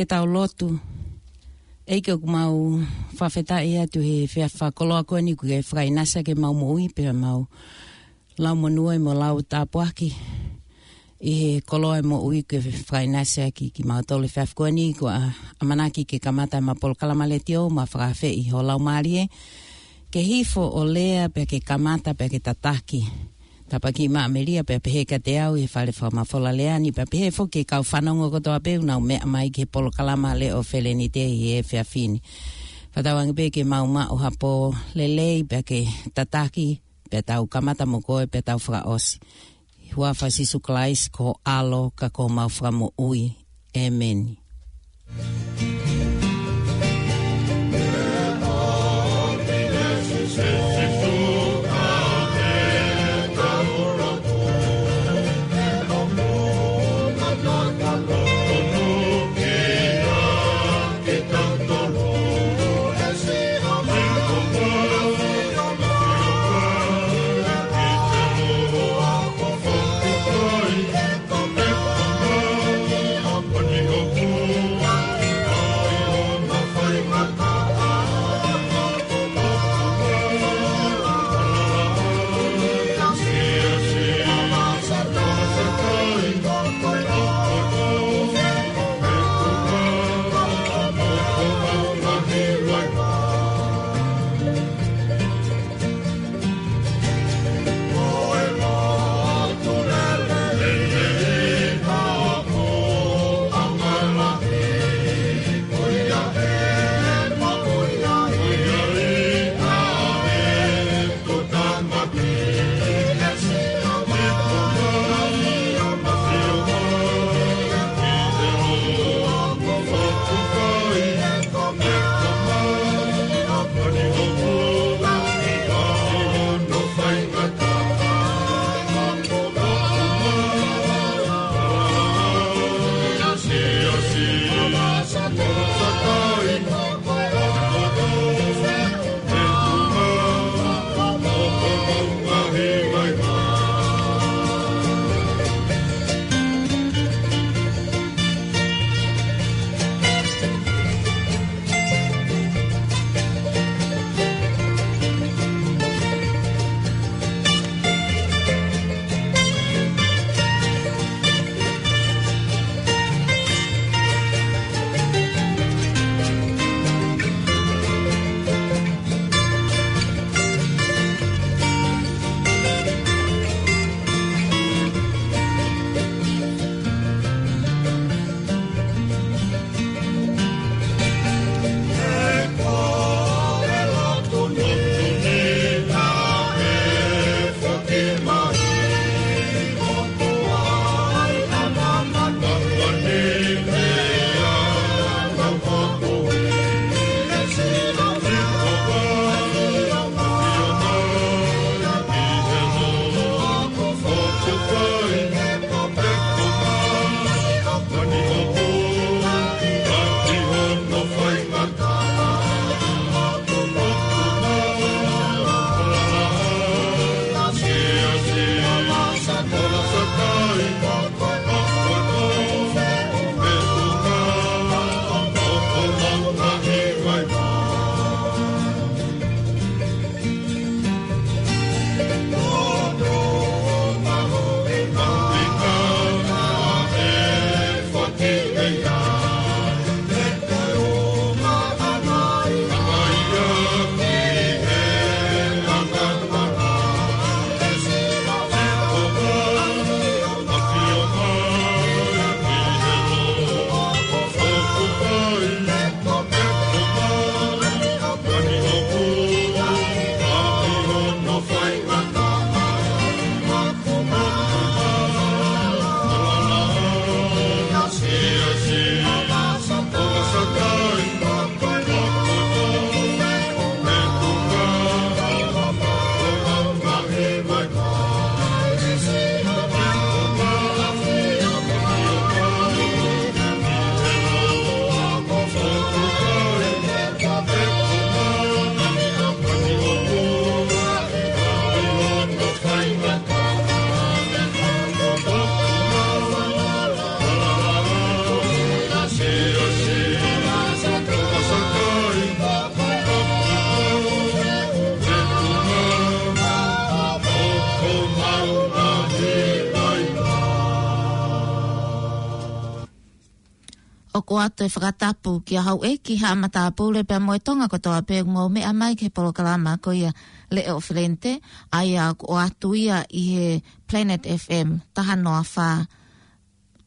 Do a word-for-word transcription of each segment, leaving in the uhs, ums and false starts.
Tau lotu. ʻEiki, ʻoku mau fakafetaʻi atu he efiafi fakakoloa ko eni kuo ke fakaʻinasi ʻaki ʻemau moʻui pea mau lau monū mo lau tāpuaki ʻi he koloa ʻo e moʻui kuo ke fakaʻinasi ʻaki kimautolu he efiafi ko eni. ʻOku ou ʻamanaki ke kamata ʻemau polokalama letiō mo fakaafeʻi ho Laumālie ke hifo ʻo lea pea ke kamata pea ke tataki. Tāpuakiʻi mai ʻa Melia pea pehē kiate au ʻi he fale fakamafola lea ni, pea pehē foki ki he kau fanongo kotoa pē ʻoku nau meʻa mai ki he polokalama Leʻo Felenite ʻi he efiafi ni. Fakatauange pē ke mau maʻu ha pō lelei pea ke tataki, pea tau kamata mo koe pea tau fakaʻosi. Huafa ʻo Sīsū Kalaisi ko ho ʻAlo ka ko homau Fakamoʻui. ʻĒmeni. ʻOku ʻoatu e fakatapu kia Houʻeiki Haʻa Matāpule pea mo e Tonga kotoa pē ʻoku mou meʻa mai ki he polokalama ko ia Leʻo Felente, ʻa ia ʻoku ʻoatu ia ʻi he Planet F M, taha noa fā,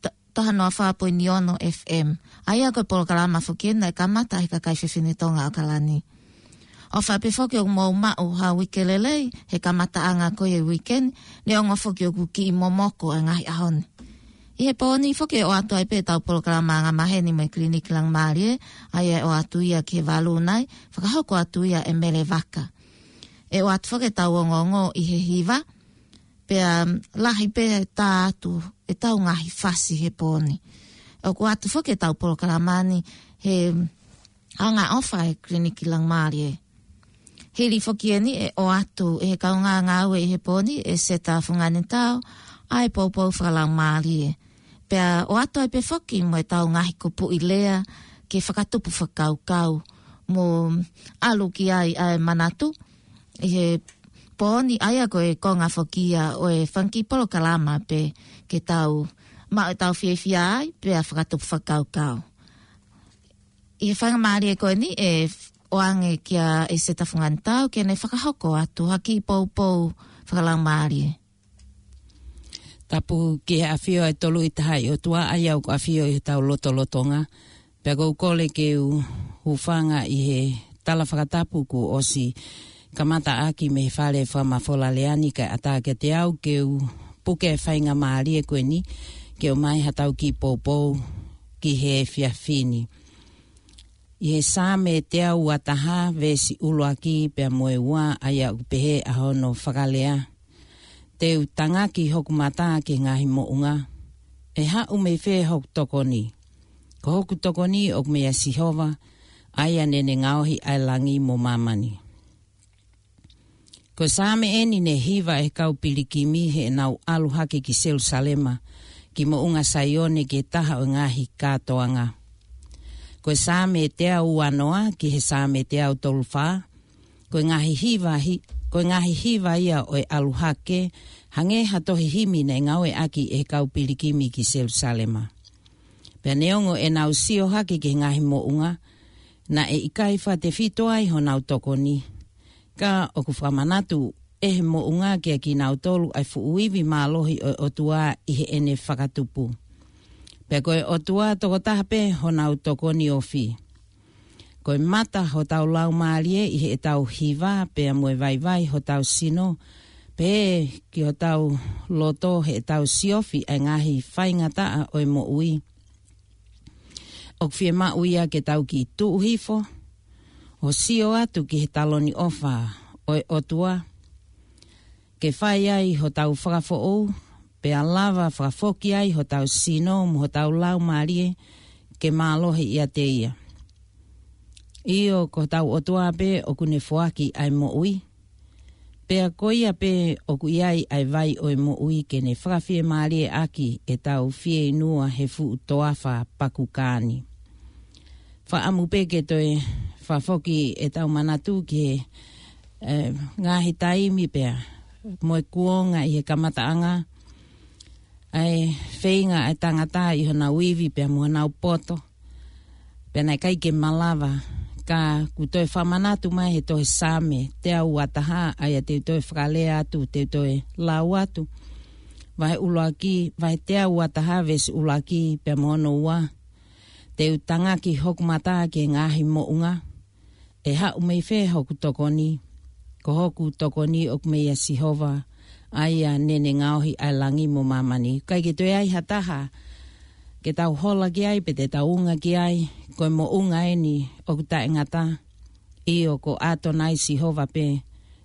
ta-, taha noa fā poini ono F M. ʻA ia ko e polokalama foki eni naʻe kamata ʻe he kakai fefine Tonga ʻAokalani. ʻOfa pē foki ʻoku mou maʻu ha uike lelei he kamataʻanga ko ia e uike ni, neongo foki ʻoku kiʻi momoko e ngaahi ʻaho ni. ʻI he pō ni foki ʻe ʻoatu ai pē ʻetau polokalama angamaheni mo e Kiliniki Laumālie, ʻa ia ʻe ʻoatu ia ki he valu nai, fakahoko atu ia ʻe Mele Vaka. ʻE ʻoatu foki ʻetau ongoongo ʻi he hiva, pea lahi pē ʻetau ʻoatu ʻetau ngaahi fasi he pō ni. ʻOku ʻoatu foki ʻetau polokalama ni he angaʻofa e Kiliniki Laumālie. Hili foki eni ʻe ʻoatu ʻe he kaungā ngāue ʻi he pō ni ʻe Seta Funganitau ʻa e poupou fakalaumālie. Pea ʻoatu ai pē foki mo ʻetau ngaahi kupuʻi lea ke fakatupu fakakaukau mo ʻalu ki ai ʻa e manatu ʻi he pō ni, ʻa ia ko e konga foki ia ʻo e fanga kiʻi polokalama pē ke tau maʻu ʻetau fiefia ai pea fakatupu fakakaukau. ʻI he faingamālie ko eni ʻe ʻoange kia ʻEseta Funganitau ke ne fakahoko atu ha kiʻi poupou fakalaumālie. Tapu ki he ʻafio ʻa e Tolu ʻi Tahaʻi ʻOtua, ʻa ia ʻoku ʻafio ʻi hotau lotolotonga. Pea ʻoku ou kole ke u hūfanga ʻi he tala fakatapu kuo ʻosi kamataʻaki mei he fale fakamafola lea ni, kae ʻatā kiate au ke u puke e faingamālie ko eni ke ʻomai haʻatau kiʻi poupou ki he efiafi ni. ʻI he Saame teau uataha, veesi ʻuluaki pea mo e ua, ʻa ia ʻoku pehē ʻa hono fakalea: Te u tangaki hoku mata ki he ngaahi moʻunga. ʻE haʻu mei fē hoku tokoni? Ko hoku tokoni ʻoku meia Sihova, ʻa ia naʻa ne ngaohi ʻa e langi mo māmani. Ko e Saame eni naʻe hiva ʻe he kau pilikimi heʻenau ʻalu hake ki Selusalema, ki Moʻunga Saione, ki he taha ʻo e ngaahi kātoanga. Ko e Saame teau uanoa ki he Saame teau tolufā, ko e ngaahi hiva hi-, ko e ngaahi hiva ia ʻo e ʻalu hake, hangē ha tohi himi naʻe ngāueʻaki ʻe he kau pilikimi ki Selusalema. Pea neongo ʻenau sio hake ki he ngaahi moʻunga, naʻe ʻikai fakatefito ai honau tokoni. Ka ʻoku fakamanatu ʻe he moʻunga kiate kinautolu ʻa e fuʻu ivi mālohi ʻo e ʻOtua ʻi heʻene fakatupu. Pea ko e ʻOtua tokotaha pē honau tokoni ofi. Ko e mata hotau laumālie ʻi heʻetau hiva, pea mo e vaivai hotau sino, pea ki hotau loto heʻetau siofi ʻa e ngaahi faingataʻa ʻo e moʻui. ʻOku fiemaʻu ia ke tau kiʻi tuʻu hifo, ʻo sio atu ki he taloni ʻofa ʻo e ʻOtua, ke fai ai hotau fakafoʻou, pea lava fakafoki ai hotau sino mo hotau laumālie ke mālohi ʻiate ia. ʻIo, ko hotau ʻOtua pē ʻoku ne foaki ʻa e moʻui. Pea ko ia pē ʻoku ʻi ai ʻa e vai ʻo e moʻui ke ne fakafiemālieʻaki ʻetau fieinua he fuʻu toafa pakukā ni. Fakaʻamu pē ke toe fakafoki ʻetau manatu ki he, eh, ngaahi taimi pea mo e kuonga ʻi he kamataʻanga, ʻa e feinga ʻa e tangata ʻi honau ivi pea mo honau poto, pea naʻe ʻikai ke malava. Ka ʻoku toe fakamanatu mai he tohi Saame teau uataha, ʻa ia te u toe fakalea atu, te u toe lau atu. Vahe ʻuluaki, vahe teau uataha, veesi ʻuluaki pea mo hono ua. Te u tangaki hoku mata ki he ngaahi moʻunga. ʻE haʻu mei fē hoku tokoni? Ko hoku tokoni ʻoku meia Sihova, ʻa ia naʻa ne ngaohi ʻa e langi mo māmani. ʻIkai ke toe ai ha taha ke tau hola ki ai pe te tau unga ki ai. Ko e moʻunga eni ʻoku taʻengata. ʻIo, ko ʻAtonai Sihova pē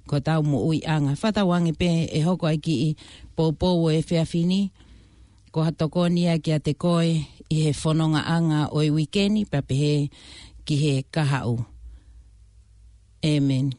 ko hotau moʻuiʻanga. Fakatauange pē ʻe hoko ʻa e kiʻi poupou ʻo e efiafi ni ko ha tokoni ia kiate koe ʻi he fonongaʻanga ʻo e uike ni pea pehē ki he kahaʻu. ʻĒmeni.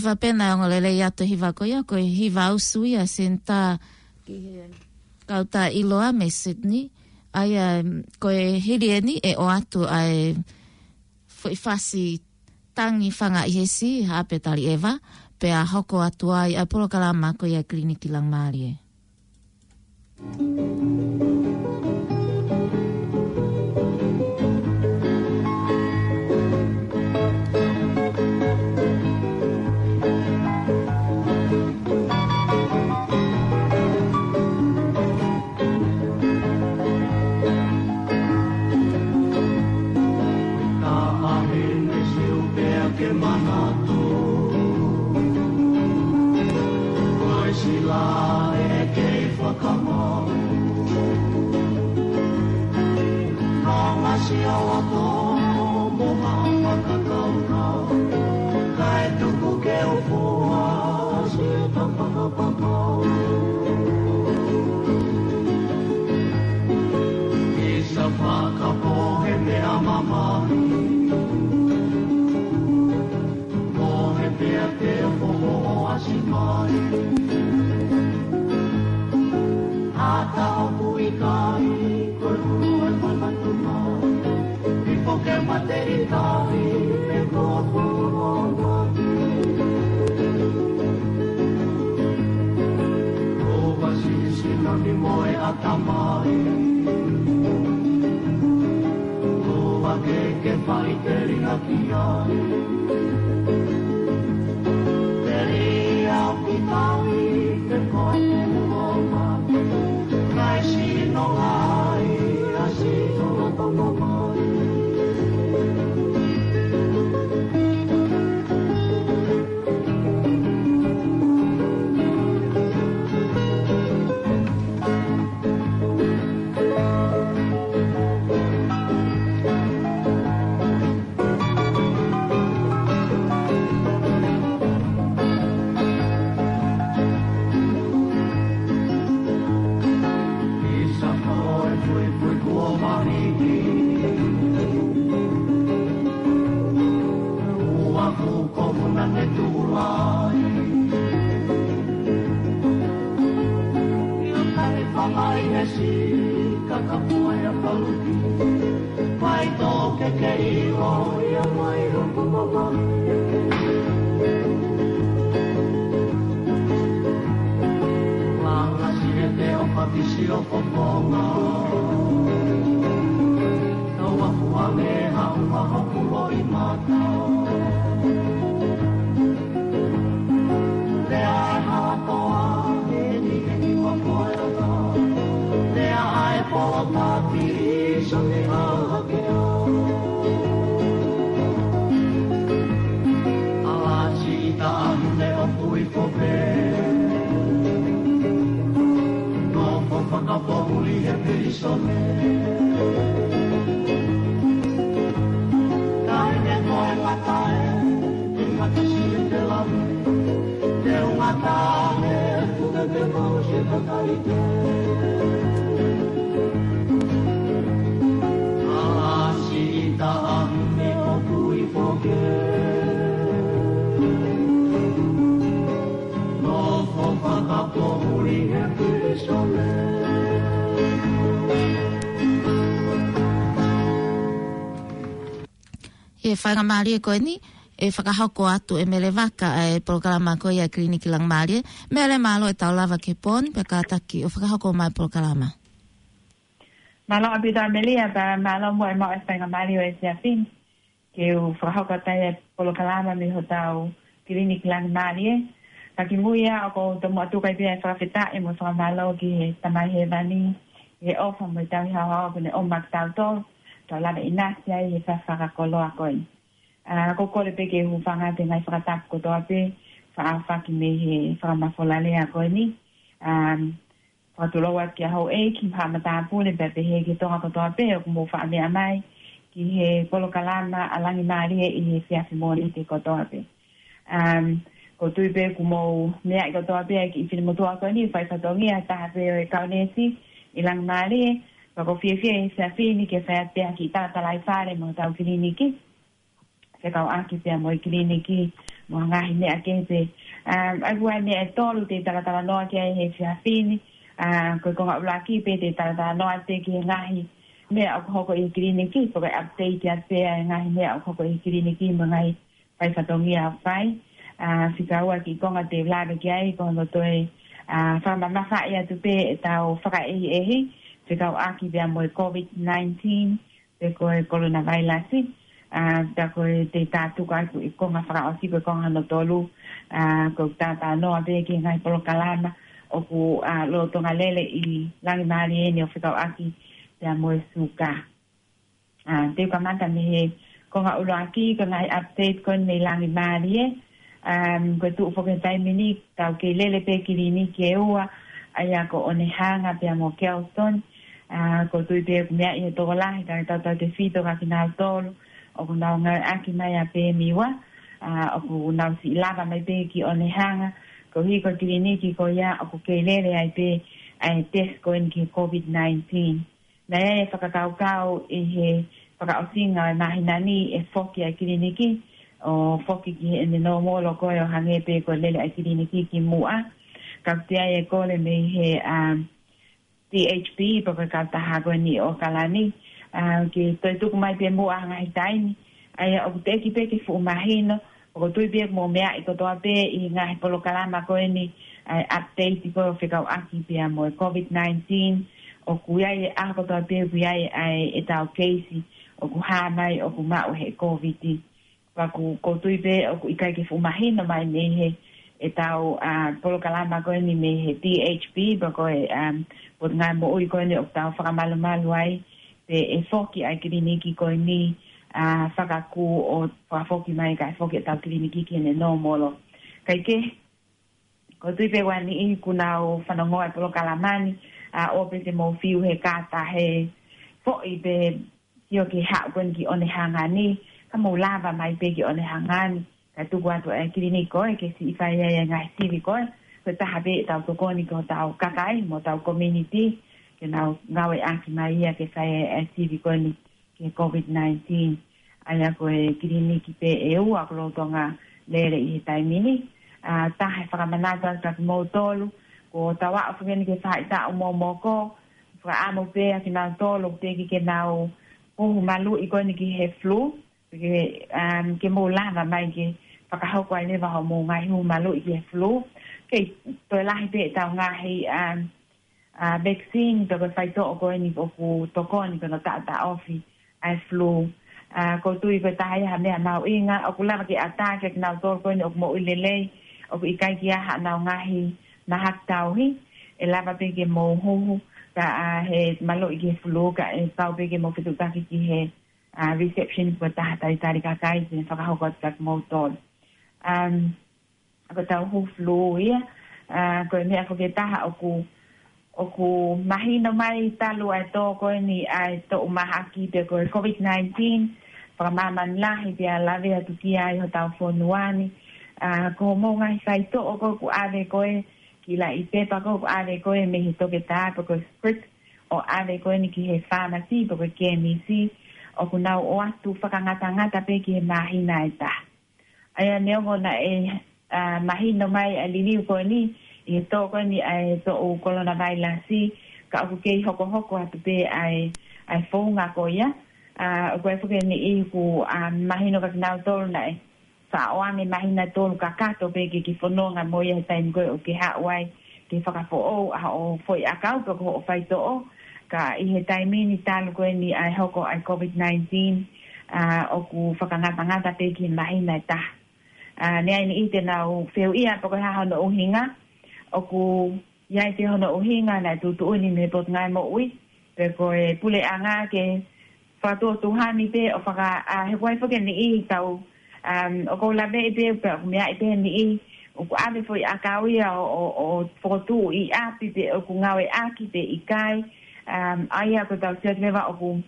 Vapena e ongoongolelei atu e hiva ko ia, ko e hiva usu ia Senitā ki he kautaha ʻiloa mei Sydney. ʻA ia, ko e hili eni ʻe ʻoatu ʻa e foʻi fasi Tangi Fanga ʻi he Sī, Haʻape Taliʻeva, pea hoko atu ai ʻa e polokalama ko ia Kiliniki Langimālie. Ka ʻahene siu pea ke manatu. Ko e sila ʻe kei fakamau. Ka ngasi a wato mo ha fakakaukau. Kae tuku ke u fua si ta fakapapau. Isa fakapohe meʻa mamahi. Pohe pea te foho ʻo ʻasi mai. Ata ʻoku ʻikai, ko e hulu e manatu mai. Ifo ke mate ʻi tahi, me ko ʻoku ʻoʻoki. Ko vasi sino ni mo e ʻatamai. Ko va ke ke fai telinga ki ai. Telia ki tahi, ke koe ke muo ma. Kai sino ai, a sino la tono mai. Isa ko e puipui kuo mahiki. Ua kuko muna ne tulai. Ia kare fangai he si, kakapua ia paluki. Mai tō ke ke ʻilo ia mai hoku mama. Langa si e te o pakisi o kokonga. Tau aku ane ha uha hoku loʻi mata. Lea e hatoa, eni, eni, wa koe ata. Lea ai polo tapi, so ni a hake o. Ala si ita ahune o kui kope. No ko fakapohuli he pilisone. Tae ne koe ngata e, e ngata si e te lave. Te ungata e, kuke ke mau se kakaike. Ala si ita ahune o kui kope. No ko fakapohuli he pilisone. ʻI he faingamālie ko eni, ʻe fakahoko atu ʻe Mele Vaka e polokalama ko ia Kiliniki Langimālie. Mele, mālō e tau lava ki he pō ni, pea kātaki ʻo fakahoko mai e polokalama. Mālō ʻaupito Amelia, pea mālō muʻa e maʻu e faingamālie ʻo e efiafi ni ke u fakahoko atu ai e polokalama mei hotau Kiliniki Langimālie. Ka kimuʻa ia ʻoku ou tomuʻa tuku ai pē ʻa e fakafetaʻi mo e fakamālō ki he Tamai Hēvani, he ʻofa mo e tauhi haohaoa kuo ne ʻomai kiate kitautolu, tau lava ʻinasi ai he efiafi fakakoloa ko eni. ʻA, ʻoku ou kole pē ke u hūfanga atu he ngaahi fakatapu kotoa pē, faʻa ʻaofaki mei he fakamafola lea ko eni. ʻA, fakatulou atu kia houʻeiki, haʻa matāpule, pea pehē ki he Tonga kotoa pē ʻoku mou faʻa meʻa mai ki he polokalama ʻa Langimālie ʻi he efiafi Mōnite kotoa pē. Um, ʻoku ou tui pē kuo mou meaʻi kotoa pē ʻa e kiʻi finemotuʻa ko eni, fai fatongia, taha pē ʻo e kau neesi ʻi Langimālie, pea ʻoku ou fiefia he efiafi ni ke fai atu pē ha kiʻi talatalaifale mo hotau kiliniki. Fekauʻaki pea mo e kiliniki mo e ngaahi meʻa kehe pē. Um, ʻa ia ko e meʻa ʻe tolu te u talatalanoa ki ai he efiafi ni, uh, ko e konga ʻuluaki pē te u talatalanoa atu ki he ngaahi meʻa ʻoku hoko ʻi he kiliniki, ko e update atu pē ʻa e ngaahi meʻa ʻoku hoko ʻi he kiliniki mo e ngaahi fai fatongia ʻoku fai. Uh, fika ua kiʻi konga te u lave ki ai, ko hono toe, uh, fakamamafaʻi atu pē ʻetau fakaʻehiʻehi, fekauʻaki pea mo e COVID nineteen, pe ko e kolonavailasi. Uh, pea ko e te u tātuku atu e konga fakaʻosi, ko e konga hono tolu, uh, ko e talatalanoa pē ki he ngaahi polokalama ʻoku, uh, lolotonga lele ʻi Langimālie ni ʻo fekauʻaki pea mo e suka. Uh, te u kamata mei he konga ʻuluaki, ko e ngaahi update ko eni mei Langimālie. Um, ko e tuʻu foki he taimi ni, tau kei lele pē kiliniki ʻe ua, ʻa ia ko ʻOnehanga pea mo Kelston. Uh, ʻoku ou tui pē ʻoku meaʻi ʻe he tokolahi, ka tau tautefito kia kinautolu ʻoku nau ngāueʻaki mai ʻa e pēmiua, uh, ʻoku nau siʻi lava mai pē ki ʻOnehanga, koeʻuhi ko e kiliniki ko ia ʻoku kei lele ai pē ʻa e test ko eni ki he COVID nineteen. Naʻe ʻi ai e fakakaukau ʻi he fakaʻosinga ʻo e māhina ni ʻe foki ʻa e kiliniki, ʻo foki ki heʻene nōmolo ko ē ʻo hangē pē ko e lele ʻa e kiliniki kimuʻa. Ka ʻoku ʻi ai e kole mei he, um, D H B, pe ko e kautaha ko eni ʻo ʻAokalani, uh, ke toe tuku mai pē muʻa ha ngaahi taimi. ʻA ia ʻoku teʻeki pē ke fuʻu mahino, ʻoku ou tui pē ʻoku mou meaʻi kotoa pē ʻi he ngaahi polokalama ko eni, ʻa e update ko ē ʻo fekauʻaki pea mo e COVID nineteen, ʻoku ʻi ai e ʻaho kotoa pē ʻoku ʻi ai ʻa e, ʻetau keisi ʻoku hā mai ʻoku maʻu he COVID. Pea ʻoku, ʻoku ou tui pē ʻoku ʻikai ke fuʻu mahino mai mei he, ʻetau, uh, polokalama ko eni mei he D H B, pe ko e, um, Potungāue Moʻui ko eni ʻoku tau fakamalumalu ai, pe ʻe foki ʻa e kiliniki ko eni, uh, fakakū ʻo fakafoki mai kae foki ʻetau kiliniki ki heʻene nōmolo. Kae kehe, ʻoku ou tui pē ʻoku ʻi ai e niʻihi ʻoku nau fanongoa e polokalama ni, uh, ʻoua pē te mou fiu he kātaki foʻi pē sio ki he haʻu ko eni ki ʻOnehanga ni, ka mou lava mai pē ki ʻOnehanga ni, kae tuku atu ʻa e kiliniki ko ē ke siʻi fai ai ʻa e ngaahi sivi ko ē, ko e taha pē ʻetau tokoni ki hotau kakai mo hotau community, ke nau ngāueʻaki mai ia ke fai ai ʻa e sivi ko eni ki he COVID nineteen. ʻA ia ko e kiliniki pē ʻe ua ʻoku lolotonga lele ʻi he taimi ni. Uh, taha e fakamanatu atu kia kimoutolu, ko ʻetau aʻu foki eni ki he faʻahitaʻu momoko, fakaʻamu pē kia kinautolu ʻoku teʻeki ke nau huhu maluʻi ko eni ki he flu, ke, um, ke mou lava mai ke fakahoko ai leva hoʻomou ngaahi huhu maluʻi ki he flu. Kei toe lahi pē ʻetau ngaahi, um, uh, vaccine pe ko e faitoʻo ko eni ʻoku tokoni ki hono taʻotaʻofi ʻa e flu. Uh, ʻoku ou tui ko e taha ia ha meʻa mahuʻinga, ʻoku lava ke ʻatā kia kinautolu ko eni ʻoku moʻui lelei, ʻoku ʻikai ke ʻi ai haʻanau ngaahi mahaki tauhi, ʻe lava pē ke mou huhu, ka, uh, he maluʻi ki he flu, kae pau pē ke mou fetuʻutaki ki he, uh, reception pe ko e taha talitali kakai, ke fakahoko atu kia kimoutolu. Um, ko ʻetau huhu flu ia, uh, ko e meʻa foki ʻe taha ʻoku, ʻoku mahino mai talu ʻa e tō ko eni ʻa e toʻu mahaki pe ko e COVID nineteen, fakamāmani lahi pea lave atu ki ai hotau fonua ni. Uh, ko hoʻomou ngaahi faitoʻo ko ē ʻoku ʻave ko ē, kiʻi laʻi pepa ko ē ʻoku ʻave ko ē mei he toketā pe ko e script, ʻo ʻave ko eni ki he pharmacy pe ko e kemisi, ʻoku nau ʻoatu fakangatangata pē ki he māhina ʻe taha. ʻA ia neongo naʻe, uh, mahino mai ʻa e liliu ko eni, ʻi he tō ko eni ʻa e toʻu kolonavailasi, ka ʻoku kei hokohoko atu pē ʻa e, ʻa e founga ko ia. Uh, ʻoku ʻi ai foki e niʻihi ʻoku, uh, mahino kia kinautolu naʻe faʻa ʻoange māhina ʻe tolu kakato pē ke ke fononga mo ia he taimi ko ē ʻoku ke haʻu ai ke fakafoʻou ʻa hoʻo foʻi ʻakau pe ko hoʻo faitoʻo. Ka ʻi he taimi ni talu ko eni ʻa e hoko ʻa e COVID nineteen, uh, ʻoku fakangatangata pē ki he māhina ʻe taha. Uh, naʻe ʻi ai e niʻihi te nau fehuʻia pe ko e hā hono ʻuhinga, ʻoku ʻi ai pē hono ʻuhinga naʻe tuʻutuʻuni mei he Potungāue Moʻui pe ko e puleʻanga ke fakatuʻotuʻuni pē ʻo faka-, uh, he ʻoku ʻi ai foki e niʻihi tau, um, ʻoku ou laveʻi pē pe ʻoku meaʻi pē e niʻihi ʻoku ʻave foʻi ʻakau ia ʻo, ʻo, ʻo fokotuʻu ʻi ʻapi pe ʻoku ngāueʻaki pe ʻikai. Um, ʻa ia ʻoku tau sio atu leva ʻoku,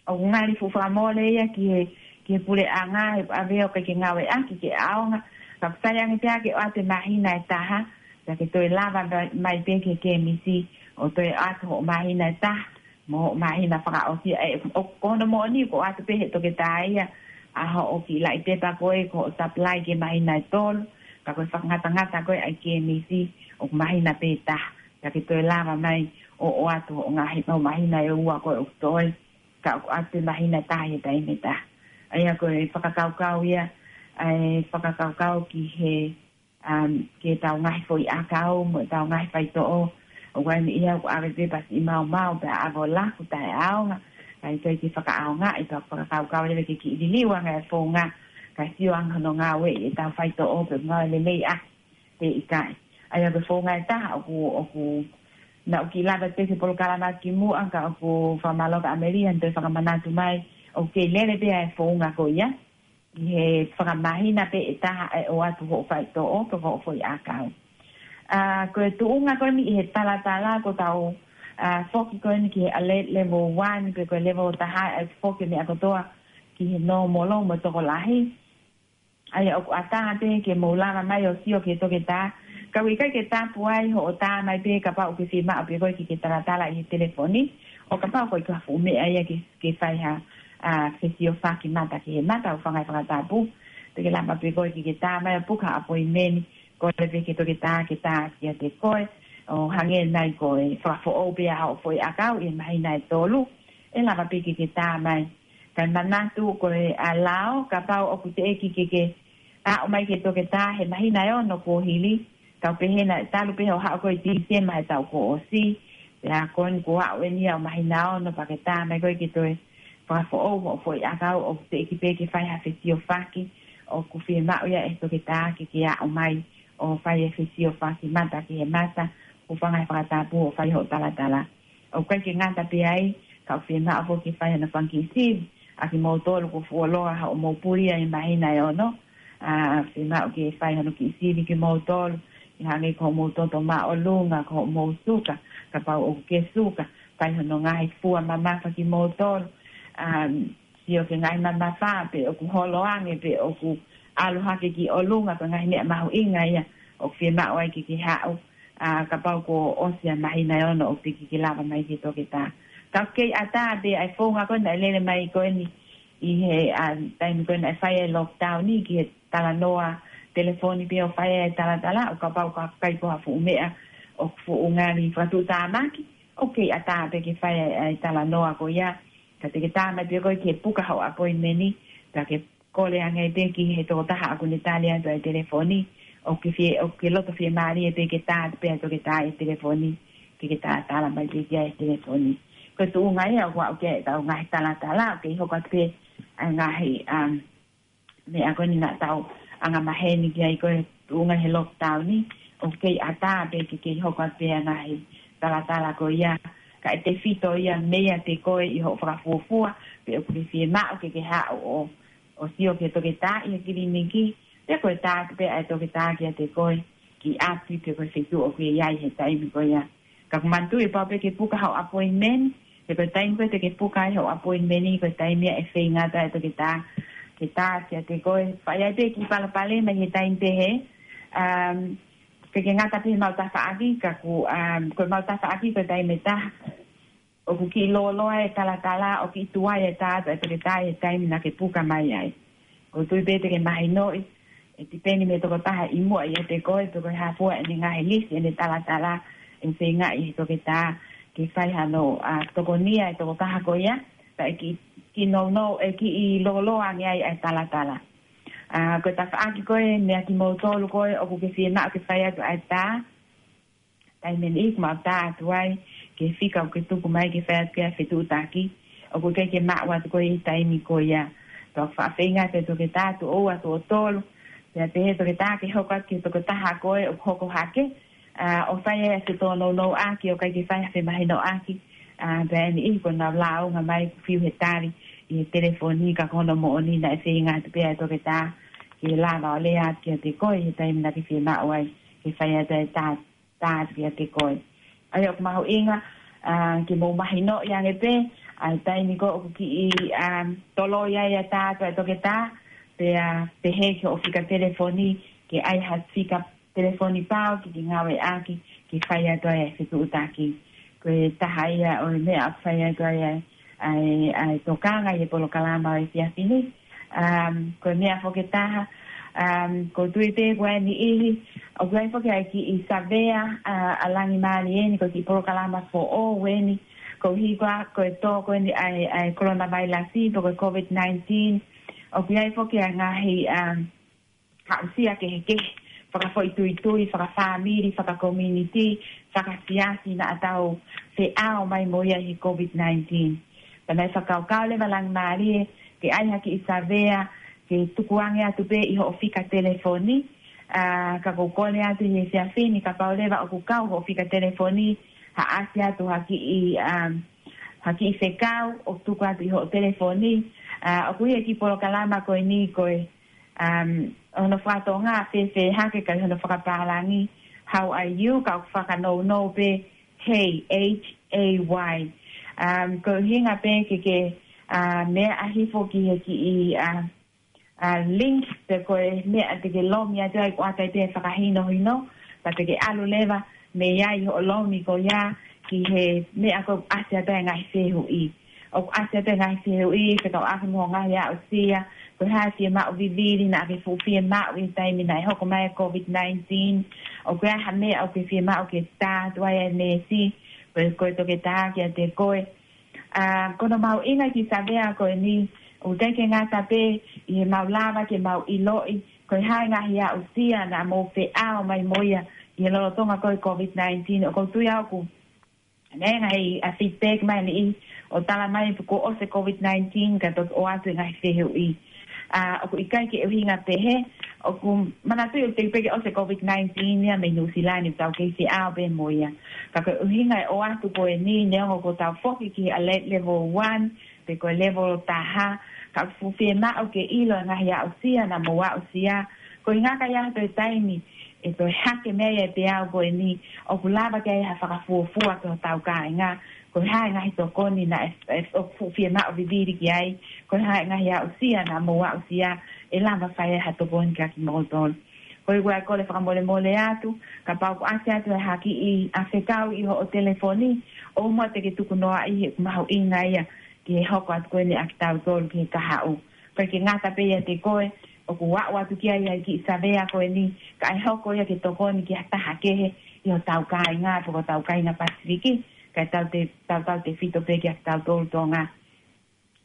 ʻoku ngali fuʻu fakamole ia ki he, ki he puleʻanga, he ʻave ʻo ʻikai ke ngāueʻaki ke ʻaonga. Ka ʻoku sai ange pē ke ʻoatu e māhina ʻe taha, pea ke toe lava mai, mai pē ki he kemisi ʻo toe ʻoatu hoʻo māhina ʻe taha mo hoʻo māhina fakaʻosi. ʻE, ʻo, ko hono moʻoni ʻoku ʻoatu pē he toketā ia, ʻa hoʻo kiʻi laʻi pepa ko ē ko hoʻo supply ki he māhina ʻe tolu, ka ko e fakangatangata ko ē ʻa e kēmisi ʻoku māhina pē taha. Pea ke toe lava mai ʻo ʻoatu hoʻo ngaahi, hoʻo māhina ʻe ua ko ē ʻoku toe, ka ʻoku ʻoatu pē māhina ʻe taha he taimi ʻe taha. ʻA ia ko e fakakaukau ia, ʻa e fakakaukau ki he, um, ki heʻetau ngaahi foʻi ʻakau mo ʻetau ngaahi faitoʻo. ʻOku ʻi ai e meʻa ia ʻoku ʻave pē pasi ʻi maumau pea ʻave ʻo laku taʻeʻaonga. Kae ʻikai ke fakaʻaongaʻi, pea fakakaukau leva ke kiʻi liliu ange e founga, kae sio ange hono ngāueʻi ʻetau faitoʻo pe ngāue lelei ʻaki pe ʻikai. ʻA ia ko e founga ʻe taha ʻoku, ʻoku, naʻa ku kiʻi lave pē ki he polokalama kimuʻa ka ʻoku fakamālō kia ʻAmelia, toe fakamanatu mai, ʻoku kei lele pē ʻa e founga ko ia ʻi he fakamāhina pē ʻe taha ʻe ʻoatu hoʻo faitoʻo pe ko hoʻo foʻi ʻakau. ʻA, ko e tuʻunga ko eni ʻi he talatala ko ʻetau, ʻa, foki ko eni ki he alert level one pe ko e level taha ʻe foki meʻa kotoa ki he normal mo e tokolahi. ʻA ia ʻoku ʻatā pē ke mou lava mai ʻo sio ki he toketā. Ka ʻoku ʻikai ke tapu ai hoʻo tā mai pē kapau ʻoku ke fiemaʻu pē koe ke ke talatala ʻi he telefoni. ʻO kapau ʻoku ʻikai ko ha fuʻu meʻa ia ke, ke fai ha, ʻa, fesiofaki mata ki he mata ʻoku fanga e fakatapu. Te ke lava pē koe ke ke tā mai ʻo puka appointment. Ko e pē ki he toketā ke tā kiate koe. ʻO hangē nai ko e fakafoʻou pē ʻa hoʻo foʻi ʻakau ʻi he māhina ʻe tolu. ʻE lava pē ke ke tā mai. Kae manatu ko e ʻa lao, kapau ʻoku teʻeki ke ke aʻu mai ki he toketā he māhina ʻe ono kuo hili, kau pehē naʻe talu pē hoʻo haʻu ko ē ʻi Tīsema he taʻu kuo ʻosi, pea ko eni kuo aʻu eni ia ʻo māhina ono pea ke tā mai koe ke toe fakafoʻou hoʻo foʻi ʻakau ʻoku teʻeki pē ke fai ha fesiofaki, ʻoku fiemaʻu ia ʻe he toketā ke ke aʻu mai ʻo fai e fesiofaki mata ki he mata, ʻoku fanga e fakatapu ʻo fai hoʻo talatala. ʻOku ʻikai ke ngata pē ai, ka ʻoku fiemaʻu foki ke fai hano fanga kiʻi sivi, ʻa kimoutolu kuo fuoloa hoʻomou puli ʻi he māhina ʻe ono, ʻa, fiemaʻu ke fai hano kiʻi sivi kimoutolu, ʻi hangē ko hoʻomou toto māʻolunga, ko hoʻomou suka, kapau ʻoku ke suka, fai hano ngaahi fua mamafa kimoutolu, ʻa, sio ki he ngaahi mamafa, pe ʻoku holo ange, pe ʻoku ʻalu hake ki ʻolunga, ko e ngaahi meʻa mahuʻinga ia, ʻoku fiemaʻu ai ke ke haʻu, ʻa, kapau kuo ʻosi ʻa e māhina ʻe ono ʻoku teʻeki ke lava mai ki he toketā. Ka ʻoku kei ʻatā pē ʻa e founga ko ē naʻe lele mai ko eni ʻi he, ʻa, taimi ko ē naʻe fai e lockdown ni ki he talanoa telefoni pē ʻo fai e talatala, ʻo kapau ʻoku ʻikai ko ha fuʻu meʻa ʻoku fuʻu ngali fakatuʻutāmaki, ʻoku kei ʻatā pē ke fai e, e talanoa ko ia, ka te ke tā mai pē koe ke puka hoʻo appointment ni, pea ke kole ange pē ki he tokotaha ʻoku ne tali atu ʻa e telefoni, ʻoku ke fie, ʻoku ke loto fiemālie pē ke tā atu pē ʻa e toketā ʻi he telefoni, ke ke talatala mai pē ki ai ʻi he telefoni. Ko e tuʻunga ia ʻoku aʻu ki ai ʻetau ngaahi talatala, ʻoku kei hoko atu pē ʻa e ngaahi, um, meʻa ko eni naʻa tau angamaheni ki ai ko e tuʻunga he lockdown ni, ʻoku kei ʻatā pē ke kei hoko atu pē ʻa e ngaahi talatala ko ia, kae tefito ia meiate koe ʻi hoʻo fakafuofua, pe ʻoku ke fiemaʻu ke ke haʻu ʻo ʻo sio ki he toketā ʻi he kiliniki, pea ko e tā atu pē ʻa e toketā kiate koe, ki ʻapi pe ko e feituʻu ʻoku ke ʻi ai he taimi ko ia. Ka ʻoku manatuʻi pau pē ke puka hoʻo appointment, pe ko e taimi ko ē te ke puka ai hoʻo appointment ni, ko e taimi ia ʻe feinga atu ai e toketā ke tā kiate koe. Fai ai pē kiʻi palopalema ʻi he taimi pehē, um, ke ke ngata pē he mau tafaʻaki, ka ʻoku, um, ko e mau tafaʻaki ko e taimi ʻe taha ʻoku kiʻi lōloa e talatala, ʻoku kiʻi tuai e tā atu ʻa e toketā ʻi he taimi naʻa ke puka mai ai. ʻOku ou tui pē te ke mahinoʻi, ʻe tipeni mei he tokotaha ʻi muʻa ʻiate koe, pe ko e hā fua ʻene ngaahi lisi ʻene talatala ʻe feingaʻi ʻe he toketā ke fai hano, ʻa, tokonia e tokotaha ko ia, pea ʻe kiʻi, kiʻi nounou, ʻe kiʻi lōloa ange ai ʻa e talatala. ʻA, ko e tafaʻaki ko ē, meia kimoutolu ko ē ʻoku ke fiemaʻu ke fai atu ʻa e tā, taimi ʻe niʻihi ʻoku mau tā atu ai ki he fika ʻoku ke tuku mai ke fai atu ki ai e fetuʻutaki, ʻoku ʻikai ke maʻu atu koe ʻi he taimi ko ia. Pea ʻoku faʻa feinga atu e toketā tuʻo ua, tuʻo tolu, pea pehē toketā ke hoko atu ki he tokotaha ko ē ʻoku hoko hake, ʻa, ʻo fai ai e fetōnounouʻaki, ʻo ʻikai ke fai ha femahinoʻaki, ʻa, pea ʻe niʻihi kuo nau lāunga mai ʻoku fiu he tali ʻi he telefoni, ka ko hono moʻoni naʻe feinga atu pē ʻa e toketā ke lava ʻo lea atu kiate koe ʻi he taimi naʻa ke fiemaʻu ai ke fai atu e tā tā atu kiate koe. ʻA ia ʻoku mahuʻinga, ʻa, ke mou mahinoʻi ange pē ʻa e taimi ko ē ʻoku kiʻi, ʻa, toloi ai ʻa e tā atu ʻa e toketā, pea pehē ki hoʻo fika telefoni, ke ʻai ha fika telefoni pau ke ke ngāueʻaki ke fai atu ai e fetuʻutaki. Ko e taha ia ʻo e meʻa ʻoku fai atu ai ʻa e, ʻa e, ʻa e tokanga ʻi he polokalama ʻo e efiafi ni, Um, ko e meʻa foki ʻe taha, um, ʻoku ou tui pē ko e niʻihi, ʻoku ʻi ai foki ʻa e kiʻi savea, uh, ʻa Langi Mālie ni, ko e kiʻi polokalama foʻou eni, koeʻuhi ko e, ko e tō ko eni ʻa e, ʻa e coronavirus, pe ko e COVID nineteen, ʻoku ʻi ai foki ʻa e ngaahi, um, aʻusia kehekehe, fakafoʻituitui, fakafāmili, fakakominiti, fakasiasi naʻa tau feʻao mai mo ia he COVID nineteen. Pea naʻe fakakaukau leva Langi Mālie ke ʻai ha kiʻi savea, ke tukuange atu pē ʻi hoʻo fika telefoni, a, ka ʻoku ou kole atu he efiafi ni kapau leva ʻoku kau hoʻo fika telefoni, ha ʻasi atu ha kiʻi, um, ha kiʻi fekau ʻoku tuku atu ʻi hoʻo telefoni, a, ʻoku ʻi ai e kiʻi polokalama ko eni ko e, um, hono fakatonga fēfē hake ka ʻi hono fakapālangi, how are you, ka ʻoku fakanounou pē, hey, H A Y. Um, ko e ʻuhinga pē ke ke, uh, meʻa hifo ki he kiʻi, uh, uh, link, pe ko e meʻa te ke lomi atu ai, ʻoku ʻoatu ai pē fakahinohino, pea te ke ʻalu leva mei ai hoʻo lomi ko ia ki he meʻa ko ē ʻoku ʻasi atu ai e ngaahi fehuʻi. ʻOku ʻasi atu e ngaahi fehuʻi fekauʻaki mo e ngaahi aʻusia, ko e hā e fiemaʻu vivili naʻa ke fuʻu fiemaʻu ʻi he taimi naʻe hoko mai e COVID nineteen, ʻoku ʻi ai ha meʻa ʻoku ke fiemaʻu ke tā atu ai e meesi, ko e, ko e toketā kiate koe. A, ko hono mahuʻinga e kiʻi savea ko eni, ʻoku ʻikai ke ngata pē ʻi heʻemau lava ke mau ʻiloʻi ko e hā e ngaahi aʻusia naʻa mou feʻao mai mo ia ʻi he lolotonga ko e COVID nineteen, ʻoku ou tui au ʻoku ʻi ai e ngaahi, a, feedback mai ʻa e niʻihi ʻo tala mai pe kuo ʻosi e COVID nineteen ka toki ʻoatu e ngaahi fehuʻi. A, ʻoku ʻikai ke ʻuhinga pehē, ʻoku ou manatuʻi ʻoku teʻeki pē ke ʻosi e COVID nineteen ia mei Nuʻusila ni, ʻoku tau kei feʻao pē mo ia. Ka ko e ʻuhinga e ʻoatu ko eni, neongo kuo tau foki ki he alert level one, pe ko e level taha, ka ʻoku fuʻu fiemaʻu ke ʻilo e ngaahi aʻusia naʻa mou aʻusia, koeʻuhi ka ʻi ai ha toe taimi ʻe toe hake mai e peau ko eni, ʻoku lava ke ʻi ai ha fakafuofua ki hotau kāinga, ko e hā e ngaahi tokoni naʻe, ʻe, ʻoku fuʻu fiemaʻu vivili ki ai, ko e hā e ngaahi aʻusia naʻa mou aʻusia, ʻe lava fai ai ha tokoni kiate kimoutolu. Ko ia ʻoku ou kole fakamolemole atu, kapau ʻoku ʻasi atu ha kiʻi, a, fekau ʻi hoʻo telefoni, ʻoua muʻa te ke tukunoaʻi, he ʻoku mahuʻinga ia ki he hoko atu ko eni ʻa kitautolu ki he kahaʻu. ʻIkai ke ngata pē ʻiate koe ʻoku aʻu atu ki ai ʻa e kiʻi savea ko eni, ka ʻe hoko ia ke tokoni ki ha taha kehe ʻi hotau kāinga, pe ko hotau kāinga Pasifiki, kae tau te, tau, tautefito pē kia kitautolu Tonga.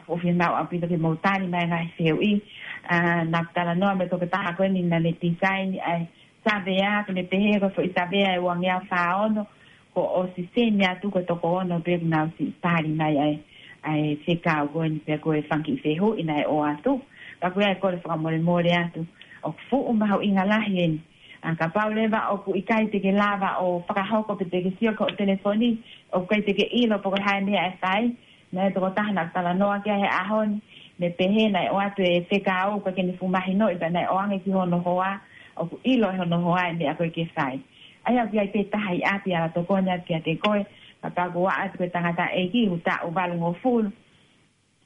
ʻOku ou fiemaʻu ʻaupito ke mou tali mai e ngaahi fehuʻi. A, naʻa ku talanoa mo e tokotaha ko eni naʻa ne design ʻa e savea, pea ne pehē ko e foʻi savea ʻe uangeau fā ono, kuo ʻosi send atu ko e toko ono pē kuo nau siʻi tali mai ʻa e, ʻa e fekau ko eni pe ko e fanga kiʻi fehuʻi naʻe ʻoatu. Ka ʻoku ou kole fakamolemole atu, ʻoku fuʻu mahuʻinga lahi eni. A, kapau leva ʻoku ʻikai te ke lava ʻo fakahoko pe te ke sio ki hoʻo telefoni, ʻoku ʻikai te ke ʻilo pe ko e hā e meʻa ʻe fai, naʻe tokotaha naʻa ku talanoa ki ai he ʻaho ni, ne pehē naʻe ʻoatu e fekau kae ʻikai ke ne fuʻu mahinoʻi pea naʻe ʻoange ki hono hoa, ʻoku ʻilo ʻe hono hoa e meʻa ko ē ke fai. ʻA ia ʻoku ʻi ai pē taha ʻi ʻapi ʻe ala tokoni atu kiate koe, kapau ʻoku ʻaʻatu ko e tangataʻeiki ʻoku taʻu valungofulu.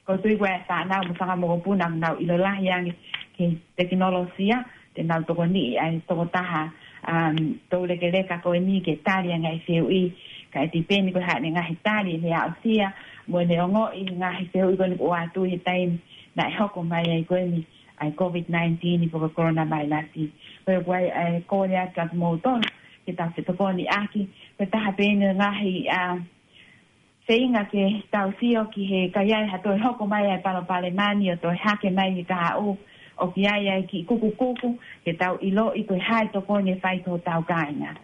ʻOku ou tui ko e fānau mo e fanga mokopuna ʻoku nau ʻilo lahi ange ki he tekinolosia, te nau tokoniʻi ʻa e tokotaha, um, toulekeleka ko eni ke tali ʻa e ngaahi fehuʻi, kae tipeni ko e hā ʻene ngaahi tali ʻi he aʻusia, mo ʻene ongoʻi e ngaahi fehuʻi ko eni kuo ʻoatu ʻi he taimi naʻe hoko mai ai ko eni ʻa e COVID nineteen pe ko e coronavirus. Ko ia ʻoku ou kole atu kiate kimoutolu ke tau fetokoniʻaki, ko e taha pē eni e ngaahi, a, feinga ke tau sio ki he ka ʻi ai ha toe hoko mai ʻa e palopalema ni ʻo toe hake mai ki he kahaʻu, ʻoku ʻi ai ʻa e kiʻi kukukuku ke tau ʻiloʻi ko e hā e tokoni ʻe fai ki hotau kāinga.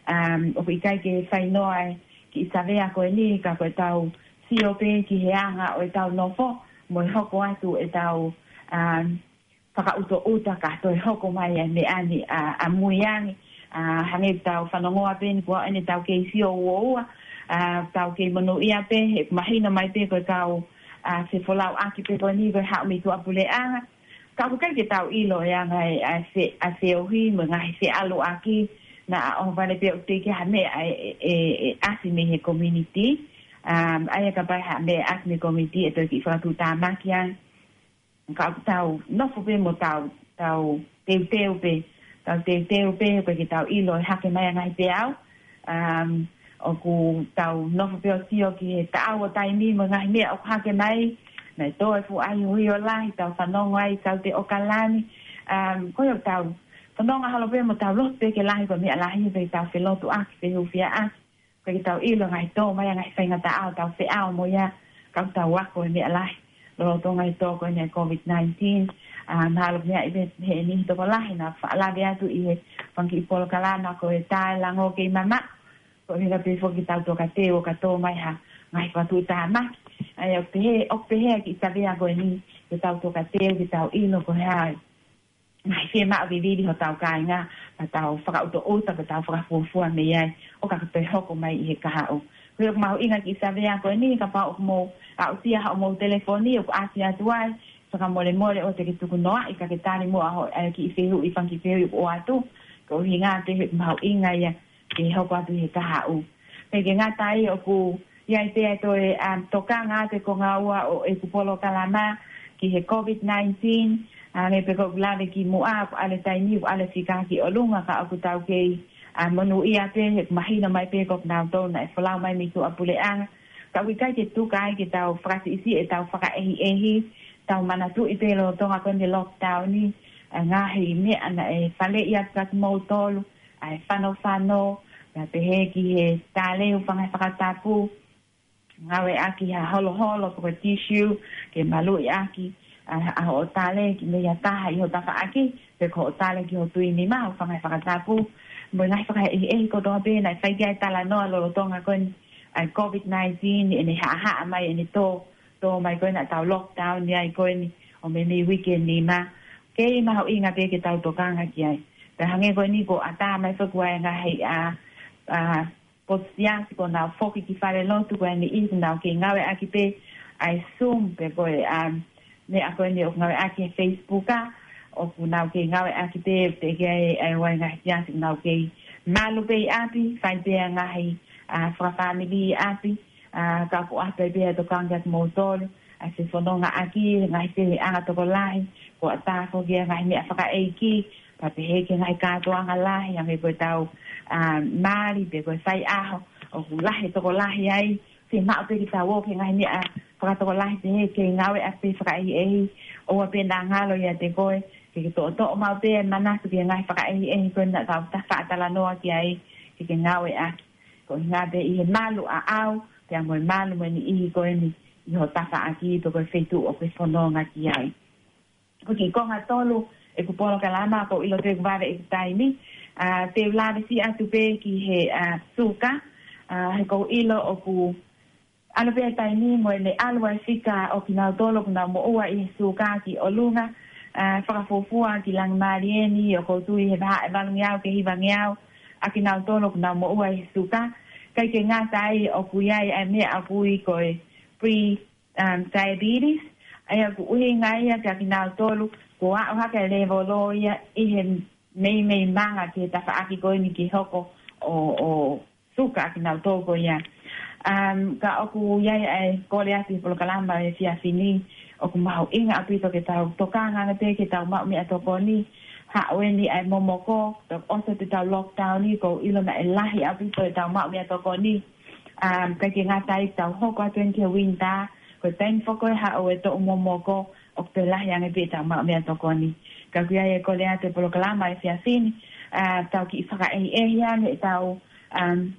Um, ʻoku ʻikai ke fai noa e kiʻi savea ko eni ka ko ʻetau sio pē ki he anga ʻo ʻetau nofo, mo e hoko atu ʻetau, um, fakaʻutoʻuta ka toe hoko mai ʻa e meʻa ni ʻa, ʻamui ange, a, hangē ʻoku tau fanongoa pē eni kuo ʻosi eni ʻetau kei sio uoua, a, tau kei monūʻia pē, he mahino mai pē ko e kau, a, fefolauʻaki pē ko eni ko e haʻu mei tuʻapuleʻanga. Ka ʻoku ʻikai ke tau ʻilo e anga e, ʻa e fe-, ʻa e feohi mo e ngaahi feʻaluʻaki, naʻa ʻohovale pē ʻoku teʻeki ha meʻa ʻe, ʻe, ʻe, ʻe ʻasi mei he community. Um, ʻa ia kapau ʻe ʻi ai ha meʻa ʻasi mei he community ʻe toe kiʻi fakatuʻutāmaki ange. Ka ʻoku tau nofo pē mo tau, tau teuteu pē, tau teuteu pē, ʻoku ʻikai ke tau ʻilo e hake mai ʻa e ngaahi peau. Um, ʻoku tau nofo pē ʻo sio ki he taʻau ʻo taimi mo e ngaahi meʻa ʻoku hake mai, Naʻe tō e fuʻu ʻahiʻahi ʻo lahi, tau fanongo ai, tau te ʻOkalani. Um, ko ia tau fanongo holo pē mo tau lotu pē ke lahi ko e meʻa lahi pē tau felotuʻaki, fehufiaʻaki. Ko e ke tau ʻilo ngaahi tō mai ʻa e ngaahi faingataʻa ʻo tau feʻao mo ia, ka tau ako e meʻa lahi. Lolotonga e tō ko eni e COVID nineteen, a, mahalo meʻa ʻi he, he niʻihi tokolahi naʻa faʻa lave atu ʻi he fanga kiʻi polokalama ko e Tae Lango Kei Mamaʻo. Ko e ʻuhinga pē foki tau toka teu ʻo ka tō mai ha ngaahi fakatuʻutāmaki. ʻA ia ʻoku pehē, ʻoku pehē kiʻi savea ko eni, ke tau toka teu, ke tau ʻilo ko e hā e ngaahi fiemaʻu vivili hotau kāinga, ka tau fakaʻutoʻuta, ka tau fakafuofua mei ai, ʻo ka toe hoko mai ʻi he kahaʻu. Ko ia ʻoku mahuʻinga kiʻi savea ko eni, kapau ʻoku mou aʻusia haʻamou telefoni, ʻoku ʻasi atu ai, fakamolemole ʻoua te ke tuku noaʻi, ka ke tali muʻa hoʻo, e, kiʻi fehuʻi, fanga kiʻi fehuʻi ʻoku ʻoatu, ko e ʻuhinga pē he mahuʻinga ia ke hoko atu he kahaʻu. Pea ʻikai ke ngata ai ʻoku ʻi ai pē ʻa e toe, um, tokanga atu e konga ua ʻo ʻeku polokalama ki he COVID nineteen, a, hangē pē ko ʻeku lave kimuʻa, ʻoku ʻalu e taimi, ʻoku ʻalu e fika ki ʻolunga ka ʻoku tau kei, a, monūʻia pē he ʻoku mahino mai pē ko kinautolu naʻe folau mai mei tuʻapuleʻanga. Ka ʻoku ʻikai ke tuku ai ke tau fakasiʻisiʻi ʻetau fakaʻehiʻehi, tau manatuʻi pē lolotonga ko eni e lockdown ni, ʻa e ngaahi meʻa naʻe faleʻi atu kia kimoutolu, ʻa e fanofano, pea pehē ki he tāleu fanga fakatapu, ngāueʻaki ha holoholo pe ko e tissue, ke maluʻi ʻaki, ʻa, ʻa hoʻo tale ki mei ha taha ʻi ho tafaʻaki, pe ko hoʻo tale ki ho tuʻi nima, ʻo fanga fakatapu, mo e ngaahi fakaʻehiʻehi kotoa pē naʻe fai ki ai e talanoa lolotonga ko eni, ʻa e COVID nineteen, ʻene haʻahaʻa mai, ʻene tō, tō mai ko eni ʻetau lockdown ni ai ko eni, ʻo meimei uike nima. Kei mahuʻinga pē ke tau tokanga ki ai. Pea hangē ko eni kuo ʻatā mai foki ʻa e ngaahi, a, a, potu siasi kuo nau foki ki falelotu ko eni ʻi he nau kei ngāueʻaki pē ʻa e Zoom pe ko e, um, meʻa ko eni ʻoku ngāueʻaki he Facebook a, ʻoku nau kei ngāueʻaki pē teʻeki ai ʻa e ngaahi siasi ʻoku nau kei malu pē ʻi ʻapi, fai pē ʻa e ngaahi, a, fakafāmili ʻi ʻapi, a, ka ʻoku ʻasi pē ʻa e tokanga kia kimoutolu, ʻa e fefonongaʻaki, ngaahi feohiʻanga tokolahi, kuo ʻatā foki ʻa e ngaahi meʻa fakaʻeiki, pea pehē ki he ngaahi kātoanga lahi, hangē ko ʻetau, a, mali, pe ko e faiʻaho, ʻoku lahi e tokolahi ai, fiemaʻu pē ke tau ō ki he ngaahi meʻa fakatokolahi pehē ke ngāueʻaki pē fakaʻehiʻehi, ʻoua pē naʻa ngalo ʻiate koe, ke ke toʻotoʻo maʻu pē e manatu ki he ngaahi fakaʻehiʻehi ko ē naʻa tau ta faʻa talanoa ki ai, ke ke ngāueʻaki. Ko e ʻuhinga pē ʻi he malu ʻaʻau, pea mo e malu mo e niʻihi ko eni ʻi ho tafaʻaki pe ko e feituʻu ʻoku ke fononga ki ai. Ko e kiʻi konga tolu ʻeku polokalama, ʻoku ou ʻilo pē ʻoku vave ʻeku taimi, a, te u lave siʻi atu pē ki he, a, suka, a, he ʻoku ou ʻilo ʻoku ʻalu pē ʻa e taimi mo ʻene ʻalu ʻa e fika ʻo kinautolu ʻoku nau moʻua ʻi he suka ki ʻolunga, a, fakafuofua ki Langimālie ni ʻoku ou tui he vahaʻa ʻe valungeau ki he hivangeau ʻa kinautolu ʻoku nau moʻua ʻi he suka. ʻIkai ke ngata ai ʻoku ʻi ai ʻa e meʻa ʻoku ui ko e pre, um, diabetes. ʻA ia ʻoku ʻuhinga ia kia kinautolu kuo aʻu hake e lēvolo ia ʻi he meimei manga ki he tafaʻaki ko eni ke hoko ʻo, ʻo suka ʻa kinautolu ko ia. Um, ka ʻoku ʻi ai ʻa e kole atu he polokalama he efiafi ni, ʻoku mahuʻinga ʻaupito ke tau tokanga ange pē ke tau maʻu meʻatokoni, haʻu eni ʻa e momoko, toki ʻosi atu ʻetau lockdown ni, ʻoku ou ʻilo naʻe lahi ʻaupito ʻetau maʻu meʻatokoni. Um, ʻikai ke ngata ai tau hoko atu eni ki he winter, ko e taimi foki ʻe haʻu e toʻu momoko, ʻoku toe lahi ange pē ʻetau maʻu meʻatokoni. Ka ʻoku ʻi ai e kole atu he polokalama he efiafi ni, a, tau kiʻi fakaʻehiʻehi ange ʻetau, um,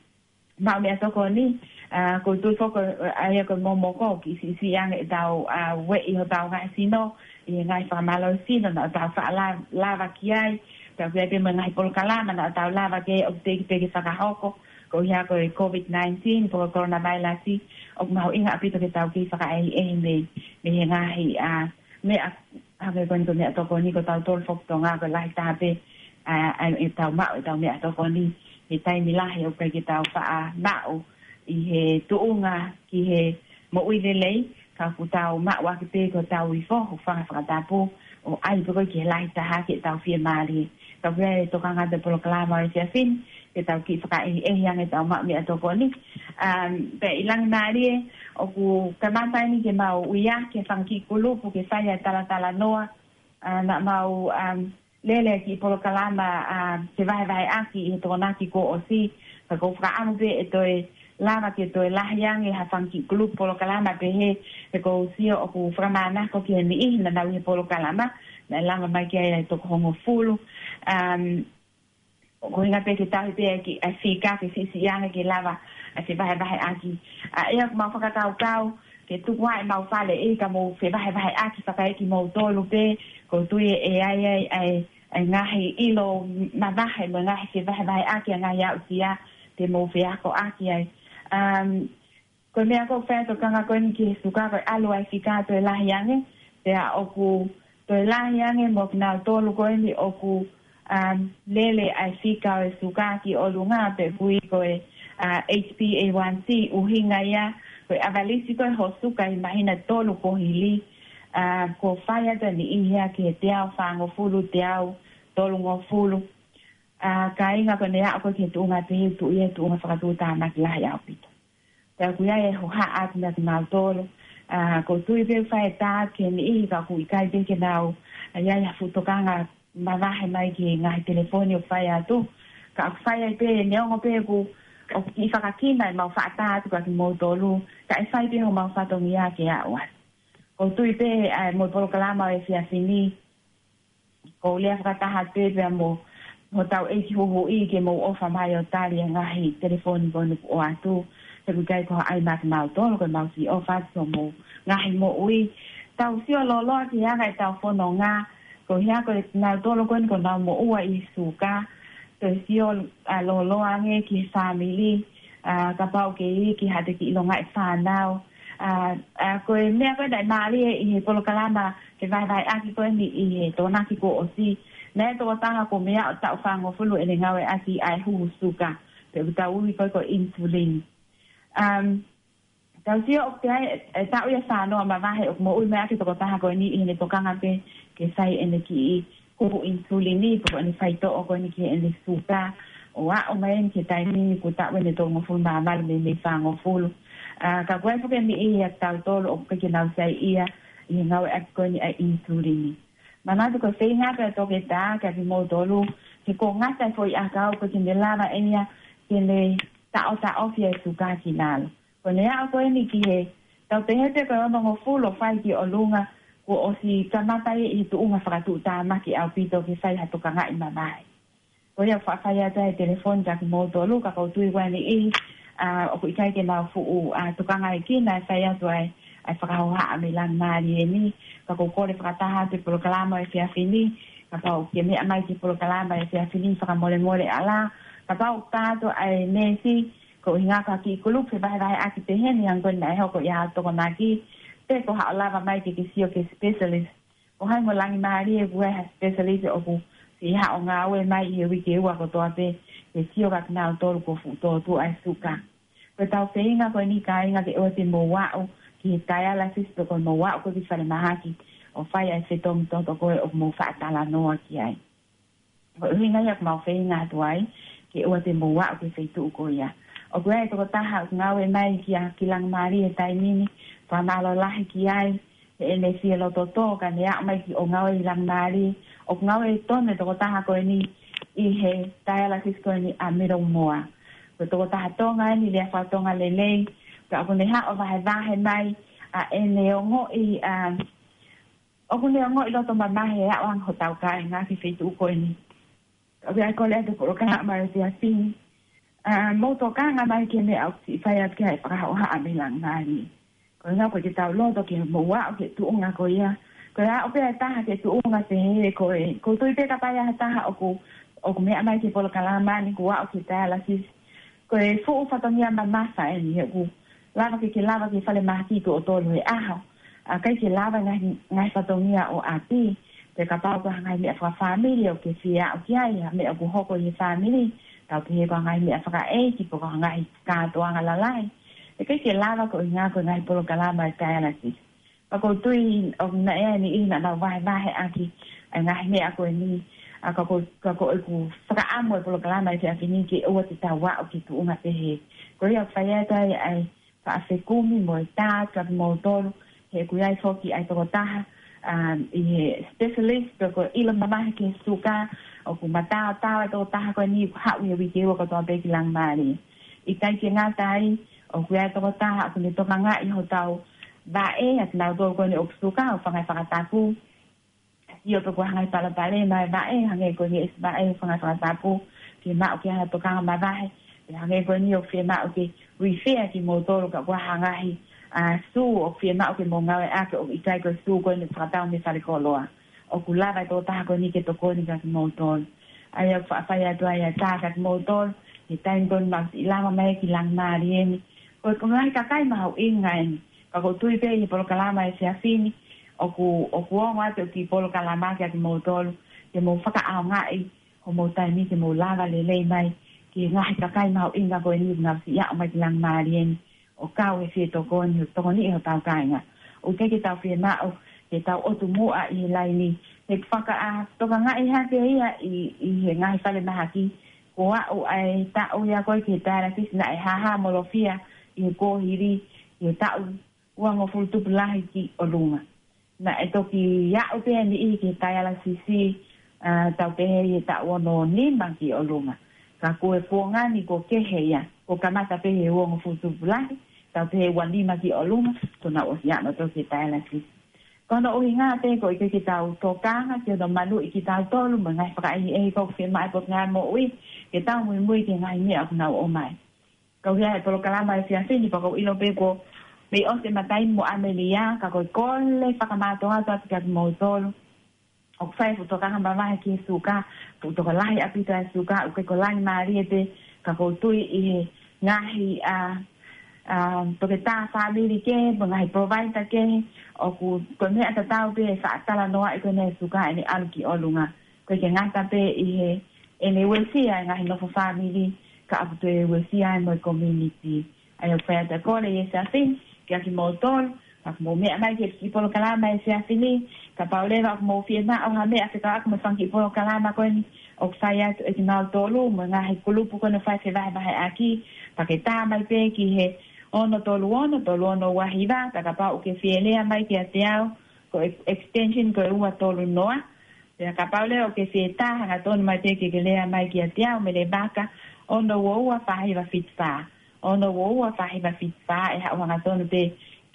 maʻu meʻatokoni, a, ʻoku ou tui foki ʻa ia ko e momoko, kiʻi siʻisiʻi ange ʻetau, a, ueʻi hotau ngaahi sino, ʻi he ngaahi fakamālohisino naʻa tau faʻa la-, lava ki ai, pea ʻoku ʻi ai pē mo e ngaahi polokalama naʻa tau lava ki ai ʻoku teʻeki pē ke fakahoko, koeʻuhi ko e COVID nineteen, pe ko e coronavirus, ʻoku mahuʻinga ʻaupito ke tau kiʻi fakaʻehiʻehi mei, mei he ngaahi, a, meʻa, hangē ko eni ko e meʻatokoni ko tautolu foki Tonga ko e lahi taha pē, a, ʻa ʻetau maʻu ʻetau meʻatokoni he taimi lahi ʻoku ʻikai ke tau faʻa maʻu ʻi he tuʻunga ki he moʻui lelei, ka ʻoku tau maʻu ʻaki pē ko ʻetau ifo, hūfanga he fakatapu, ʻo ʻai pē ko ē ki he lahi taha ke tau fiemālie. Ka ʻoku ʻi ai e tokanga atu he polokalama he efiafi ni, ke tau kiʻi fakaʻehiʻehi ange ʻetau maʻu meʻatokoni. Um, pea ʻi Langimālie, ʻoku kamata eni ke mau ui ʻa e fanga kiʻi kulupu ke fai ʻa e talatalanoa, a, naʻa mau, um, lele ʻa e kiʻi polokalama, a, ke vahevaheʻaki ʻi he Tokonaki kuo ʻosi, ka ʻoku ou fakaʻamu pē ʻe toe lava ke toe lahi ange ha fanga kiʻi kulupu polokalama pehē, he ʻoku ou sio ʻoku fakamānako ki he niʻihi naʻa nau ʻi he polokalama, naʻe lava mai ki ai ʻa e toko hongofulu. Um, ʻoku ʻuhinga pē ke tauhi pē ʻa e kiʻi, ʻa e fika ke siʻisiʻi ange ke lava ʻa e fevahevaheʻaki. ʻA ia ʻoku mau fakakaukau ke tuku ʻa ʻemau fale ʻi ka mou fevahevaheʻaki fakaekimoutolu pē, ʻoku ou tui ʻe ʻi ai ʻa e, ʻa e, ʻa e ngaahi ʻilo mavahe mo e ngaahi fevahevaheʻaki ʻa e ngaahi aʻusia te mou feakoʻaki ai. Um, ko e meʻa ʻoku fai atu e tokanga ko eni ki he suka ko e ʻalu ʻa e fika toe lahi ange, pea ʻoku toe lahi ange mo kinautolu ko eni ʻoku, um, lele ʻa e fika ʻo e suka ki ʻolunga pe ʻoku ui ko e, uh, H b A one C, ʻuhinga ia ko e ʻavalisi ko ē ho suka ʻi he māhina ʻe tolu kuo hili, uh, ʻoku fai atu ʻa e niʻihi ia ki he teau fāngofulu, teau tolungofulu. Uh, kāinga, ko ʻene aʻu ko ē ki he tuʻunga pehē, tuʻu ia he tuʻunga fakatuʻutāmaki lahi ʻaupito. Pea ʻoku ʻi ai e hohaʻa atu maʻa kimautolu. Uh, ʻoku ou tui pē ʻoku fai e tā atu ki he niʻihi ka ʻoku ʻikai pē ke nau, uh, ʻi ai ha fuʻu tokanga mavahe mai ki he ngaahi telefoni ʻoku fai atu. Ka ʻoku fai ai pē, neongo pē ʻoku, ʻoku kiʻi fakakina ʻemau faʻa tā atu kiate kimoutolu, ka ʻe fai pē homau fatongia ke aʻu atu. ʻOku ou tui pē, uh, mo e polokalama ʻo e efiafi ni, ʻoku ou lea fakataha pē pea mo hotau ʻeiki huhuʻi ke mou ʻofa mai ʻo tali e ngaahi telefoni ko eni kuo ʻatu. He ʻoku ʻikai ko ha ʻai maʻa kimautolu, ko ʻemau siʻi ʻofa atu ki homou ngaahi moʻui. Tau sio lōloa ki he anga ʻetau fononga, ko e hā ko ē kinautolu ko eni ʻoku nau moʻua ʻi he suka. Toe sio, uh, lōloa ange ki he fāmili, uh, kapau ʻoku ke iiki, haʻate kiʻi longaʻi fānau. Uh, uh, ko e meʻa ko ē naʻe mālie ʻi he polokalama fevahevaheʻaki ko eni ʻi he Tokonaki kuo ʻosi, naʻe tokotaha kuo meʻa ʻo taʻu fāngofulu ʻene ngāueʻaki ʻa e huhu suka, pe ʻoku tau ui ko ē ko e insulin. Um, tau sio ʻoku ʻi ai e, e taʻu ʻe fāngofulu mavahe ʻoku moʻui mai ʻaki e tokotaha ko eni ʻi heʻene tokanga pē ke sai ʻene kiʻi huhu insulini, pe ko ʻene faitoʻo ko eni ki heʻene suka, ʻo aʻu mai eni ki he taimi ni kuo taʻu ʻe tolungofulu mā valu mei, mei fāngofulu. Uh, ka ʻoku ʻi ai foki e niʻihi ʻiate kitautolu ʻoku ʻikai ke nau saiʻia ʻi he ngāueʻaki ko eni ʻa e insulini. Manatu ko e feinga pē ʻa e toketā kiate kimoutolu, he ʻoku ngata e foʻi ʻakau, ʻoku ʻikai ke ne lava ʻe ia ke ne taʻotaʻofi e suka ki lalo. Ko ʻene aʻu ko eni ki he, tau pehē pē ko e onongofulu ʻo fai ki ʻolunga, kuo ʻosi kamata ia ʻi he tuʻunga fakatuʻutāmaki ʻaupito ke fai ha tokangaʻi mavahe. Ko ia ʻoku faʻa fai atu ʻa e telefoni kiate kimoutolu, ka ʻoku ou tui ko e niʻihi, uh, ʻoku ʻikai ke nau fuʻu, uh, tokangaʻi ki ai, naʻe fai atu ʻa e, ʻa e fakahohaʻa mei Langimalie ni. Ka ʻoku ou kole fakataha atu e polokalama ʻo e efiafi ni, kapau ʻoku ke meʻa mai ki he polokalama ʻo e efiafi ni, fakamolemole ala, kapau ʻoku tā atu ʻa e neesi, ko e ʻuhinga ko e kiʻi kulupu fevahevaheʻaki pehē ni, hangē ko eni naʻe hoko ʻi he Tokonaki, pe ko haʻo lava mai ke ke sio ki he specialist. Ko hai mo Langimalie ʻoku ʻi ai ha specialist ʻoku siʻi haʻo ngāue mai ʻi he uike ua kotoa pē, ke sio kiate kinautolu ʻoku fuʻu tōtuʻa e suka. Ko ʻetau feinga ko eni kāinga ke ʻoua te mou aʻu ki he dialysis pe ko e mou aʻu ko ē ki he falemahaki ʻo fai ʻa e fetongi toto ko ē ʻoku mou faʻa talanoa ki ai. Ko e ʻuhinga ia ʻoku mau feinga atu ai, ke ʻoua te mou aʻu ki he feituʻu ko ia. ʻOku ʻi ai e tokotaha ʻoku ngāue mai kia, ki Langimalie he taimi ni, fakamālō lahi ki ai, heʻene fie loto tō, ka ne aʻu mai ke ʻo ngāue ʻi Langimalie, ʻoku ngāue tonu e tokotaha ko eni ʻi he dialysis ko eni ʻa Middlemore. Ko e tokotaha Tonga eni, lea faka-Tonga lelei, ka ʻoku ne haʻu ʻo vahevahe mai ʻa ʻene ongoʻi, ʻa, ʻoku ne ongoʻi loto mamahi he aʻu ange hotau kāinga ki he feituʻu ko eni. ʻOku ou kole atu ki he polokalama ʻo e efiafi ni, ʻa, mou tokanga mai ki he meʻa ʻoku siʻi fai atu ki ai e fakahohaʻa mei Langimalie. Ko e ʻuhinga ʻoku ʻikai ke tau loto ke mou aʻu ki he tuʻunga ko ia. Ko e aʻu pē ʻa e taha ki he tuʻunga pehē, ko e, ʻoku ou tui pē kapau ʻe ʻi ai ha taha ʻoku, ʻoku meʻa mai ki he polokalama ni kuo aʻu ki he dialysis, ko e fuʻu fatongia mamafa eni, he ʻoku lava ke ke lava ki he falemahaki tuʻo tolu he ʻaho. ʻA, ʻikai ke lava e ngaahi, ngaahi fatongia ʻo ʻapi, pe kapau ko ha ngaahi meʻa fakafāmili ʻoku ke fie aʻu ki ai, ha meʻa ʻoku hoko ʻi he fāmili, tau pehē ko ha ngaahi meʻa fakaʻeiki, pe ko ha ngaahi kātoanga lalahi. ʻE ʻikai ke lava ko e ʻuhinga ko e ngaahi polokalama ʻo e dialysis. Ka ʻoku ou tui ʻoku ʻi ai e niʻihi naʻa nau vahevaheʻaki ʻa e ngaahi meʻa ko eni, ʻa, ka ʻoku, ka ʻoku ou fakaʻamu e polokalama ʻo e efiafi ni ke ʻoua te tau aʻu ki he tuʻunga pehē. Ko ia ʻoku fai atu ai ʻa e faʻa fekumi mo e tā atu kiate kimoutolu, he ʻoku ʻi ai foki ʻa e tokotaha, um, ʻi he specialist, pe ko e ʻilo mamahi ki he suka, ʻoku mataotao e tokotaha ko eni ʻoku haʻu he uike ua kotoa pē ki Langimalie. ʻIkai ke ngata ai, ʻoku ʻi ai e tokotaha ʻoku ne tokangaʻi hotau vaʻe, ʻa kinautolu ko eni ʻoku suka, ʻoku fanga fakatapu. Sio pe ko e hā e ngaahi palopalema e vaʻe, hangē ko e ngeʻesi vaʻe, ʻoku fanga fakatapu, ke maʻu ke ʻai ha tokanga mavahe, pe hangē ko eni ʻoku fiemaʻu ke refer kimoutolu ka ko e hā e ngaahi, ʻa, sū ʻoku fiemaʻu ke mou ngāueʻaki, ʻoku ʻikai ko e sū ko eni ʻoku fakatau mei falekoloa. ʻOku lava e tokotaha ko eni ke tokoni kia kimoutolu. ʻA ia ʻoku faʻa fai atu ai ʻa e tā kia kimoutolu, he taimi ko eni ʻoku lava mai ki Langimālie ni. Ko e, ko e ngaahi kakai mahuʻinga eni. Ka ʻoku ou tui pē ʻi he polokalama efiafi ni, ʻoku, ʻoku ongo atu e kiʻi polokalama kia kimoutolu, ke mou fakaʻaongaʻi homou taimi ke mou lava lelei mai ki he ngaahi kakai mahuʻinga ko eni ʻoku nau siʻi aʻu mai ki Langimālie ni, ʻo kau he fie tokoni, ʻo tokoniʻi hotau kāinga. ʻOku ʻikai ke tau fiemaʻu ke tau ʻotu muʻa ʻi he laini, he ʻoku fakaʻā tokangaʻi hake ia ʻi, ʻi he ngaahi falemahaki, ko e aʻu ʻa e taʻu ia ko ē ki he dialysis naʻe hāhāmolofia ʻi he kuohili, ʻi he taʻu uangofulu tupulahi ki ʻolunga. Naʻe toki aʻu pē ʻa e niʻihi ki he dialysis, ʻa, tau pehē ʻi he taʻu ono nima ki ʻolunga. Ka ko e kuonga ni kuo kehe ia, kuo kamata pē he uangofulu tupulahi, tau pehē ua nima ki ʻolunga, kuo nau ʻosi aʻu nautolu ki he dialysis. Ko hono ʻuhinga pē ʻoku ʻikai ke tau tokanga ki hono maluʻi kitautolu mo e ngaahi fakaʻehiʻehi ʻoku fiemaʻu ʻe he Potungāue Moʻui, ke tau muimui ki he ngaahi meʻa ʻoku nau ʻomai. Kau ia he polokalama efiafi ni, pea ʻoku ou ʻilo pē kuo mei ʻosi e mataimi mo ʻAmelia, ka ko e kole fakamātoato atu kia kimoutolu ʻoku fai e fuʻu tokanga mavahe ki he suka, fuʻu tokolahi ʻaupito ʻa e suka, ʻoku ʻikai ko Langimālie pē, ka ʻoku ou tui ʻi he ngaahi, ʻa, ʻa, toketā fāmili kehe, mo e ngaahi provider kehe, ʻoku, ko e meʻa tatau pē e faʻa talanoaʻi ko eni e suka ʻene ʻalu ki ʻolunga. ʻOku ʻikai ke ngata pē ʻi heʻene uesia e ngaahi nofo fāmili, ka ʻoku toe uesia ai mo e community. ʻA ia ʻoku fai atu e kole ʻi he efiafi ni kia kimoutolu, ka ʻoku mou meʻa mai ki he kiʻi polokalama efiafi ni, kapau leva ʻoku mou fiemaʻu ha meʻa fekauʻaki mo e fanga kiʻi polokalama ko eni ʻoku fai atu ʻe kinautolu mo e ngaahi kulupu ko eni ʻoku fai fevahevaheʻaki, pea ke tā mai pē ki he ono tolu ono, tolu ono ua hiva, pea kapau ʻoku ke fie lea mai kiate au, ko e extension ko e ua tolu noa, pea kapau leva ʻoku ke fie tā hangatonu mai pē ke ke lea mai kiate au, Mele Vaka, ono ua ua fā hiva fitu fā. Ono ua ua fā hiva fitu fā, ʻe haʻu hangatonu pē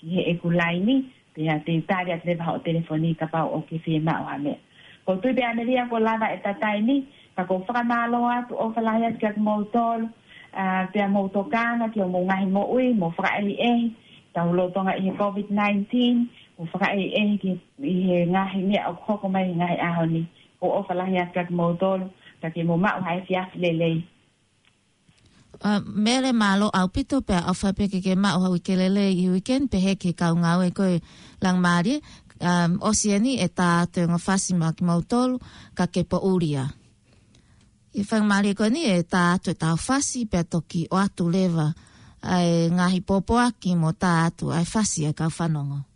ki heʻeku laini, pea te u tali atu leva hoʻo telefoni kapau ʻoku ke fiemaʻu ha meʻa. ʻOku ou tui pē ʻAmelia kuo lava e taimi, ka ʻoku ou fakamālō atu, ʻofa lahi atu kia kimoutolu, ʻa, pea mou tokanga ki hoʻomou ngaahi moʻui, mou fakaʻehiʻehi, tau lolotonga ʻi he COVID nineteen, mou fakaʻehiʻehi ki, ʻi he ngaahi meʻa ʻoku hoko mai he ngaahi ʻaho ni. ʻOku ou ʻofa lahi atu kia kimoutolu, ka ke mou maʻu ha efiafi lelei. ʻA, Mele, mālō ʻaupito, pea ʻofa pē ke ke maʻu ha uike lelei ʻi he uike ni, pehē ki he kau ngāue ko ē Langimālie, ʻa, ʻosi eni e tā atu e ongo fasi maʻa kimoutolu, ka ke poʻuli ia. ʻI he faingamālie ko eni ʻe tā atu e tau fasi, pea toki ʻoatu leva ʻa e ngaahi pōpoaki mo tā atu ʻa e fasi ʻa e kau fanongo.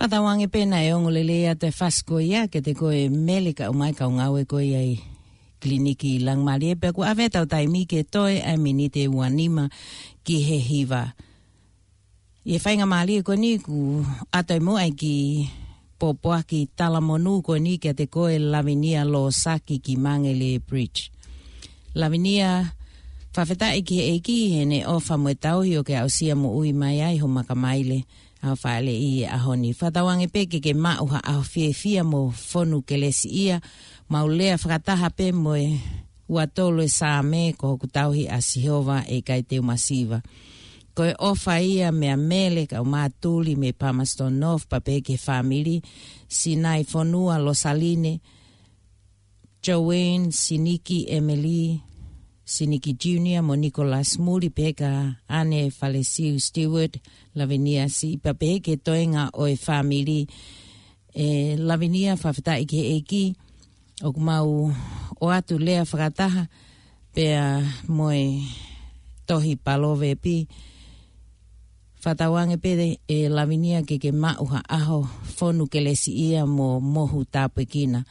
Fakatauange pē naʻe ongo lelei atu e fasi ko ia kiate koe Mele kae ʻumaʻā e kau ngāue ko ia ʻi Kiliniki Laumālie, pea kuo ʻave ʻetau taimi ke toe ʻa e miniti ʻe ua nima ki he hiva. ʻI he faingamālie ko eni kuo ʻoatu muʻa e kiʻi pōpoaki talamonū ko eni kiate koe Lavinia Losaki ki Māngele Bridge. Lavinia, fakafetaʻi ki he ʻEiki heʻene ʻofa mo e tauhi ʻoku ke aʻusia moʻui mai ai ho makamaile ʻa ho faʻeleʻi he ʻaho ni. Fakatauange pē ke ke maʻu ha ʻaho fiefia mo fonu kelesiʻia, mau lea fakataha pē mo e ua tolu e Saame: Ko hoku tauhi ʻa Sihova, ʻe ʻikai te u masiva. Ko e ʻofa ia meia Mele kae ʻumaʻā Tuli mei Palmerston North, pea pehē ki he fāmili, Sinai Fonua, Losaline, Joanne, Siniki, Emily, Siniki Junior mo Nicholas Muli, pehē kia Ane Falesiu Stewart, Lavinia siʻi, pea pehē ki he toenga ʻo e fāmili. ʻE Lavinia, fakafetaʻi ki he ʻEiki, ʻoku mau ʻoatu lea fakataha pea mo e tohi Palovepi. Fakatauange pē ʻe Lavinia ke ke maʻu ha ʻaho fonu kelesiʻia mo mohu tāpuekina.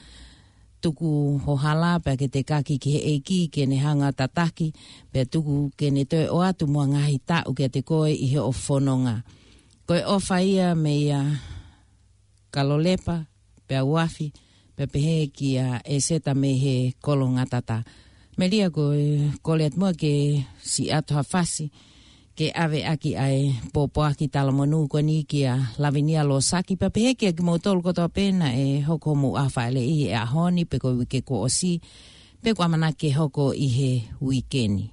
Tuku ho hala pea ke tekaki ki he ʻEiki ke ne hanga tataki, pea tuku ke ne toe ʻoatu muʻa ngaahi taʻu kiate koe ʻi hoʻo fononga. Ko e ʻofa ia meia Kalolepa, pea Uafi, pea pehē kia ʻEseta mei he Kolongatata. Melia, ko e kole atu muʻa ke siʻi ʻoatu ha fasi ke ʻave ʻaki ʻa e pōpoaki talamonū ko eni kia Lavinia Losaki, pea pehē kia kimoutolu kotoa pē naʻe hoko homou ʻaho fāʻeleʻi he ʻaho ni pe ko e uike kuo ʻosi, pe ko e ʻamanaki ke hoko ʻi he uike ni.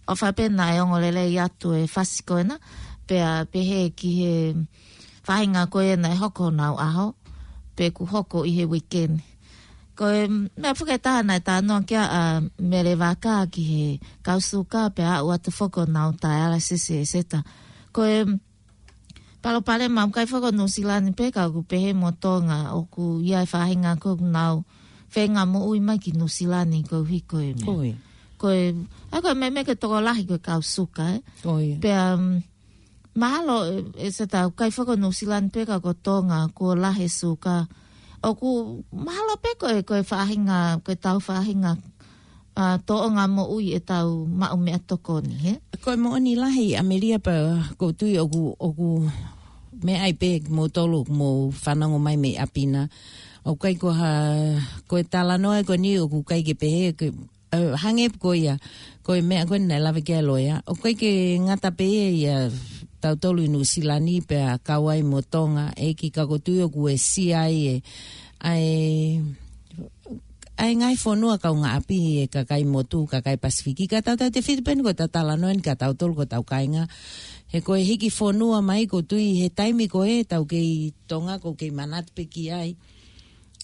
ʻOfa pē naʻe ongo lelei atu e fasi ko ena, pea pehē ki he faʻahinga ko ē naʻe hoko honau ʻaho, pe kuo hoko ʻi he weekend. Ko e meʻa fakataha naʻe talanoa ki ai ʻa Mele Vaka ki he kau suka pea aʻu atu foki honau dialysis ʻEseta. Ko e palopalema ʻoku ʻikai foki ʻo New Zealand pē ka ʻoku pehē mo Tonga ʻoku ʻi ai e faʻahinga ko ē ʻoku nau feinga moʻui mai ki New Zealand koeʻuhi ko e meʻa. Ko e. Ko e, ʻa ko e meʻa, meʻa ke tokolahi ko e kau suka, ē. Ko ia. Pea, um, mahalo, ʻe, ʻEseta ʻoku ʻikai foki ʻo New Zealand pē ka ko Tonga, kuo lahi e suka. ʻOku mahalo pē ko e, ko e faʻahinga, ko e tau faʻahinga, ʻa, tōʻonga moʻui ʻetau maʻu meʻatokoni, hē? Ko e moʻoni lahi ʻAmelia pea ʻoku ou tui ʻoku, ʻoku meʻa ai pē kimoutolu ʻoku mou fanongo mai mei ʻapi na. ʻOku ʻikai ko ha, ko e talanoa ko eni ʻoku ʻikai ke pehē, ke, ʻe, hangē pē ko ia, ko e meʻa ko ē naʻe lave ki ai e loea. ʻOku ʻikai ke ngata pē ia ʻia tautolu ʻi New Zealand pea kau ai mo Tonga, ʻEiki, ka ʻoku ou tui ʻoku uesia ai e, ʻa e, ʻa e ngaahi fonua kaungāʻapi e kakai motu, kakai Pasifiki, ka tautautefito pē eni ko ʻetau talanoa eni kia tautolu ko ʻetau kāinga. He ko e hiki fonua mai ʻoku ou tui he taimi ko ē ʻetau kei Tonga ʻoku ou kei manatu pē ki ai.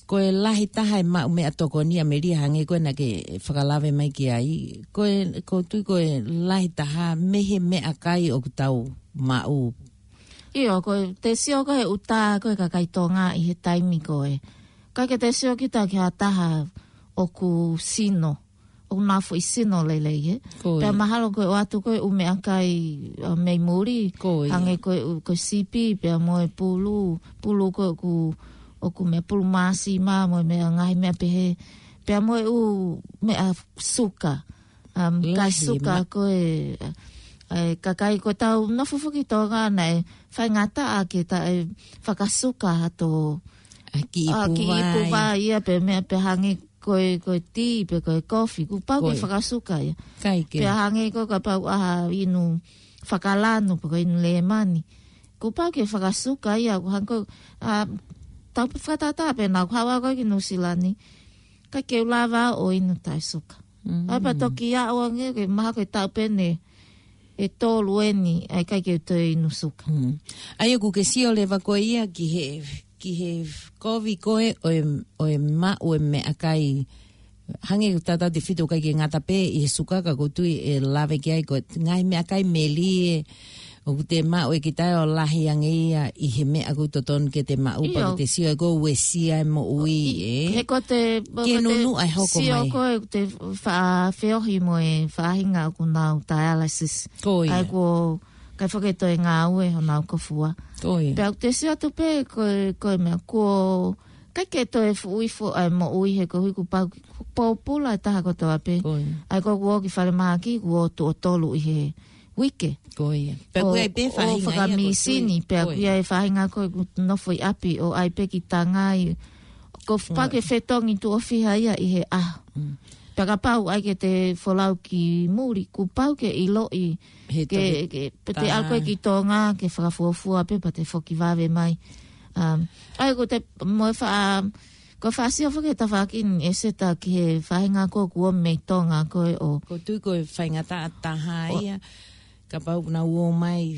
Ko e lahi taha e maʻu meʻatokoni ʻAmelia hangē ko ē naʻa ke fakalave mai ki ai. Ko e, ʻoku ou tui ko e lahi taha mei he meʻakai ʻoku tau maʻu. ʻIo, ko e te sio ko e ʻuta ko e kakai Tonga ʻi he taimi ko ē. ʻIkai ke te sio kita ki ha taha ʻoku sino, ʻoku nau foʻi sino lelei, ē. Ko ia. Pea mahalo ko e ʻoatu ko e ʻū meʻakai, ʻa, mei muli, ko ia, hangē ko e ʻū, ko e sipi, pea mo e pulu, pulu ko ē ʻoku, ʻoku meʻa pulu māsima, mo e meʻa ngaahi meʻa pehē, pea mo e ʻū meʻa suka, um, kai lahi suka ma- ko e, e, kakai ko ʻetau nofo foki Tonga naʻe faingataʻa ke taʻe fakasuka atu ʻa e kiʻi ʻa, kiʻi puvai, puvai ia pe meʻa pe hangē ko e, ko e tī pe ko e kofi, kuo pau ke, ko e, fakasuka ia. ʻIkai ke. Pea hangē ko e kapau ʻa ha inu fakalanu pe ko e inu lēmani. Kuo pau ke fakasuka ia, ʻoku hangē ko, ʻa, tau fakatātā pē naʻa ku haʻu au ko ē ki New Zealand, ʻikai ke u lava ʻo inu taʻe suka. Mm. ʻAi pea toki aʻu ange ke mahalo ko e taʻu pē ʻeni ʻe tolu ʻeni, ʻa e ʻikai ke u toe inu suka. Mm. ʻA ia ʻoku ke sio leva ko ia ki he, ki he kovi ko ē ʻo e, ʻo e maʻu e meʻakai. Hangē ko e tautautefito ʻikai ke ngata pē ʻi he suka ka ʻoku ou tui ʻe lave ki ai ko e ngaahi meʻakai melie ʻoku te maʻu ʻe kita ʻo lahi ange ia ʻi he meʻa ʻoku totonu ke te maʻu, ʻio, pea ke te sio ʻe ʻoku uesia e moʻui, ʻi, ē? He ko te, ki he ko te nunuʻa ʻe hoko sio mai. Ko e te fa-, feohi mo e faʻahinga ʻoku nau dialysis. Ko ia. ʻAi kuo ʻikai foki toe ngāue honau kofua. Ko ia. Pea ʻoku te sio atu pē ko e, ko e meʻa kuo ʻikai ke toe fuʻu ifo ʻa e moʻui he koeʻuhi kuo pau, kuo pōpula e taha kotoa pē. Ko ia. ʻAi ko ʻoku ō ki falemahaki, kuo ō tuʻo tolu ʻi he uike. Ko ia. Pea ʻoku ʻi ai pē ʻo, ʻo faʻahinga ia ʻoku fakamisini, tui. Pea ʻoku ʻi ai e faʻahinga ko ē ʻoku nofo ʻi ʻapi ʻo ʻai pē ki tangai. Ko e, ko ia, pau ke fetongi tuʻo fiha ia ʻi he ʻaho. Mm. Pea kapau ʻai ke te folau ki muli, kuo pau ke ʻiloʻi, he ke, toki ke, pe te, tā, ʻalu ko ē ki Tonga, ke fakafuofua pē, pea te foki vave mai. Um, ʻai ko te, mo e fa-, ko e fāsio foki he tafaʻaki ni ʻEseta ki he faʻahinga ko ē kuo ō mei Tonga ko ē ʻo. ʻOku ou tui ko e faingataʻa taha, ʻo, ia, kapau ʻoku nau ō mai,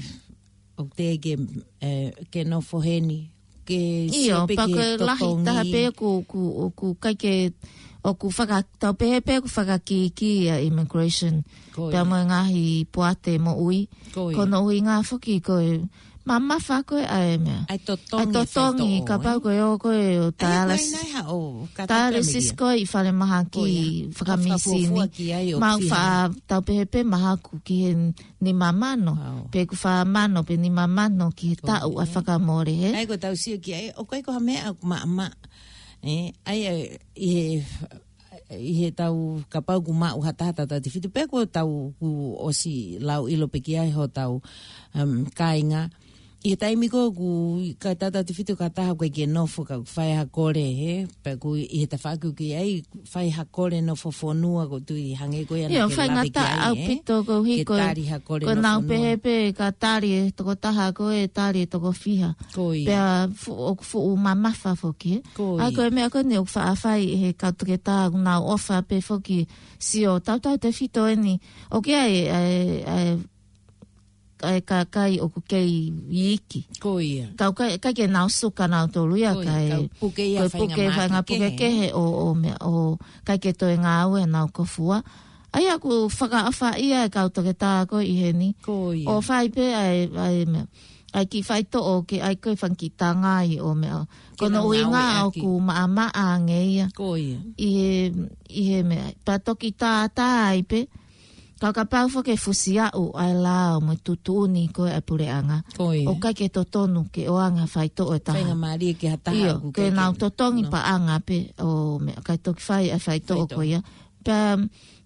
ʻoku teʻeki ke, ē, ke nofo heni, ke, ʻio, sio pē pea ki he ko e lahi totongi. Taha pē ʻoku, ʻoku, ʻoku ʻikai ke, ʻoku faka-, tau pehē pē ʻoku fakakīkī ʻa e immigration. Ko ia. Pea mo e ngaahi poate moʻui. Ko ia. Ko hono ʻuhinga foki ko e mamafa ko ē ʻa e meʻa. ʻA e totongi, ʻa e totongi, fai toʻo, kapau, ē? Ko e ō ko ē ʻo, ʻa ia ko e dialysis. Nai ha ʻo, ka tau dialysis pē meʻa. Ko ē ʻi falemahaki, ko ia, fakamisini. Fakafuofua ki ai ʻo mau fiha. Fa-, tau pehē pē mahaku ki he nima mano, ʻao, pe ʻoku fā mano, pe nima mano ki he, ko ia, taʻu ʻa e fakamole, hē? ʻAi ko ʻetau sio ki ai, ʻoku ʻikai ko ha meʻa ʻoku maʻamaʻa. Ē, ʻai, ʻai, ʻi he, ʻi heʻetau kapau ʻoku maʻu ha taha tautautefito, pe ko ʻetau kuo ʻosi lau ʻilo pē ki ai hotau, um, kāinga. ʻI he taimi ko ē ʻoku ʻikai tautautefito ki ha taha ʻoku ʻikai ke nofo, ka ʻoku fai ha kole, he? Pea ʻoku ʻi he tafaʻaki ʻoku ʻi ai, fai ha kole nofo fonua, ʻoku ou tui hangē ko ia naʻa ke lave ki ai, ʻaupito, ē? Koeʻuhi ko e, ke tali ha kole nofo fonua. Ko ʻenau pehē pē ka tali e tokotaha ko ē, tali e toko fiha. Ko ia. Pea fu-, ʻoku fuʻu mamafa foki, ē? Ko ia. ʻA ia ko e meʻa ko eni ʻoku faʻa fai ʻe he kau toketā, ʻoku nau ʻofa pē foki, sio, tautautefito eni, ʻoku ʻi ai e, e, e, e kakai ʻoku kei iiki. Ko ia. Ka ʻoku ʻikai, ʻikai ke nau suka nautolu ia. Ko ia, kae, ka ʻoku puke ia, ko e faʻahinga puke, faʻahinga mahaki puke kehe, kehe ʻo, ʻo meʻa, ʻo ʻikai ke toe ngāue ʻenau kofua. ʻA ia ʻoku fakaʻofaʻia e kau toketā ko ē ʻi heni. Ko ia. ʻO fai pē ʻa e, ʻa e meʻa, ʻa e kiʻi faitoʻo ke ʻai ko e fanga kiʻi tangai ʻo meʻa. Ke nau ngāueʻaki. Ko hono ʻuhinga ʻoku maʻamaʻa ange ia. Ko ia. ʻI he, ʻi he meʻa. Pea toki tātā ai pē. Ka kapau foki ʻe fusi aʻu ʻa e lao mo e tuʻutuʻuni ko ē ʻa e puleʻanga. Ko ia. ʻOku ʻikai ke totonu ke ʻoange ha faitoʻo ʻe taha. Faingamālie ki ha taha. ʻIo, ʻoku ke ʻikai ke nau totongi, no, paʻanga pē ʻo meʻa, kae toki fai ʻa e faitoʻo, faitoʻo, ko ia. Pea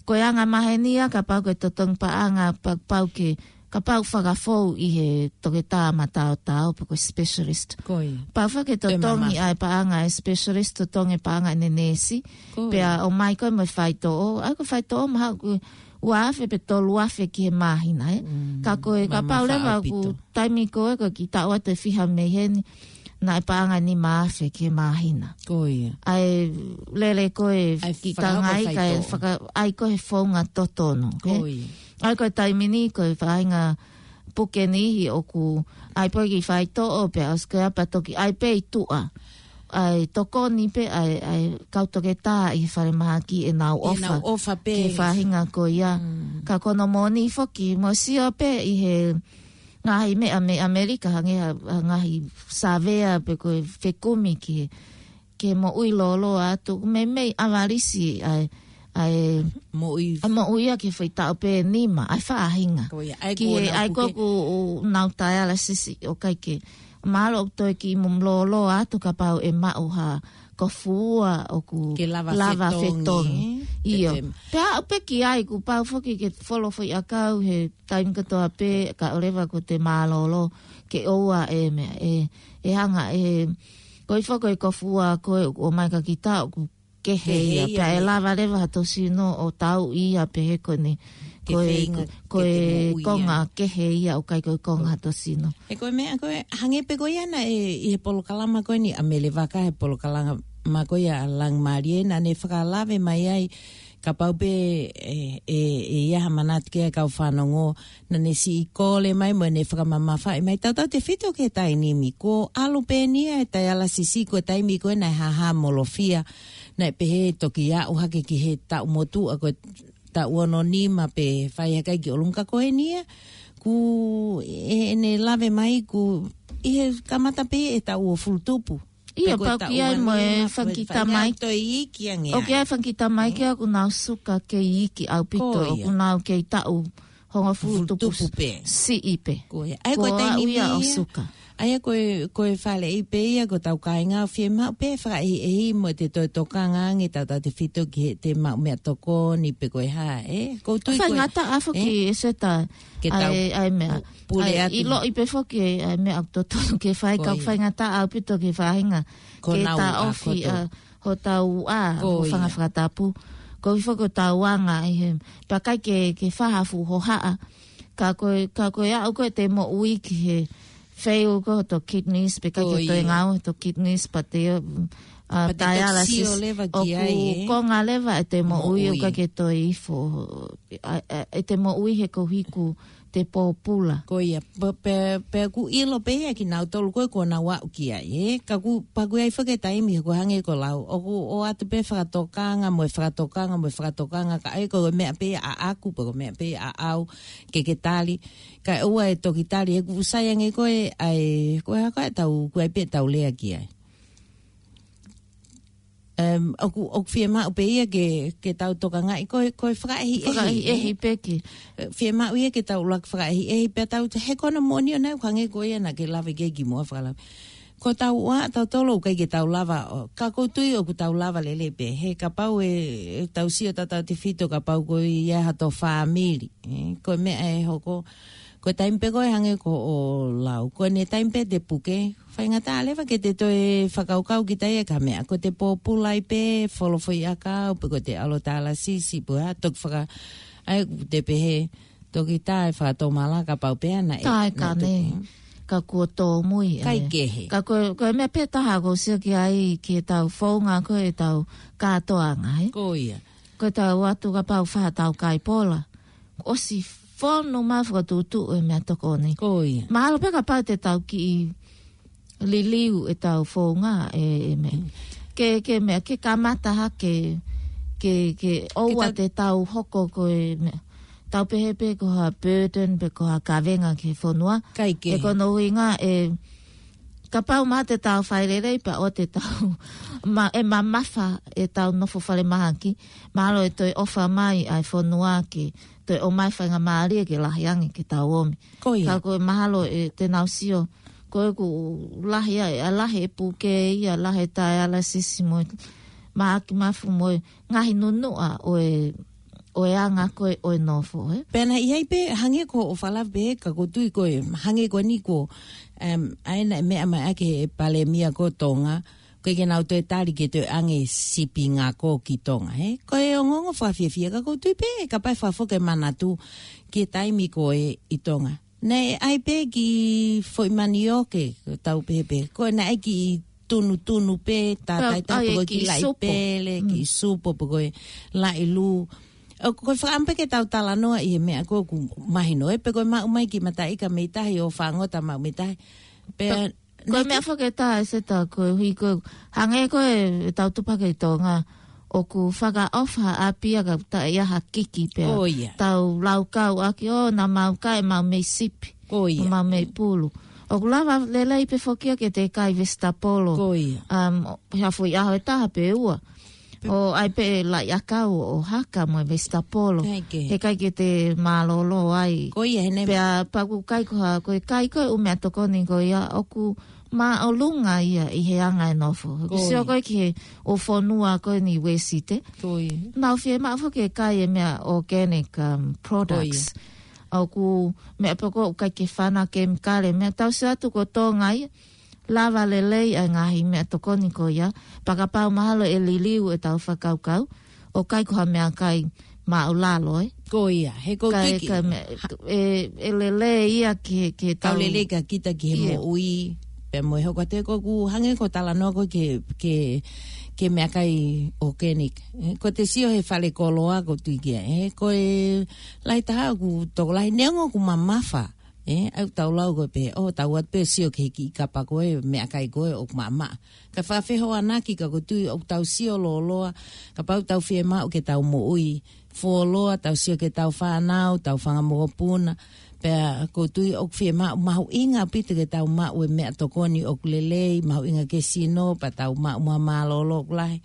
ko e anga maheni ia, kapau ke totongi paʻanga, pa-, pau ke, kapau fakafou ʻi he toketā mataotao, pe ko e specialist. Ko ia. Pau foki ke totongi ʻa e paʻanga ʻa e specialist, totongi paʻanga ʻene neesi. Ko ia. Pea ʻomai ko ē mo e faitoʻo. ʻA ia ko e faitoʻo mahalo ko e ua afe pe tolu afe ki he māhina, ē? Mm, ka ko e, kapau leva ʻoku taimi ko ē, ko e kiʻi taʻu atu ʻe fiha mei heni, naʻe paʻanga nima afe ki he māhina. Ko ia. ʻA e lele ko ē, ʻa e kiʻi tangai, kae faka-, ʻai ko ē he founga totonu, ē? Ko ia. ʻA ia ko e taimi ni, ko e faʻahinga puke niʻihi ʻoku ʻai pē kiʻi faitoʻo pea ʻosi ko ia pea toki ʻai pē ʻi tuʻa. ʻA e tokoni pē ʻa e, ʻa e kau toketā ʻi he falemahaki ʻenau ʻofa. ʻEnau ʻofa pē ki he faʻahinga ko ia. Mm. Ka ko hono moʻoni foki, mou sio pē ʻi he ngaahi meʻa mei ʻAmelika, hangē ha, ha ngaahi savea pe ko e fekumi ki he, ki he moʻui lōloa atu, meimei ʻavalisi ʻa e, ʻa e moʻui, ʻa e moʻui ia ki he foʻi taʻu pē ʻe nima, ʻa e faʻahinga. Ko ia, ʻa ia ki he, ʻa ia ko ē ʻoku nau dialysis ʻoku ʻikai ke, mahalo ʻoku toe kiʻi mo lōloa atu kapau ʻe maʻu ha kofua ʻoku lava fetongi, ē? Ke lava fetongi. ʻIo. Pea aʻu pē ki ai, kuo pau foki ke folo foʻi ʻakau he taimi kotoa pē, kae ʻoua leva kuo te mālōlō ke ʻoua ʻe meʻa, ʻe, ʻe hanga ʻe, ko e foʻi kofua ko ē ʻoku ʻomai kia kita ʻoku kehe ia, pea ʻe lava leva ha tōsino ʻo tauʻi ia pehē ko eni, ko e, ko e konga kehe ia ʻoku ʻikai ko e konga ha tōsino. He ko e meʻa ko ē, hangē pē ko ia naʻe ʻi he polokalama ko eni ʻa Melevaka, he polokalama ko ia ʻa Langimālie, naʻa ne fakalave mai ai, kapau pē ʻe, ʻe, ʻe ʻi ai ha manatu ki ai e kau fanongo, naʻa ne siʻi kole mai mo ʻene fakamamafaʻi mai, tautautefito ki he taimi ni, kuo ʻalu pē eni ia e dialysis, ko e taimi ko ē naʻe hāhāmolofia, naʻe pehē toki aʻu hake ki he taʻu motuʻa, ko e taʻu ono nima pe fai hake ai ki ʻolunga, ka ko eni ia, kuo ʻi heʻene lave mai kuo ʻi he kamata pē e taʻu uofulu tupu. ʻIo, pea ko e pau taʻu ki ai mo e uanima, fanga kiʻi tamaiki. Toe iiki ange ai. ʻOku ʻi ai e fanga kiʻi tamaiki ʻoku nau suka kei iiki ʻaupito, ʻoku nau kei taʻu hongofulu tupu pē. Siʻi pē. Ko ia. ʻA ia ko e taimi ni ia ʻo suka. ʻA ia ko e, ko e faleʻi pē ia, ko hotau kāinga ʻoku fiemaʻu pē fakaʻehiʻehi mo ʻete toe tokanga ange tautautefito ki heʻete maʻu meʻatokoni pe ko e hā, ē? ʻOku ou tui ko e faingataʻa foki, ē? Eseta, ke tau ʻai, ʻai meʻa. Pule atu. ʻIloʻi pē foki ʻa e meʻa ʻoku totonu ke fai, ka ʻoku faingataʻa ʻaupito ki he faʻahinga ke taʻofi ʻa hotau ʻā, hotau fanga fakatapu. Ko e foki hotau anga ʻi he, pea ʻikai ke, ke fai ha fuʻu hohaʻa. Ka ko e, ka ko e aʻu ko ē ʻete moʻui ki he fail ko ē hoto kidneys, pea ʻikai ke toe ngāue hoto kidneys, pea te, ʻa, dialysis, ʻoku konga leva ʻete moʻui, ʻoku ʻikai ke toe ifo, ʻa, ʻa, ʻete moʻui he koeʻuhi kuo te pōpula. Ko ia, pe, pe, pea ʻoku ʻilo pē ia kinautolu ko ē kuo nau aʻu ki ai, ē? Ka ʻoku, pea ʻoku ʻi ai foki e taimi, ko e hangē ko e lau, ʻoku ʻoatu pē fakatokanga, mo e fakatokanga, mo e fakatokanga, ka ʻe ko e meʻa pē ʻaʻaku, pe ko e meʻa pē ʻaʻau, ke ke tali, kae ʻoua ʻe toki tali, he ʻoku sai ange ko ē, ʻa e, ko e hā ko ē ʻetau, ʻoku ʻi ai pē ʻetau lea ki ai. Em, ʻoku, ʻoku fiemaʻu pē ia ke, ke tau tokangaʻi, ko e, ko e fakaʻehiʻehi. Fakaʻehiʻehi pē ki. Fiemaʻu ia ke tau ʻuluaki fakaʻehiʻehi, pea tau, he ko hono moʻoni ʻoku nau hangē ko ia naʻa ke lave ki ai kimuʻa fakalave. Ko hotau ʻā, tautolu ʻoku ʻikai ke tau lava, ʻo, ka ʻoku ou tui ʻoku tau lava lelei pē. He kapau ʻe, ʻe tau sio tautautefito, kapau ko ia hato fāmili. Ē, ko e meʻa ʻe hoko, Ko e taimi pē ko ē hangē ko hoʻo lau, ko ʻene taimi pē te puke, faingataʻa leva ke te toe fakakaukau kita ia ki ha meʻa. Ko te pōpula ai pē, folofoʻi ʻakau, pe ko te ʻalo tālasisi, pe ko ha toki faka-, ʻai te pehē, toki taʻe fakatomala kapau pē ʻa naʻe, Tā e naʻe kane, toki. Ka kuo tōmui, Kai ʻae. kehe. Ka ko, ko e meʻa pē taha ʻoku ou sio ki ai ki heʻetau founga ko ʻetau kātoanga, ē? Ko ia. Ko ʻetau ʻatu kapau fā tau kai pola. ʻOsi fonu mai fakatuʻutuʻu e meʻatokoni. Ko ia. Mahalo pē kapau te tau kiʻi liliu ʻetau founga e, e meʻa. Mm. Ke, ke meʻa, ke kamata hake, ke, ke ʻoua Ke ta- te tau hoko ko e meʻa. Tau pehē pē ko ha burden, pe ko ha kavenga ki he fonua. Kai kehe. He ko hono ʻuhinga e, kapau mai te tau fai lelei pea ʻoua te tau ma-, ʻe mamafa ʻetau nofo falemahaki, mahalo ʻe toe ʻofa mai ʻa e fonua ke toe ʻomai faingamālie ke lahi ange ke tau ōmi. Ko ia. Ka ko e mahalo ʻe te nau sio, ko ʻeku lahi ʻa, ʻa lahi e puke ia, lahi e tālasisi mo e mahaki mafu mo e ngaahi nunuʻa ʻo e, ʻo e anga ko ē ʻo e nofo, ē? Pea naʻe ʻi ai pē, hangē ko hoʻo fakalave pē, ka ʻoku ou tui ko e, hangē ko eni ko, em, ʻa ena e meʻa mai ʻaki e palēmia ko Tonga, ko e ke nau toe tali ke toe ʻange sipi ngako ki Tonga, ē? Ko e ongoongo fakafiefia ka ʻoku ou tui pē, kapau ʻe fakafoki e manatu ki he taimi ko ē ʻi Tonga. Naʻe ʻai pē ki foʻi manioke, tau pehē pē. Ko e naʻe ʻai ki tunutunu pē, tā Pea, taitā ai pe ko e ki ki laʻi supo. pele, ki Mm. supo, pe ko e laʻi lū. ʻO ko e fakaʻamu pē ke tau talanoa ʻi he meʻa ko ē ʻoku mahino, ē, pe ko e maʻu mai ki mataʻika mei tahi ʻo fāngota maʻu mei tahi. Pea Pea, ko e naʻe meʻa ki- fakatā e seta ko e hui ko e hangē ko e tau tupa ki Tonga. ʻOku fakaʻofa ʻa pia ka taʻe ʻi ai ha kiki pea. Ko ia. Tau laukau ʻaki ʻo na mau kai mau mei sipi. Ko ia. Mau mei pulu. ʻOku lava lelei pē foki ia ke te kai vesitapolo. Ko ia. Um, ha foʻi ʻaho ʻe taha pe ua. Pe- ʻO ʻai pē laʻi ʻakau ʻo haka mo e vesitapolo. Kai kehe. He ʻikai ke te mālōlō ai. Ko ia, he naʻe Pea pea ʻoku kai ko ha, ko e kai ko e ʻū meʻatokoni ko ia, ʻoku māʻolunga ia ʻi he anga e nofo. Ko Sio ia. ko e ki he ʻū fonua ko eni Uēsite. Ko ia. Nau fiemaʻu foki ke kai e meʻa organic, um, products. Ko ia. ʻOku meʻa pē ko ē ʻoku ʻikai ke fana kemikale, meʻa tau sio atu ko Tonga ia, lava lelei ʻa e ngaahi meʻatokoni ko ia, pea kapau mahalo ʻe liliu ʻetau fakakaukau, ʻo kai ko ha meʻakai māʻulalo, ē? Ko ia, he ko Kai, kiki. kai me-, Ha- ʻe, ʻe lelei ia ke, ke Kau tau lelei ka kita ki he Ia. moʻui, pea mo e hoko atu ko ʻeku hangē ko e talanoa ko ē ke, ke, ke meʻakai organic. Ē, ko te sio he fale koloa ʻoku ou tui ki ai, ē, ko e lahi taha ʻoku tokolahi neongo ʻoku mamafa. Ē, ʻoku tau lau ko ē pē, ʻo tau ʻoatu pē sio ki he kiʻi kapa ko ē, meʻakai ko ē ʻoku maʻamaʻa. Ka fakafehoanaki ka ʻoku ou tui ʻoku tau sio lōloa, kapau tau fiemaʻu ke tau moʻui fuoloa, tau sio ki heʻetau fānau, tau fanga mokopuna, pea ʻoku ou tui ʻoku fiemaʻu mahuʻinga ʻaupito ke tau maʻu e meʻatokoni ʻoku lelei, mahuʻinga ki he sino, pea tau maʻu mo ha mālōlō ʻoku lahi.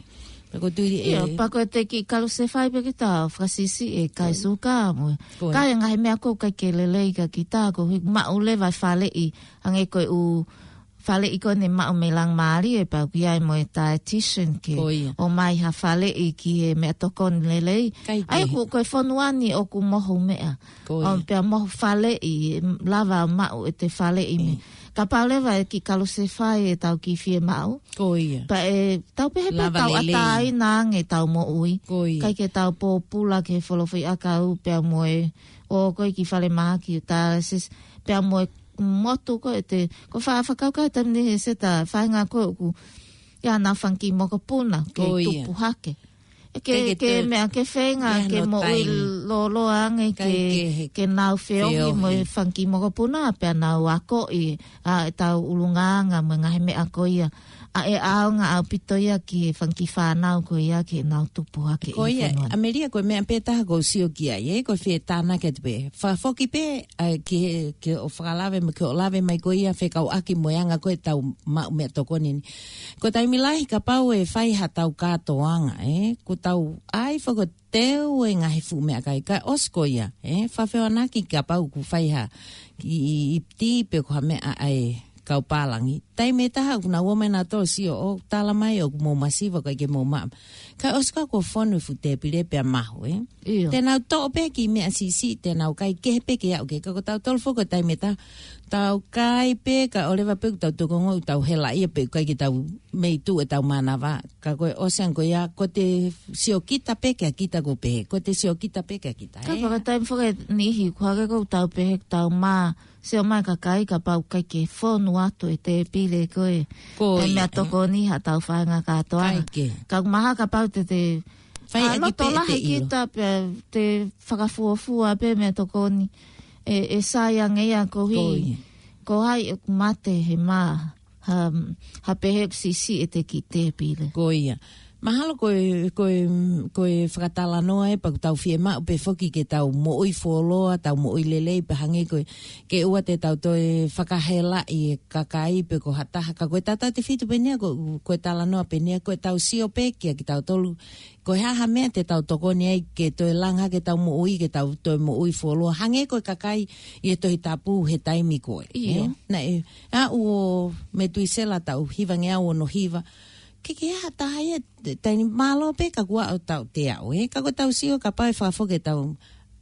Pea ʻoku ou tui ʻe Ia, pea ko e te kiʻi kalusefai pē kita fakasisi e kai Ko ia. suka mo. Ko ia. Kai e ngaahi meʻa ʻoku ʻikai ke lelei kia kita, ko e ʻuhi maʻu leva e faleʻi, hangē ko e ʻū faleʻi ko eni maʻu mei Laumālie, pea ʻoku ʻi ai mo e dietitian ke Ko ia. ʻomai ha faleʻi ki he meʻatokoni lelei. Kai ʻAi kehe. ʻoku, ko e fonua ni ʻoku mohu meʻa. Ko ia. ʻO pea mohu faleʻi, lava maʻu ʻete faleʻi mei. Mm. Kapau leva ʻe kiʻi kalusefai ʻetau kiʻi fiemaʻu. Ko ia. Pea ʻe, tau pehē pē Lava tau lelei. ʻatā ʻi nā ange ʻetau moʻui. Ko ia. ʻIkai ke tau pōpula ki he folofoʻi ʻakau pea mo e, ʻo ko e kiʻi falemahaki tālasisi, pea mo e motu ko ē te, ko e fa-, fakakaukau taimi ni he seta faʻahinga ko ē ʻoku ʻi ai haʻanau fanga kiʻi mokopuna, ke Ko ia. tupu hake. Ke, Ke, ke ke te meʻa, ke feinga, Ia ke no moʻui taimi. lōloa ange, Kai ke, ke he ke nau feohi feohi. mo e fanga kiʻi mokopuna, pea nau akoʻi, ʻa, ʻetau ʻulungaanga mo e ngaahi meʻa ko ia. ʻA e ʻaonga ʻaupito ia ki he fanga kiʻi fānau ko ia ke nau tupu hake Ko ʻi ia, fonua. ʻAmelia ko e meʻa pē taha ʻoku ou sio ki ai, ē, ko e fie tānaki atu pē. Fakafoki pē, ʻa, ki he, ke ʻo fakalave, ke ʻo lave mai ko ia, fekauʻaki mo e anga ko ē ʻetau maʻu meʻatokoni ni. Ko e taimi lahi kapau ʻe fai haʻatau kātoanga, ē, ʻoku tau ʻai fakateu e ngaahi fuʻu meʻakai ka ʻosi ko ia, ē, fakafehoanaki kapau ʻoku fai ha, i, i, i tī pe ko ha meʻa ʻa e kau pālangi. Taimi ʻe taha ʻoku nau ō mai nautolu ʻo sio ʻo tala mai ʻoku mou masiva ʻikai ke mou maʻa. Kae ʻosi ko ē kuo fonu e fuʻu tēpile pea mahu, ē? ʻIo. Te nau toʻo pē kiʻi meʻa siʻisiʻi, te nau kai kehe pē ke aʻu ki ai. Ka ko tautolu foki ko e taimi ʻe taha, tau kai pē, kae ʻoleva pē ʻoku tau toki ongoʻi ʻoku tau helaʻia pē ʻikai ke tau mei tuʻu ʻetau mānava. Ka ko e ʻosi ange ko ia, ko e siokita pē kia kita ko e pehē. Ko e siokita pē kia kita, ē? Ka ko e taimi foki ʻe niʻihi, ʻoku hangē ʻoku tau pehē ʻoku tau mā, sio mai e kakai kapau ʻikai ke fonu atu e tēpile ko ē. Ko e ia, ē? Meʻatokoni haʻatau faʻahinga kātoanga. ʻIkai ke. Ka ʻoku mahalo kapau te te fai ʻa e loto lahi kita pea te fakafuofua pē meʻatokoni. ʻE, ʻe sai ange ia koeʻuhi. Ko ia. Ko hai ʻoku mate he mā. Ha, ha pehē ʻoku siʻisiʻi ʻete kiʻi tēpile. Ko ia. Mahalo ko e, ko e, ko e fakatalanoa ē pea ʻoku tau fiemaʻu pē foki ke tau moʻui fuoloa, tau moʻui lelei pea hangē ko e, ke ʻoua te tau toe fakahelaʻi e kakai pe ko ha taha. Ka ko e tautautefito pē ʻeni ia, ko, ko e talanoa pē ʻeni ia, ko ʻetau sio pē kia kitautolu. Ko e hā ha meʻa te tau tokoni ai ke toe langa hake ʻetau moʻui, ke tau toe moʻui fuoloa. Hangē ko e kakai ʻi he Tohi Tapu he taimi ko ē. ʻIo. Ē? Naʻe, ʻa ʻo Metuisela taʻu hivangeau ono hiva. Ke ke aha taha ia, te, taini mālō pē ka kuo ʻosi tau te aʻu, ē? Ka ko ʻetau sio kapau ʻe fakafoki ʻetau,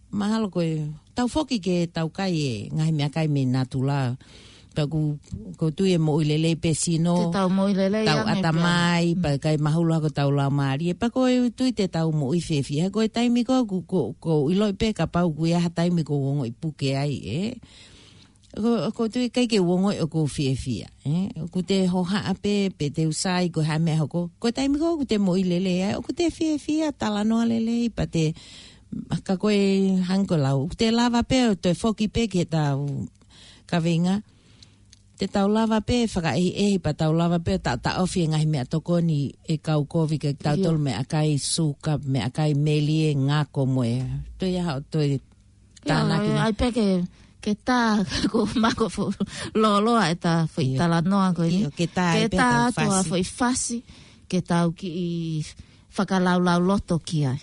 mahalo ko e, tau foki ke tau kai e ngaahi meʻakai mei natula. Pea ʻoku, ʻoku ou tui ʻe moʻui lelei pē sino. Te tau moʻui lelei tau ange pē. ʻAtamai, pea ʻikai mahulu hake hotau laumālie. Pea ʻoku ou tui te tau moʻui fiefia. Ko e taimi ko ē ʻoku, ʻoku, ʻoku ou ʻiloʻi pē kapau ʻoku ʻi ai ha taimi ʻoku ou ongoʻi puke ai, ē? ʻOku, ʻoku ou tui ʻikai ke u ongoʻi ʻoku ou fiefia, ē? ʻOku te hohaʻa pē, pe te u sai ko e hā e meʻa ʻe hoko. Ko e taimi ko ē ʻoku te moʻui lelei ai, ʻoku te fiefia, talanoa lelei, pea te, ka ko e hangē ko e lau, ʻoku te lava pē ʻo toe foki pē ki heʻetau kaveinga. Te tau lava pē fakaʻehiʻehi pea tau lava pē ʻo taʻotaʻofi e ngaahi meʻatokoni ʻe kau kovi kia kitautolu. ʻIo. Meʻakai suka, meʻakai melie, ngako mo e. Toe ʻi ai haʻo toe tānaki mai. ʻIo, ʻai pē ke, ke tā, ko mako fo, loloa ʻeta foʻi. ʻIo. Talanoa ko eni. ʻIo, ke tā, ke tā pē ʻetau atu ʻa fasi. Foʻi fasi, ke tau kiʻi fakalaulauloto ki ai.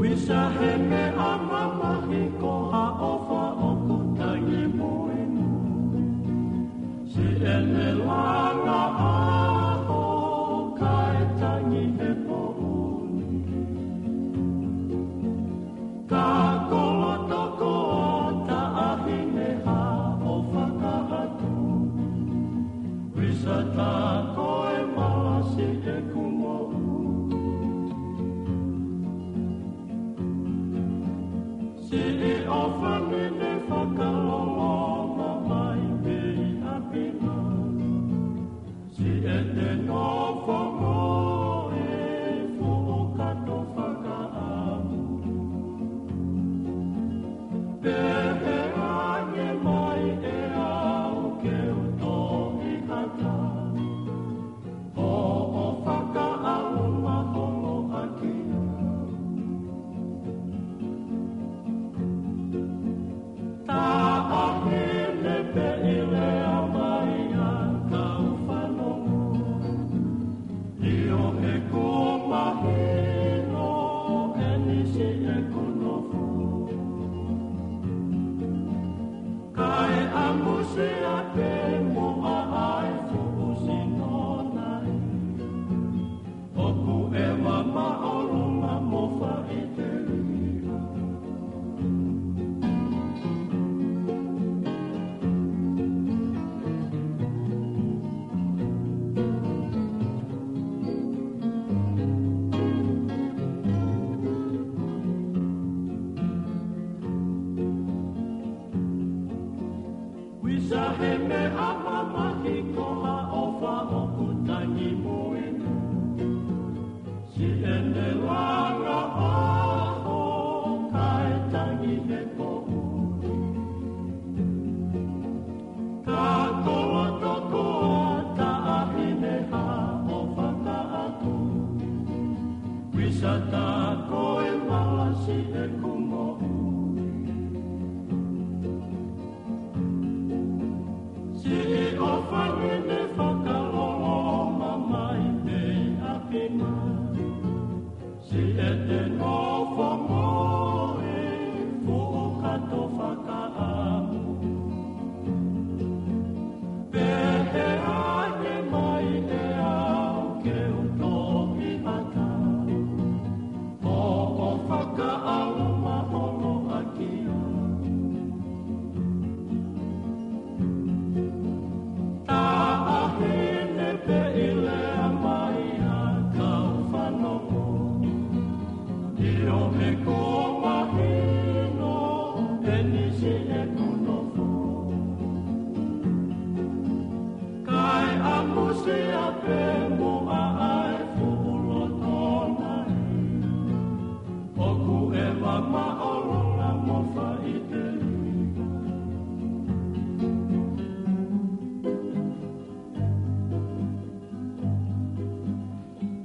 Visa he meʻa mamahi ko ha ʻofa ʻoku tangi muimui. Siʻene langa ʻaho kae tangi he poʻuli. Ka ko loto ko taʻahine ha ʻofa ka hatu. Visa ta ko e malasi ʻeku moʻui. Siʻi ʻofa mene fakaloloma mai mei ʻapi na. Siʻete nofo mo e foʻi kato fakaʻamu. Pehē ange mai ʻe au ke u toʻi hata. Hoʻo fakaʻamu maholo ʻaki au. Taʻahine pē ʻi lea mai ʻa kau fanongo. Ka koloto koa taʻahine ha ʻo fakaʻatu. Kuisa ta ko e malasi ʻeku moʻui. Siʻi ʻofa nene fakalolo mamai mei ʻapi mai. Siʻete nofo mo e fuʻu kato fakaʻamu. Pehē ange mai ʻe au ke u toʻi ʻata. ʻO, ʻo fakaʻalu maholo ʻaki au. Taʻahine pē ʻi lea mai ʻa kau fanongo. ʻIo he kuo mahino ʻe nisi ʻeku nofo. Kae ʻamusia pē muʻa ʻa e fuʻu loto nai. ʻOku ʻeva māʻolunga mo faʻiteliha.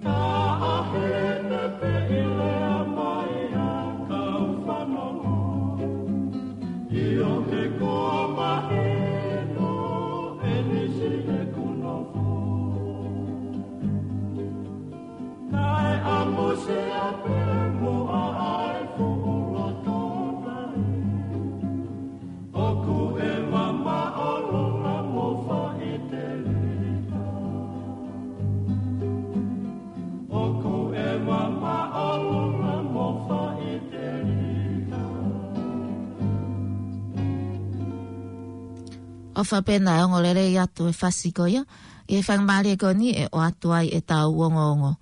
Taʻahine pē ʻi lea mai ʻa kau fanongo. ʻIo he kuo mahino ʻe nisi ʻeku nofo. Kae ʻamusia pē muʻa ʻa e fuʻu loto nai. ʻOku ʻeva māʻolunga mo faʻiteliha. ʻOku ʻeva māʻolunga mo faʻiteliha. ʻOfa pē naʻe ongo lelei atu e fasi ko ia, ʻi he faingamālie ko eni ʻe ʻoatu ai ʻetau ongoongo.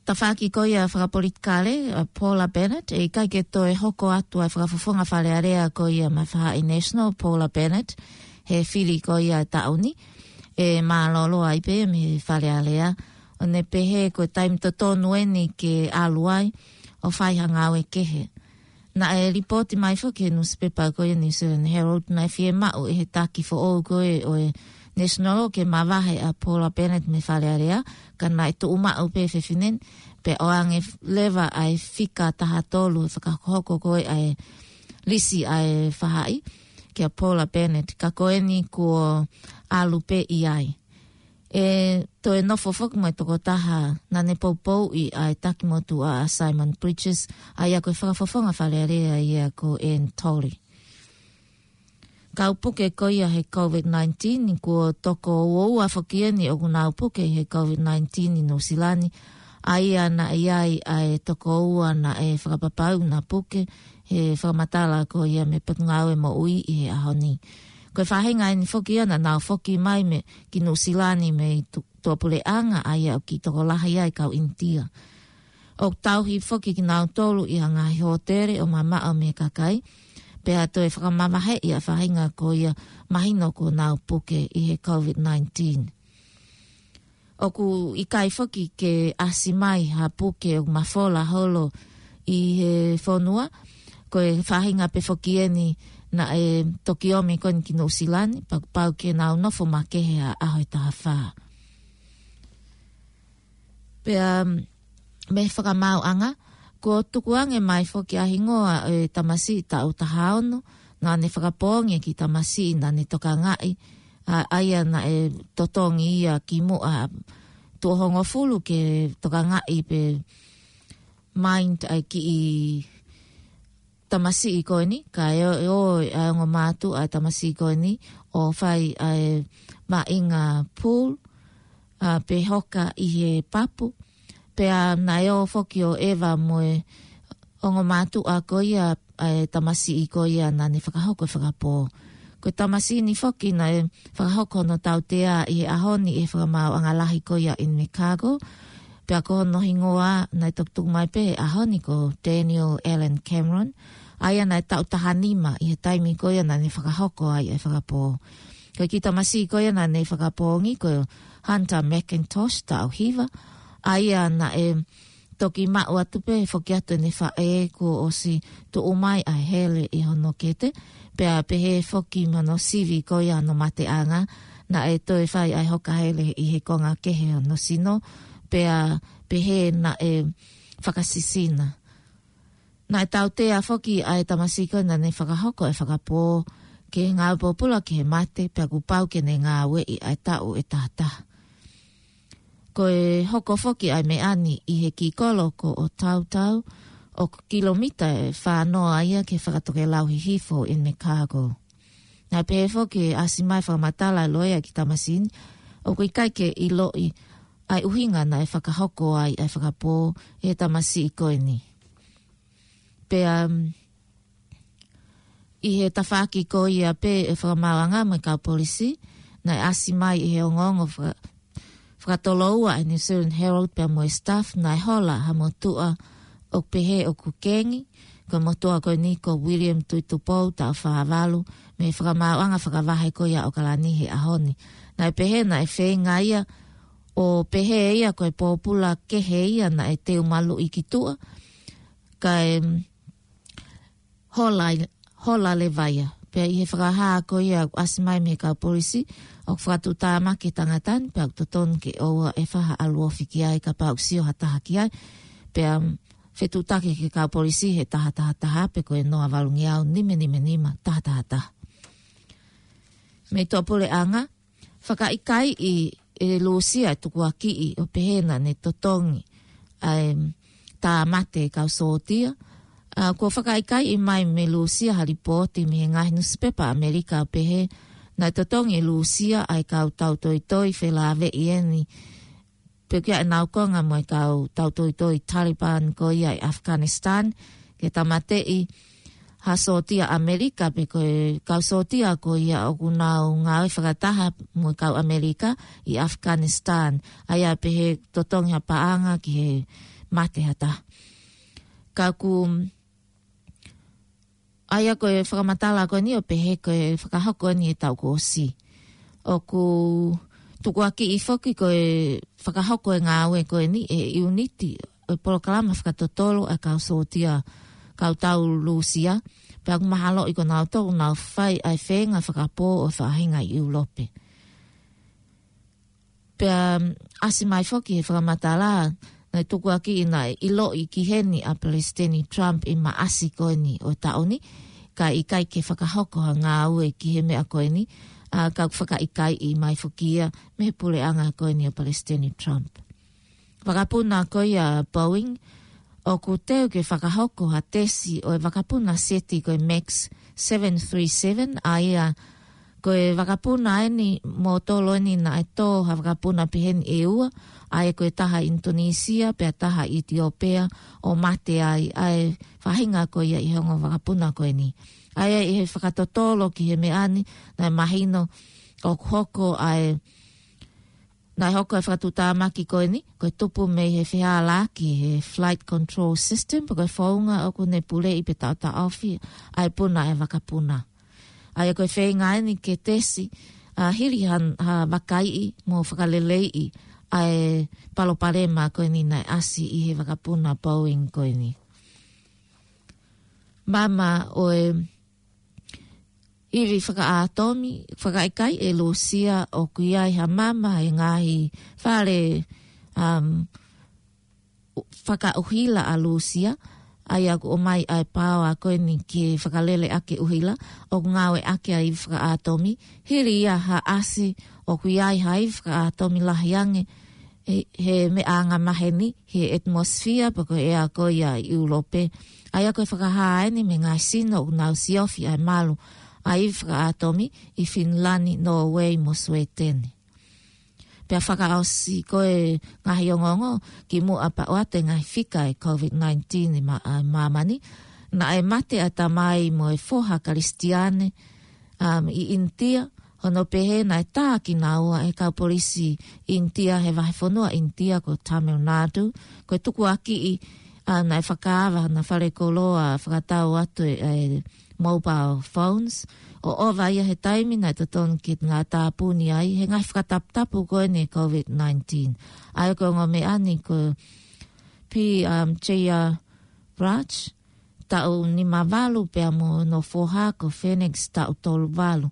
Tafaʻaki ko ia fakapolitikale, ʻa Paula Bennett, ʻe ʻikai ke toe hoko atu ʻa e fakafofonga Fale Alea ko ia maʻa e faʻahi National, Paula Bennett, he fili ko ia taʻu ni, ʻe mālōlō ai pē mei he Fale Alea, ʻo ne pehē ko e taimi totonu eni ke ʻalu ai, ʻo fai ha ngāue kehe. Naʻe lipooti mai foki he nusipepa ko ia New Zealand Herald naʻe fiemaʻu ʻe he taki foʻou ko ē ʻo e National ke mavahe ʻa Paula Bennett mei Fale Alea, ka naʻe tuʻu maʻu pē fefine ni, pea ʻoange leva ʻa e fika taha tolu ʻe fakahokohoko ko ē ʻa e lisi ʻa e faʻahi, kia Paula Bennett, ka ko eni kuo ʻalu pē ia ai. ʻE toe nofo foki mo e tokotaha naʻa ne poupouʻi ʻa e taki motuʻa ʻa Simon Bridges, ʻa ia ko e fakafofonga Fale Alea ia ko Anne Tolley. Kau puke ko ia he COVID nineteen, ʻi he kuo toko uaua foki eni ʻoku nau puke he COVID nineteen ʻi Nuʻusila ni, ʻa ia naʻe ʻi ai ʻa e toko ua naʻe fakapapau naʻa puke he fakamatala ko ia mei he Potungāue Moʻui ʻi he ʻaho ni. Ko e faʻahinga eni foki ia naʻa nau foki mai mei ki Nuʻusila ni mei tu-, tuʻapuleʻanga ʻa ia ʻoku kiʻi tokolahi ai kau ʻInitia. ʻOku tauhi foki kinautolu ʻi ha ngaahi hōtele ʻo mamaʻo mei he kakai, pea toe fakamavaheʻi ʻa e faʻahinga ko ia mahino kuo nau puke ʻi he COVID nineteen. ʻOku ʻikai foki ke ʻasi mai ha puke ʻoku mafola holo ʻi he fonua, ko e faʻahinga pē foki eni naʻe toki ō mai ko eni ki Nuʻusila ni, pea kuo pau ke nau nofo makehe ʻa e ʻaho ʻe taha fā. Pea mei he fakamaauʻanga, kuo tukuange mai foki ʻa e hingoa ʻo e tamasiʻi taʻu taha ono, naʻa ne fakapoongi e kiʻi tamasiʻi naʻa ne tokangaʻi, ʻa, ʻa ia naʻe totongi ia kimuʻa tuʻo hongofulu ke tokangaʻi pe mind ʻa e kiʻi tamasiʻi ko eni, kae ʻo, ʻo, ʻa e ongo mātuʻa ʻa e tamasiʻi ko eni, ʻo fai ʻa e maʻinga pool, ʻa, pe hoka ʻi he papu, pea naʻe ō foki ʻo ʻeva mo e ongo mātuʻa ko ia ʻa e tamasiʻi ko ia naʻa ne fakahoko e fakapō. Ko e tamasiʻi ni foki naʻe fakahoko hono tautea ʻi he ʻaho ni ʻi he fakamaauʻanga lahi ko ia ʻi Invercargill. Pea ko hono hingoa naʻe tukutuku mai pē he ʻaho ni ko Daniel Allen Cameron. ʻA ia naʻe taʻu taha nima ʻi he taimi ko ia naʻa ne fakahoko ai e fakapō. Ko e kiʻi tamasiʻi ko ia naʻa ne fakapoongi ko Hunter McIntosh taʻu hiva. ʻA ia naʻe toki maʻu atu pē foki atu ʻene faʻē kuo ʻosi tuʻu mai ʻa e hele ʻi hono kete, pea pehē foki mo hono sivi ko ia hono mateʻanga, naʻe toe fai ʻa e hoka hele ʻi he konga kehe hono sino, pea pehē naʻe fakasisina. Naʻe tautea foki ʻa e tamasiʻi ko ena naʻá ne fakahoko e fakapō ki he ngāue pōpula ki he mate, pea kuo pau ke ne ngāueʻi ʻa e taʻu ʻe tahataha. Ko e hoko foki ʻa e meʻa ni ʻi he kiʻi kolo ko ʻOtautau, ʻoku kilomita ʻe fā noa ia ki he fakatokelau hihifo ʻo Invercargill. Naʻe pehē foki ʻe ʻasi mai fakamatala ʻa e loea ki he tamasiʻi ni, ʻoku ʻikai ke ʻiloʻi ʻa e ʻuhinga naʻe fakahoko ai ʻa e fakapō ʻe he tamasiʻi ko eni. Pea, um, ʻi he tafaʻaki ko ia pē ʻa e fakamaauʻanga mo e kau polisi, naʻe ʻasi mai ʻe he ongoongo faka-, fakatoloua ʻa e New Zealand Herald pea mo e Stuff, naʻe hola ha motuʻa ʻoku pehē ʻoku kengi, ko e motuʻa ko eni ko William Tuitupou, taʻu fā valu, mei he fakamaauʻanga fakavahe ko ia ʻo ʻAokalani he ʻaho ni. Naʻe pehē naʻe feinga ia ʻo pehē ia ko e pōpula kehe ia naʻe teu maluʻi ki tuʻa, kae, um, hola, hola leva ia. Pea ʻi he fakahā ko ia ʻoku ʻasi mai mei he kau polisi, ʻoku fakatuʻutāmaki e tangata ni, pea ʻoku totonu ke ʻoua ʻe fai ha ʻalu ofi ki ai kapau ʻoku sio ha taha ki ai. Pea, um, fetuʻutaki ki he kau polisi he taha taha taha, pe ko e noa valungeau nima nima nima taha taha taha. Mei tuʻapuleʻanga, fakaʻikaiʻi ʻe Lūsia e tukuakiʻi ʻo pehē naʻá ne totongi ʻa e tāmate e kau sōtia. ʻA, kuo fakaʻikaiʻi mai mei Lūsia ha lipooti mei he ngaahi nusipepa ʻAmelika ʻo pehē naʻe totongi ʻe Lūsia ʻa e kau tautoitoi felāveʻi eni, pe ko ia ʻenau konga mo e kau tautoitoi Taliban ko ia ʻi Afghanistan, ke tāmateʻi ha sōtia ʻAmelika, pe ko e kau sōtia ko ia ʻoku nau ngāue fakataha mo e kau ʻAmelika ʻi Afghanistan. ʻA ia pehē totongi ha paʻanga ki he mate ha taha. Ka ʻoku ʻA ia ko e fakamatala ko eni ʻo pehē ko e fakahoko eni e taʻu kuo ʻosi. ʻOku tukuakiʻi foki ko e fakahoko e ngāue ko eni ʻe he ʻiuniti ʻo e polokalama fakatotolo ʻa e kau sōtia, kau tau Lūsia, pea ʻoku mahaloʻi ko nautolu ʻoku nau fai ʻa e feinga fakapō ʻo e faʻahinga ʻi ʻIulope. Pea, um, ʻasi mai foki he fakamatala, naʻe tukuakiʻi naʻe ʻiloʻi ki heni ʻa Palesiteni Trump ʻi Maʻasi ko eni ʻo e taʻu ni, ka ʻikai ke fakahoko ha ngāue ki he meʻa ko eni, ʻa, ka ʻoku fakaʻikaiʻi mai foki ia mei he puleʻanga ko eni ʻo Palesiteni Trump. Vakapuna ko ia Boeing, ʻoku teu ke fakahoko ha tesi ʻo e vakapuna seti ko e Max seven three seven, ʻa ia ko e vakapuna eni motolo eni naʻe tō ha vakapuna pehē ni ʻe ua, ʻa ia ko e taha ʻInitonīsia, pea taha ʻItiopea, ʻo mate ai, ʻa e faʻahinga ko ia ʻi he ongo vakapuna ko eni. ʻA ia ʻi he fakatotolo ki he meʻa ni, naʻe mahino ʻoku hoko ʻa e Naʻe hoko e fakatuʻutāmaki ko eni, ko e tupu mei he fehālaaki he flight control system, pe ko e founga ʻoku ne puleʻi pe taʻotaʻofi ʻa e puna ʻa e vakapuna. ʻA ia ko e feinga eni ke tesi, ʻa, hili ha, ha vakaiʻi mo fakaleleiʻi ʻa e palopalema ko eni naʻe ʻasi ʻi he vakapuna Boeing ko eni. Maama ʻo e ivi fakaʻātomi, fakaʻikaiʻi ʻe Lūsia ʻoku ʻi ai ha maama he ngaahi fale, um, fakaʻuhila ʻa Lūsia, ʻa ia ʻoku ʻomai ʻa e paoa ko eni ke fakalele ʻaki e ʻuhila, ʻoku ngāueʻaki ʻa e ivi fakaʻātomi, hili ia ha ʻasi ʻoku ʻi ai ha ivi fakaʻātomi lahi ange, he, he meʻa anga maheni, he atmosphere pe ko e ʻea ko ia ʻi ʻIulope. ʻA ia ko e fakahā eni mei he ngaahi sino ʻoku nau siofi ʻa e malu ʻa e ivi fakaʻātomi ʻi Finilani, Nōvei mo Suētene. Pea fakaʻosi ko e ngaahi ongoongo kimuʻa pea ʻoatu e ngaahi fika e COVID nineteen ʻi mā-, ʻa māmani. Naʻe mate ʻa e tamai mo e foha Kalisitiane, um, ʻi ʻInitia, hono pehē naʻe tā kinaua ʻe he kau polisi ʻInitia he vahefonua ʻInitia ko Tamil Nadu, ko e tukuakiʻi, ʻa, naʻe fakaava hona falekoloa fakatau atu e, e mobile phones, ʻo ʻova ia he taimi naʻe totonu ke ngātāpuni ai he ngaahi fakataputapu ko eni e COVID nineteen. ʻA ia ko e ongo meʻa ni ko P, um, J R Raj, taʻu nima valu, pea mo hono foha ko Phoenix, taʻu tolu valu.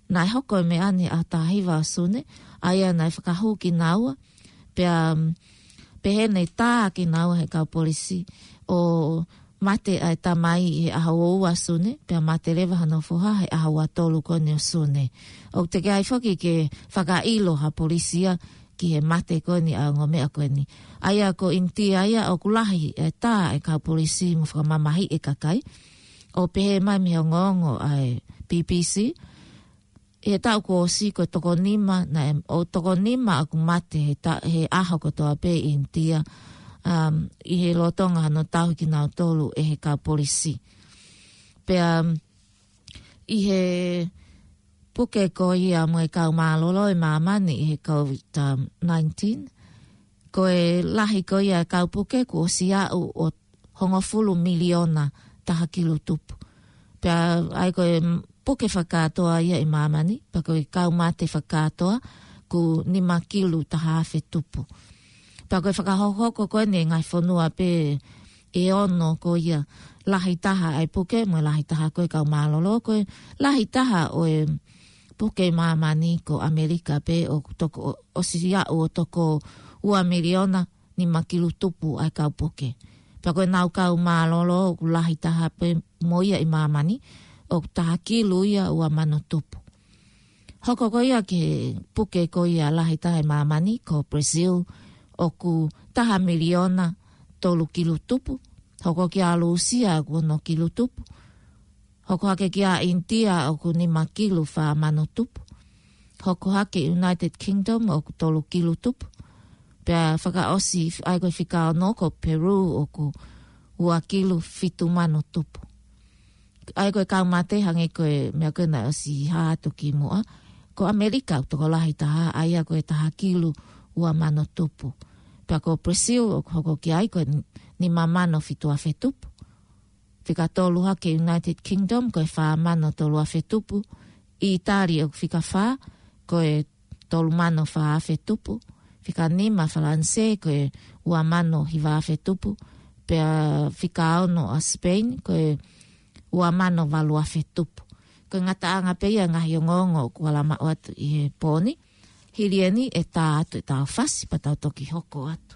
Naʻe hoko e meʻa ni he ʻaho taha hiva ʻo Sune, ʻa ia naʻe fakahū kinaua, pea, um, pehē naʻe tā kinaua ʻe he kau polisi, ʻo mate ʻa e tamai he ʻaho ua ʻo Sune, pea mate leva hono foha he ʻaho ua tolu ko eni ʻo Sune. ʻOku teʻeki ai foki ke fakaʻilo ʻe ha polisi ia ki he mate ko eni ʻa e ongo meʻa ko eni. ʻA ia ko ʻInitia ia ʻoku lahi e tā ʻa e kau polisi mo fakamamahiʻi e kakai. ʻO pehē mai mei he ongoongo ʻa e B B C, ʻi he taʻu kuo ʻosi ko e toko nima, naʻe, ʻo toko nima ʻoku mate he ta-, he ʻaho kotoa pē ʻi ʻInitia, um, ʻi he lolotonga hono tauhi kinautolu ʻe he kau polisi. Pea, um, ʻi he puke ko ia mo e kau mālōlō ʻi māmani ʻi he COVID nineteen, ko e lahi ko ia e kau puke kuo ʻosi aʻu ʻo hongofulu miliona taha kilu tupu. Pea ʻa ia ko e puke fakakātoa ia ʻi māmani, pea ko e kau mate fakakātoa ʻoku nima kilu taha afe tupu. Pea ko e fakahokohoko ko eni e ngaahi fonua pē ʻe ono ko ia, lahi taha ʻa e puke mo e lahi taha ko e kau mālōlō. Ko e lahi taha ʻo e puke ʻi māmani ko ʻAmelika pē, ʻoku toko, ʻosi aʻu ʻo toko ua miliona nima kilu tupu ʻa e kau puke. Pea ko ʻenau kau mālōlō ʻoku lahi taha pē mo ia ʻi māmani, ʻoku taha kilu ia ua mano tupu. Hoko ko ia ki he puke ko ia lahi taha ʻi māmani ko Brazil, ʻoku taha miliona tolu kilu tupu. Hoko kia Lūsia ʻoku ono kilu tupu. Hoko hake kia ʻInitia ʻoku nima kilu fā mano tupu. Hoko hake United Kingdom ʻoku tolu kilu tupu. Pea fakaʻosi ʻa ia ko e fika ono ko Peru ʻoku ua kilu fitu mano tupu. ʻA ia ko e kau mate, hangē ko e meʻa ko ē naʻe ʻosi hā atu kimuʻa, ko ʻAmelika ʻoku tokolahi taha, ʻa ia ko e taha kilu ua mano tupu. Pea ko Brazil ʻoku hoko ki ai ko e nima mano fitu afe tupu. Fika tolu hake United Kingdom ko e fā mano tolu afe tupu. ʻItali ʻoku fika fā ko e tolu mano fā afe tupu. Fika nima Falanisē ko e ua mano hiva afe tupu. Pea fika ono ʻa Spain ko e ua mano valu afe tupu. Ko e ngataʻanga pē ia e ngaahi ongoongo ʻoku ala maʻu atu ʻi he pō ni. Hili eni ʻe tā atu ʻetau fasi pea tau toki hoko atu.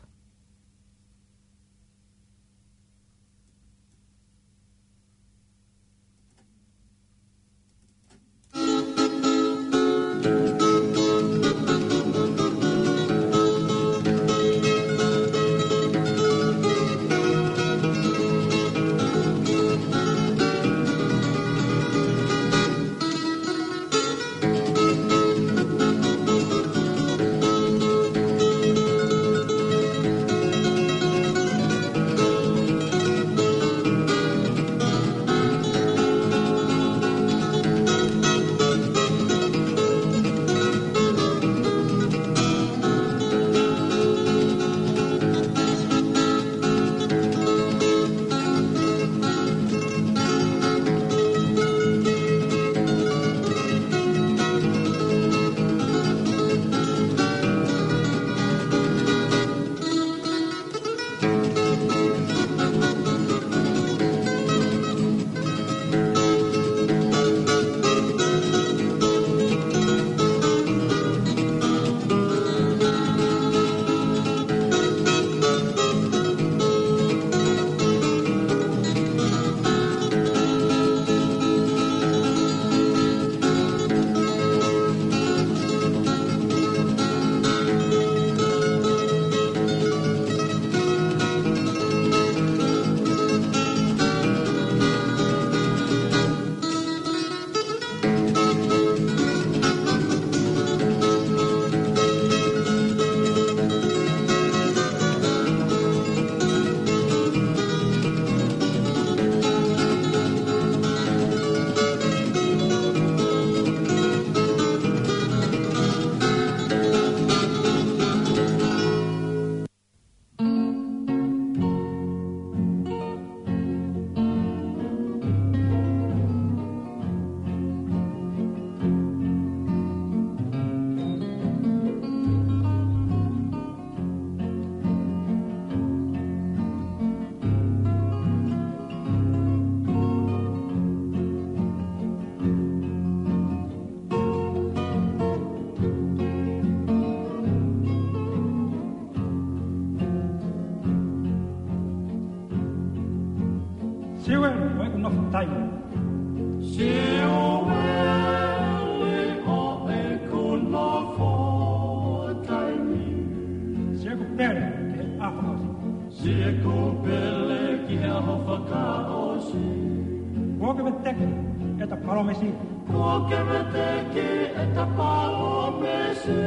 Siueli ʻo ʻeku nofo taimi. Siʻeku pele ki he ʻaho fakaʻosi. Siʻeku pele ki he ʻaho fakaʻosi. Kuo ke veteki ʻeta palōmesi. Kuo ke veteki ʻeta palōmesi.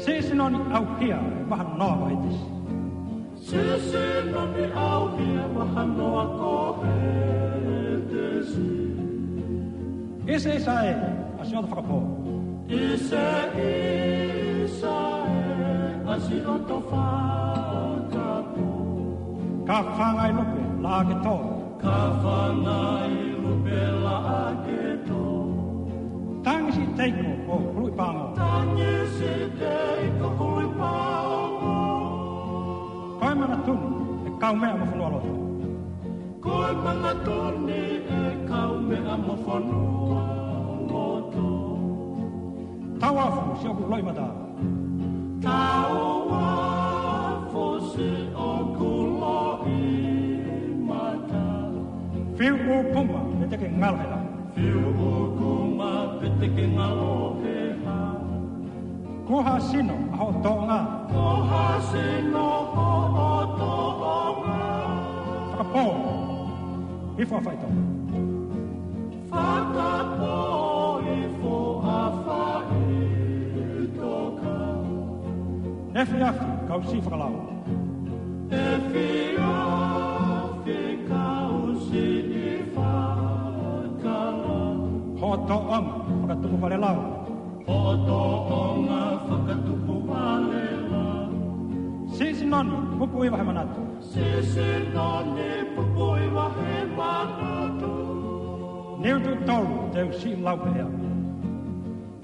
Siʻi sino ni ʻauhia ʻe vaha noa ko Hētesi. Siʻi sino ni ʻauhia ʻe vaha noa ko Hētesi. ʻIseiseʻi ʻa siʻoto fakapō. ʻIseiseʻi ʻa siʻoto fakapō. Ka fangai lupe laʻā ke tō. Ka fangai lupe laʻā ke tō. Tangi siʻi teiko ʻo huluʻi pāngo. Tangi siʻi teiko huluʻi pāngo. Ko e manatu ni ʻe kaumeʻa mo fonua loto. Ko e manatu ni ʻe kaumeʻa mo fonua loto. Tauafu siʻoku loʻimata. Tauafu siʻoku loʻimata. Fiu ʻūkuma pē te ke ngalo he ʻaho. Fiu ʻūkuma pē te ke ngalo he ʻaho. Kuo hā sino ʻa hoʻo tōʻonga. Kuo hā sino ʻa hoʻo tōʻonga. Fakapō. Hifo ʻa faʻitoka. Fakapō hifo ʻa faʻitoka. Efiafi kau siʻi fakalau. Efiafi kau siʻi fakalau. Hoʻo tōʻonga fakatupu vale lau. Hoʻo tōʻonga fakatupu vale lau. Siʻi sino ni pupuʻi vahe manatu. Siʻi sino ni pupuʻi vahe manatu. Niu tuʻo tolu te u siʻi lau pehē au.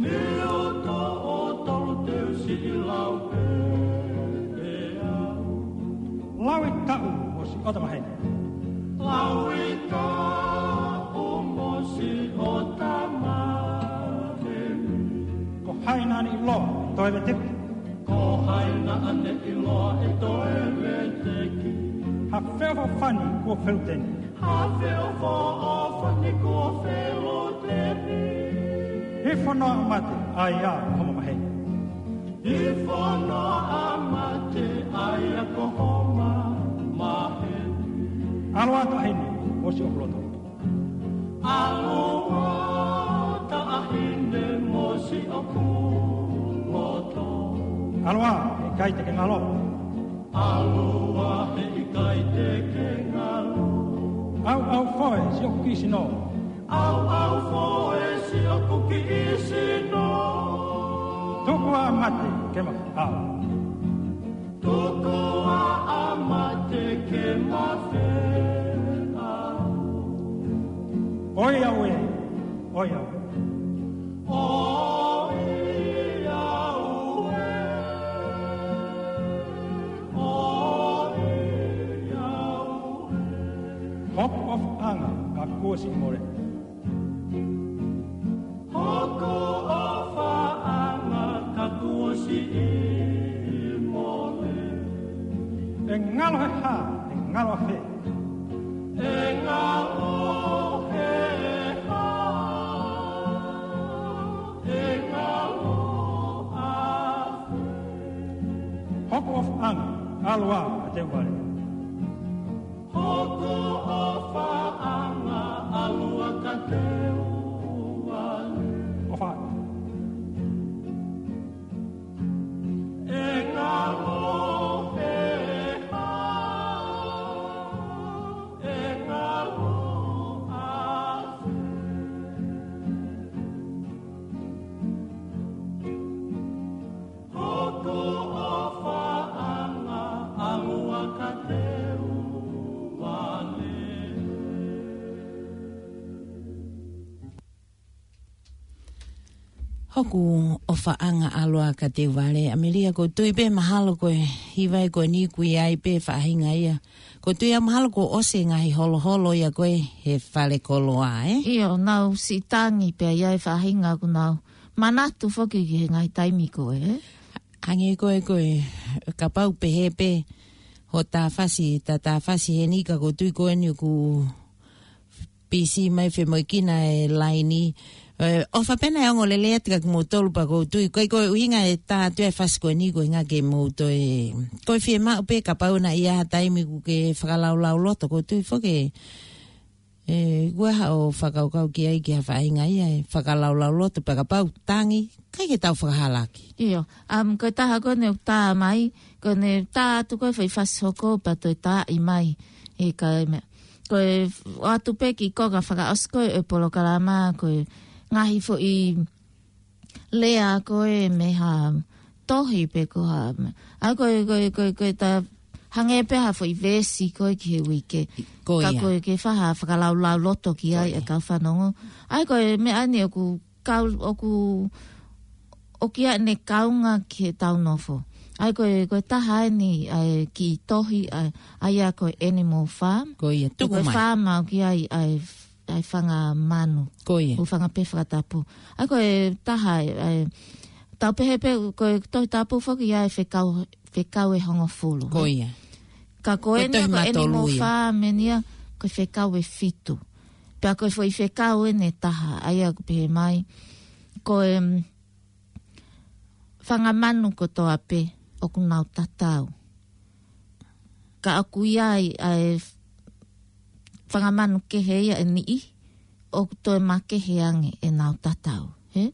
Niu tuʻo tolu te u siʻi lau pehē au. Lauʻi taʻu mo siʻota maheni. Lauʻi taʻu mo siʻota maheni. Ko hai naʻa ne ʻiloa ʻe toe veteki. Ko hai naʻa ne ʻiloa ʻe toe veteki. Ha feʻofoʻofani kuo feluteni. Ha feʻofoʻofani kuo feluteni. Hifo noa ʻa mate ʻa ia ʻo homo maheni. Hifo noa ʻa mate ʻa ia ko homo maheni. ʻAlu ā taʻahine mo siʻoku loto. ʻAlu ā taʻahine mo siʻoku loto. ʻAlu ā, heʻikai te ke ngalo. ʻAlu ā, heʻikai te ke ngalo. ʻAuʻau foe siʻoku kiʻi sino. ʻAuʻau foe siʻoku kiʻi sino. Tuku ā mate ke ma feʻao. Tuku ā mate ke ma feʻao. ʻOiauē, ʻoiauē. ʻOiauē, ʻoiauē. Hoku ʻofaʻanga ka kuo siʻi mole. Hoku ʻofaʻanga ka kuo siʻi mole. ʻE ngalo he hā, ʻe ngalo ʻafē. ʻE ngalo he hā, ʻe ngalo ʻafē. Hoku ʻofaʻanga, ʻalu ā ka te u vale. Hoku ʻofaʻanga, ʻalu ā ka te u vale. ʻOfa. ʻE ngalo he hā, ʻe ngalo ʻafē. Hoku ʻofaʻanga, ʻalu ā ka te u vale. Hoku ʻofaʻanga, ʻalu ā ka te u vale. ʻAmelia, ʻoku ou tui pē mahalo ko e hiva ē ko eni ʻoku ʻi ai pē faʻahinga ia. ʻOku ou tui au mahalo kuo ʻosi e ngaahi holoholo ia ko ē he fale koloa, ē? ʻIo, nau siʻi tangi pē ia he faʻahinga ʻoku nau manatu foki ki he ngaahi taimi ko ē, ē? Hangē ko ē ko e, kapau pehē pē, hoʻo tāfasi, ta tāfasi heni ka ʻoku ou tui ko eni ʻoku pisi mai femoʻuekina e laini. ʻE, ʻofa pē naʻe ongo lelei atu kia kimoutolu pea ʻoku ou tui. Ko e, ko e ʻuhinga e tā atu e fasi ko eni ko e ʻuhinga ke mou toe, ko e fiemaʻu pē kapau naʻe ʻi ai ha taimi ʻoku ke fakalaulauloto, ʻoku ou tui foki ē, ʻoku ʻi ai haʻo fakakaukau ki ai ki ha faʻahinga ia ʻe fakalaulauloto pea kapau tangi, ʻikai ke tau fakahalaki. ʻIo, um, ko e taha ko eni ʻoku tā mai, ko eni tā atu ko e fai fasi hoko pea toe tāʻi mai. ʻE ka e meʻa. Ko e ʻoatu pē ki ko ka fakaʻosi ko e polokalama ko e ngaahi foʻi lea ko e mei ha tohi pe ko ha. ʻA ko e, ko e, ko e, ko e tā hangē pē ha foʻi veesi ko e ki he uike. Ko ia. Ka ko e ke faha fakalaulauloto ki ai e kau fanongo. ʻA ko e meʻa ni ʻoku kau, ʻoku, ʻoku ʻi ai ʻene kaunga ki heʻetau nofo. ʻA ko e, ko e taha eni, ʻa e kiʻi tohi, ʻa, ʻa ia ko e Animal Farm. Ko ia, tuku mai. Ko e faama ʻoku ʻi ai, ʻa e, ʻa e fanga manu. Ko ia. ʻO fanga pē fakatapu. ʻA ko e taha, ʻa e, tau pehē pē, ko e Tohi Tapu foki ʻi ai e fekau, fekau ʻe hongofulu. Ko ia. Ka ko eni ko e Tohi Matolu Animal Farm eni ia, ko e fekau ʻe fitu. Pea ko e foʻi fekau eni ʻe taha, ʻa ia ʻoku pehē mai. Ko e, mm, fanga manu kotoa pē, ʻoku nau tatau. Ka ʻoku ʻi ai, ʻa e fanga manu kehe ia ʻe niʻihi, ʻoku toe makehe ange ʻenau tatau. He?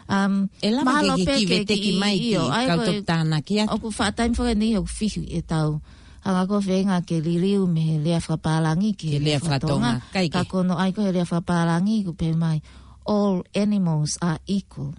Um, ʻE lava mahalo ke pē kiʻi veteki mai ki he kau toki tānaki atu. ʻOku faʻa taimi foki eni ʻoku fihi ʻetau hanga ko e feinga ke liliu mei he lea fakapālangi ki he lea fakatonga. Ka ko hono ʻai ko e lea fakapālangi ʻoku pehē mai, "All animals are equal,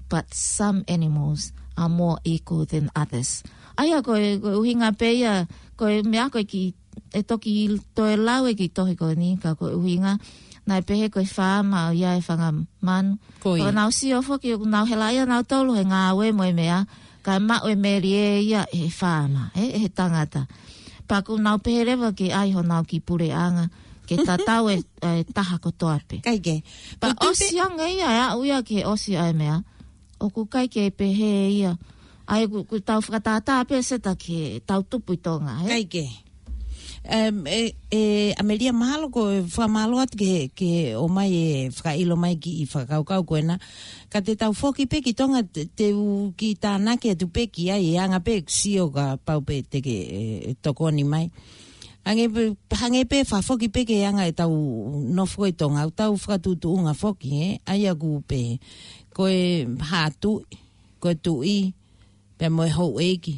but some animals are more equal than others." ʻA ia ko e, ko e ʻuhinga pē ia, ko e meʻa ko e kiʻi ʻe toki toe lau e kiʻi tohi ko eni, ka ko e ʻuhinga, naʻe pehē ko e faama ʻoku ʻi ai e fanga manu. Ko ia. ʻOku nau sio foki, ʻoku nau hela ia nautolu he ngāue mo e meʻa, kae maʻu e melie ia ʻe he faama, ʻe, ʻe he tangata. Pea ʻoku nau pehē leva ke ʻai honau kiʻi puleʻanga, ke tatau e, e taha kotoa pē. ʻIkai ke. Pea ʻoku tupe ʻosi ange ia, ʻe aʻu ia ki he ʻosi ʻa e meʻa. ʻOku ʻikai ke pehē ia. ʻA ia ʻoku, ʻoku tau fakatātā pē Seta ki heʻetau tupu ʻi Tonga, he? ʻIkai ke. Um, ʻe, ʻe, ʻAmelia, mahalo ko e fakamālō atu ki he, ki he ʻomai e fakaʻilo mai kiʻi fakakaukau ko ena. Ka te tau foki pē ki Tonga te, te u kiʻi tānaki atu pē ki ai e anga pē sio kapau pē te ke, e, tokoni mai. Hangē pē, hangē pē fakafoki pē ki he anga ʻetau nofo ʻi Tonga, ʻoku tau fakatuʻutuʻunga foki, he? ʻA ia ʻoku pehē. Ko e haʻa tuʻi, ko e tuʻi, pea mo e houʻeiki,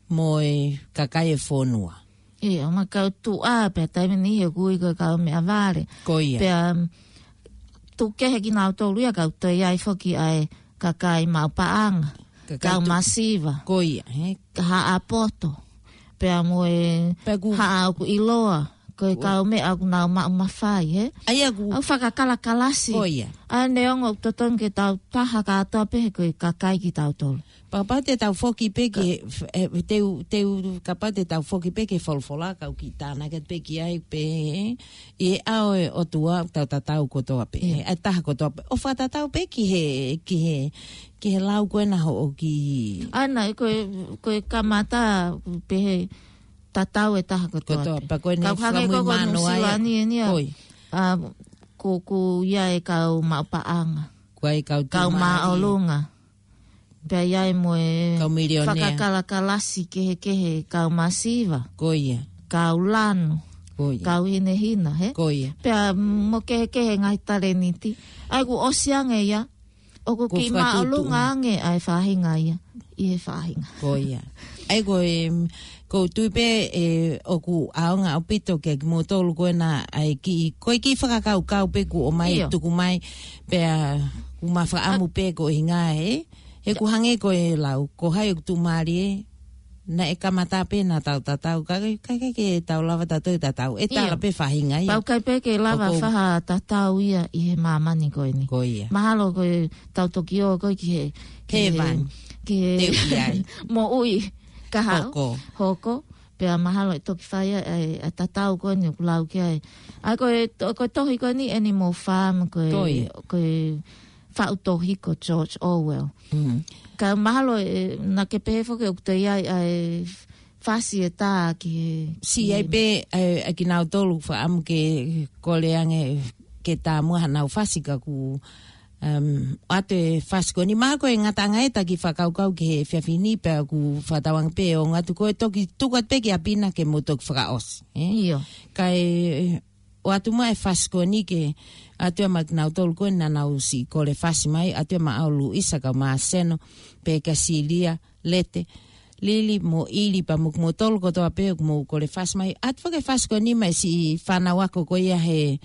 mo e kakai e fonua. ʻIo, ʻo ma kau tuʻa, pea taimi ni he kui ko e kau meʻavale. Ko ia. Pea, um, tuku kehe kinautolu ia ka ʻoku toe ʻi ai foki ʻa e kakai maʻu paʻanga, kakai kau tu-, masiva. Ko ia, he? Haʻa poto. Pea mo e pea ʻoku haʻa ʻoku ʻiloa. Ko e kau meʻa ʻoku nau maʻu mafai, he? ʻA ia ʻoku ʻoku fakakalakalasi. Ko ia. ʻA ia neongo ʻoku totonu ke tau taha kātoa pē he ko e kakai kitautolu. Pea kapau te tau foki pē ki he, e, te u, te u, kapau te tau foki pē ki he folofola, ka u kiʻi tānaki atu pē ki ai pē, ʻi he ʻao e ʻOtua, tau tatau kotoa pē, ʻa e taha kotoa pē. ʻO fakatatau pē ki he, ki he, ki he lau ko ena hoʻo kiʻi ʻana, ko e, ko e kamata, pē he tatau e taha kotoa pē. Kotoa, pea ko eni ka ʻoku hangē ko ko Nuʻu Sila ni eni ia. Ko ia. ʻA, ko, ko ia e kau maʻu paʻanga. Ko e kau tuʻumālie. Kau māʻolunga. Pea ʻi ai mo e kau milionea. Fakakalakalasi kehekehe, kau masiva. Ko ia. Kau lanu. Ko ia. Kau hinehina, he? Ko ia. Pea mo kehekehe ngaahi taleniti. ʻA ia ʻoku ʻosi ange ia. ʻOku kiʻi māʻolunga ange ʻa e faʻahinga ia. ʻI he faʻahinga. Ko ia. ʻA ia ko e, ʻoku ou tui pē, ʻe, ʻoku ʻaonga ʻaupito kia kimoutolu ko ena ʻa e kiʻi, ko e kiʻi fakakaukau pē kuo ʻomai tuku mai, pea ʻoku ma fakaʻamu pē ko e hinga ē, he ʻoku hangē ko e lau, ko hai ʻoku tuʻumālie, naʻe kamata pē naʻa tau tatau, ka, ka, ka ke tau lava tautolu tatau, ʻe tala pē faʻahinga ia. Pau kai pē ke lava faha tatau ia ʻi he māmani ko eni. Ko ia. Mahalo ko e tau toki ō ko e ki he, ki he, ki he moʻui kahaʻu. Hoko. Hoko. Pea mahalo ʻe toki fai ʻa e, ʻa e tatau ko eni ʻoku lau ki ai. ʻA ia ko e, to-, ko e tohi ko eni Animal Farm, ko e, ko e faʻu tohi ko George Orwell. Ka mahalo ʻe, naʻa ke pehē foki ʻoku toe ʻi ai ʻa e fasi e tā ki he, siʻi ai pē, ē, ʻa kinautolu fakaʻamu ke kole ange ke tā muʻa hanau fasi ka ʻoku, um, ʻoatu e fasi ko eni, mahalo ko e ngataʻanga ʻetau kiʻi fakakaukau ki he efiafi ni pea ʻoku fakatauange pē ʻe ʻaonga atu, ko e toki tuku atu pē ki ʻapi na ke mou toki fakaʻosi, ē? ʻIo. Kae ʻoatu muʻa e fasi ko eni ke ʻoatu ia maʻa kinautolu ko ē naʻa nau siʻi kole fasi mai, ʻoatu ia maʻau Luisa kau Māseno, pea kia Silia, Lete, Lili mo ʻIli pea mo kimoutolu kotoa pē ʻoku mou kole fasi mai. ʻOatu foki e fasi ko eni maʻa e siʻi fānau ako ko ia he,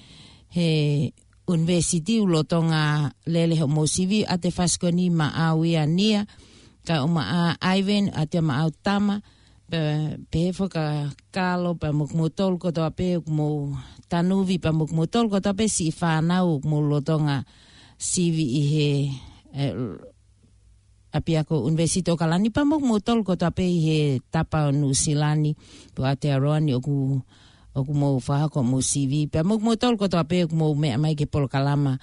he ʻunivēsiti ʻoku lolotonga lele hoʻomou sivi, ʻoatu e fasi ko eni maʻau ia Nia, kae ʻumaʻā Ivan, ʻoatu ia maʻau Tama, pea, pehē foki kia Kalo pea mo kimoutolu kotoa pē ʻoku mou, Tanuvi pea mo kimoutolu kotoa pē siʻi fānau ʻoku mou lolotonga sivi ʻi he, ē, ʻapiako ʻUnivēsiti ʻAokalani pea mo kimoutolu kotoa pē ʻi he tapa ʻo Nuʻusila ni, pea ʻoatu ʻa Roani ʻoku, ʻoku mou fakahoko hoʻomou sivi, pea mo kimoutolu kotoa pē ʻoku mou meʻa mai ki he polokalama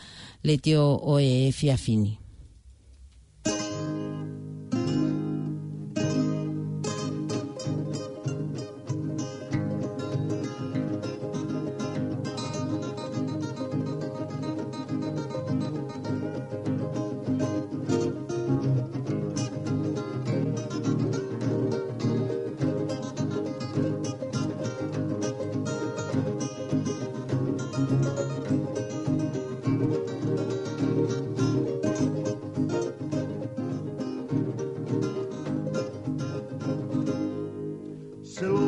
letiō ʻo e efiafi ni. Selo,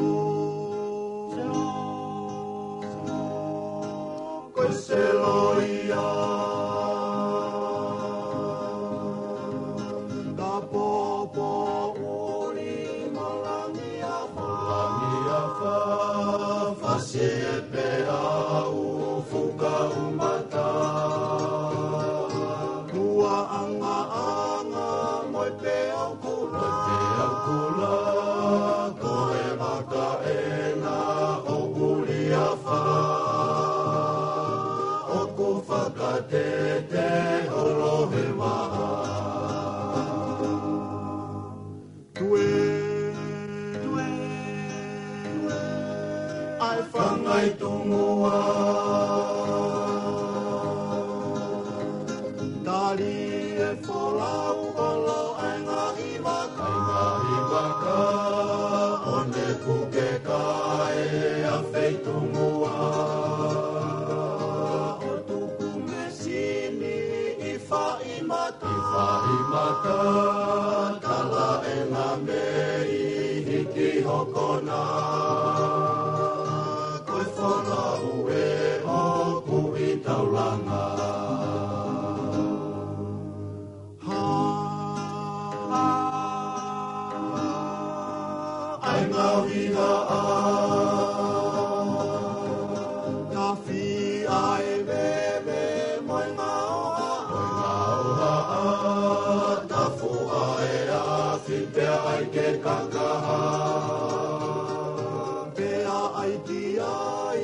selo, ko e selo ia. Ka popo uli mo langi afa. Langi afa, fasi e peau fuka umata. Kua anga anga mo e peau kula. Mo e peau kula, ko e maka ena ʻo uli afa. ʻOku fakatete ʻo lohe maha. Tue, tue, tue, ʻa e fanga ʻi Tumua. Tali e folau ʻo loʻenga ʻi vaka. ʻI vaka, ʻo ne kuke kae ʻa fei Tumua. ʻO tuku mesini ʻi faʻi mata. ʻI faʻi mata, kala e ngā mei hiki hokona. Ko e folau ē ʻoku ʻi taulanga. Ha, ha, ha, ʻa e ngaahi haʻa. Ka fia e veve mo e ngaahi haʻa. Mo e ngaahi haʻa. Ka fua e afi pea ʻai ke kakaha. Pea ʻai ki ai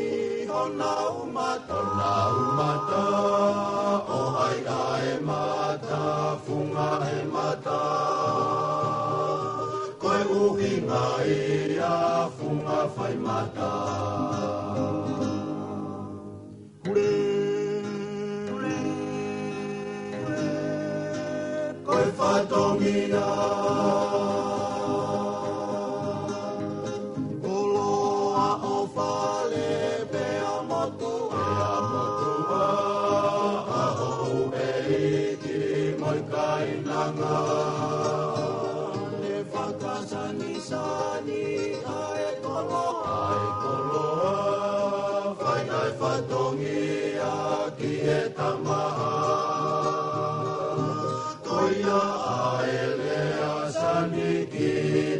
honau mata. Honau mata, ʻo hai ʻa e mata, funga he mata. Ko e ʻuhinga ia funga fai mata. Hure, hure, hure, ko e fatongia. Koloa ʻo fale pea motuʻa. Pea motuʻa, ʻa hoʻo ʻeiki mo e kainanga. Ne fakasanisani ʻa e koloa. ʻA e koloa, fai ʻa e fatongia ki he tamaha. Ko ia ʻa e lea sani ki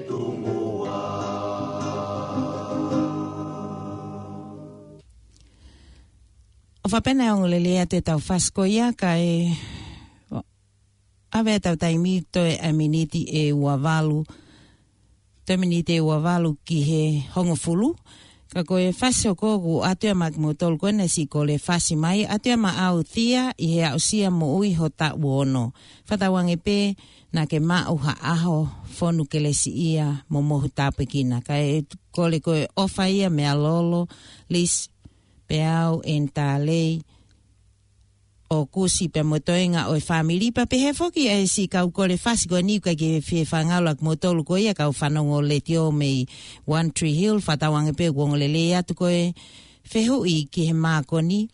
Tumua. ʻO fakapena e ongoongolelei atu ʻetau fasi ko ia kae ʻave ʻetau taimi toe ʻa e miniti ʻe ua valu. Toe miniti ʻe ua valu ki he hongofulu. Ka ko e fasi ʻoku ʻoatu ia maʻa kimoutolu ko ena siʻi kole fasi mai, ʻoatu ia maʻau Tia ʻi he aʻusia moʻui ho taʻu ono. Fakatauange pē naʻa ke maʻu ha ʻaho fonu kelesiʻia mo mohu tāpuekina. Kae kole ko e ʻofa ia meia Lolo, Lis, Peau, ʻEnitalei, ʻo Kusi pea mo e toenga ʻo e fāmili pea pehē foki ʻa e siʻi kau kole fasi ko eni ʻoku ʻikai ke fie fāngaula kimoutolu ko ia kau fanongo letiō mei One Tree Hill, fakatauange pē ʻoku ongo lelei atu ko e fehuʻi ki he mākoni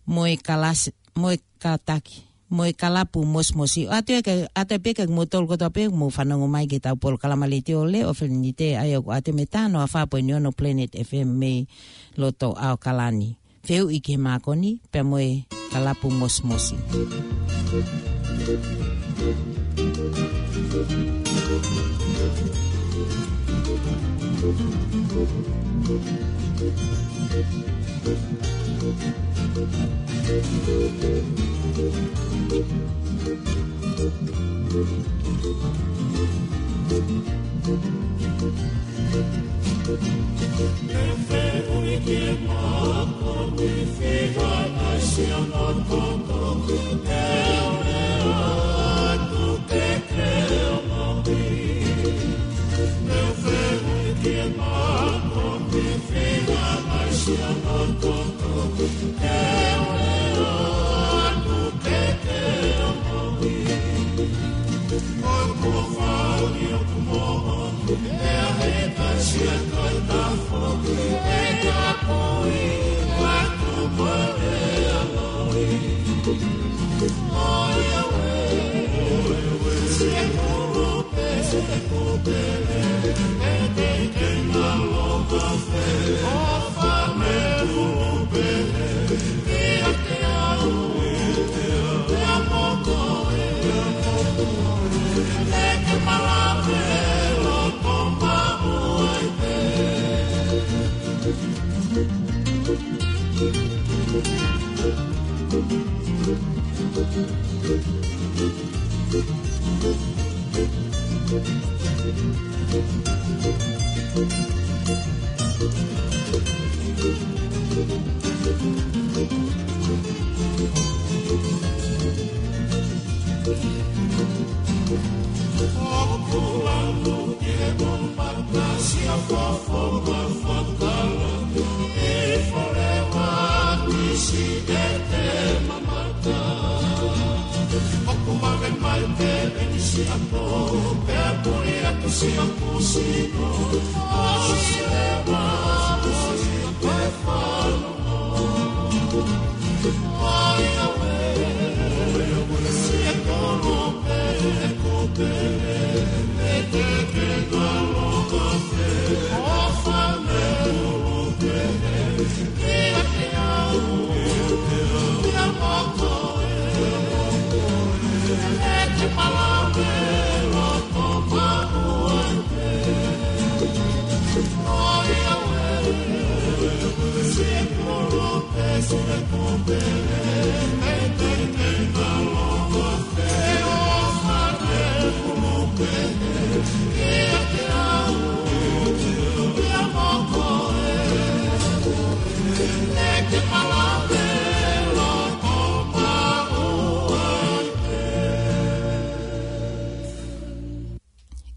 mo e kalasi, mo e kataki, mo e kalapu mosimosi. ʻOatu ia ke, ʻoatu pē kia kimoutolu kotoa pē ʻoku mou fanongo mai ki heʻetau polokalama letiō Leʻo Felenite, ʻa ia ʻoku ʻoatu mei he taha noa fā poini ono Planet F M mei loto ʻAokalani. Fehuʻi ki he mākoni, pea mo e kalapu mosimosi.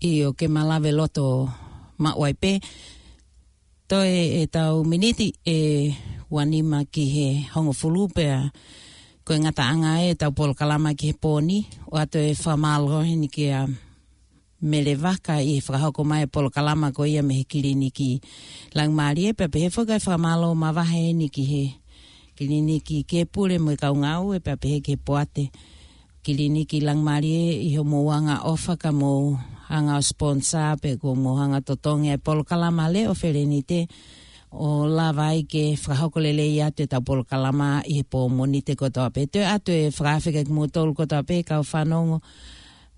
ʻIo, ke malave loto maʻu ai pē. Toe ʻetau miniti ʻe uanima ki he hongofulu pea ko e ngataʻanga ʻetau polokalama ki he pō ni, ʻoatu e fakamālō heni kia Mele Vaka ʻi he fakahoko mai e polokalama ko ia mei he kiliniki Laumālie, pea pehē foki ʻa e fakamālō mavahe heni ki he kiliniki Kepule mo e kau ngāue, pea pehē ki he poate kiliniki Laumālie ʻi hoʻomou anga ʻofa ka mou hanga ʻo sponsor pe ko hoʻomou hanga ʻo totongi ʻa e polokalama Leʻo Felenite ʻo lava ai ke fakahoko lelei atu ʻetau polokalama ʻi he pō Mōnite kotoa pē. Toe ʻoatu e fakaafe kia kimoutolu kotoa pē kau fanongo.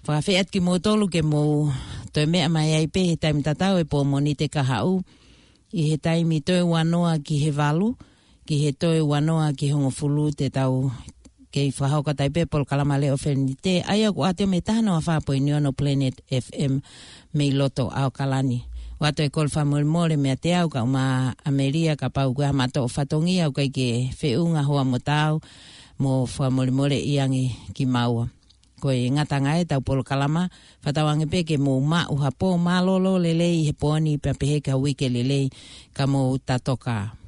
Fakaafe atu kimoutolu ke mou toe meʻa mai ai pē he taimi tatau e pō Mōnite kahaʻu ʻi he taimi toe uanoa ki he valu, ki he toe uanoa ki he hongofulu te tau kei fakahoko atu ai pē polokalama Leʻo Felenite, ʻa ia ʻoku ʻoatu mei he taha noa fā poini ono Planet F M mei loto ʻAokalani. ʻOatu e kole fakamolemole meiate au kae ʻumaʻā ʻa Melia kapau ko ha maʻu fatongia ʻoku ʻikai ke feʻunga hoʻo moʻui mo fakamolemoleʻi ange kimaua. Ko e ngataʻanga ʻetau polokalama, fakatauange pē ke mou maʻu ha pō mālōlō lelei he pō ni pea pehē ki ha uike lelei ka mou tatokā.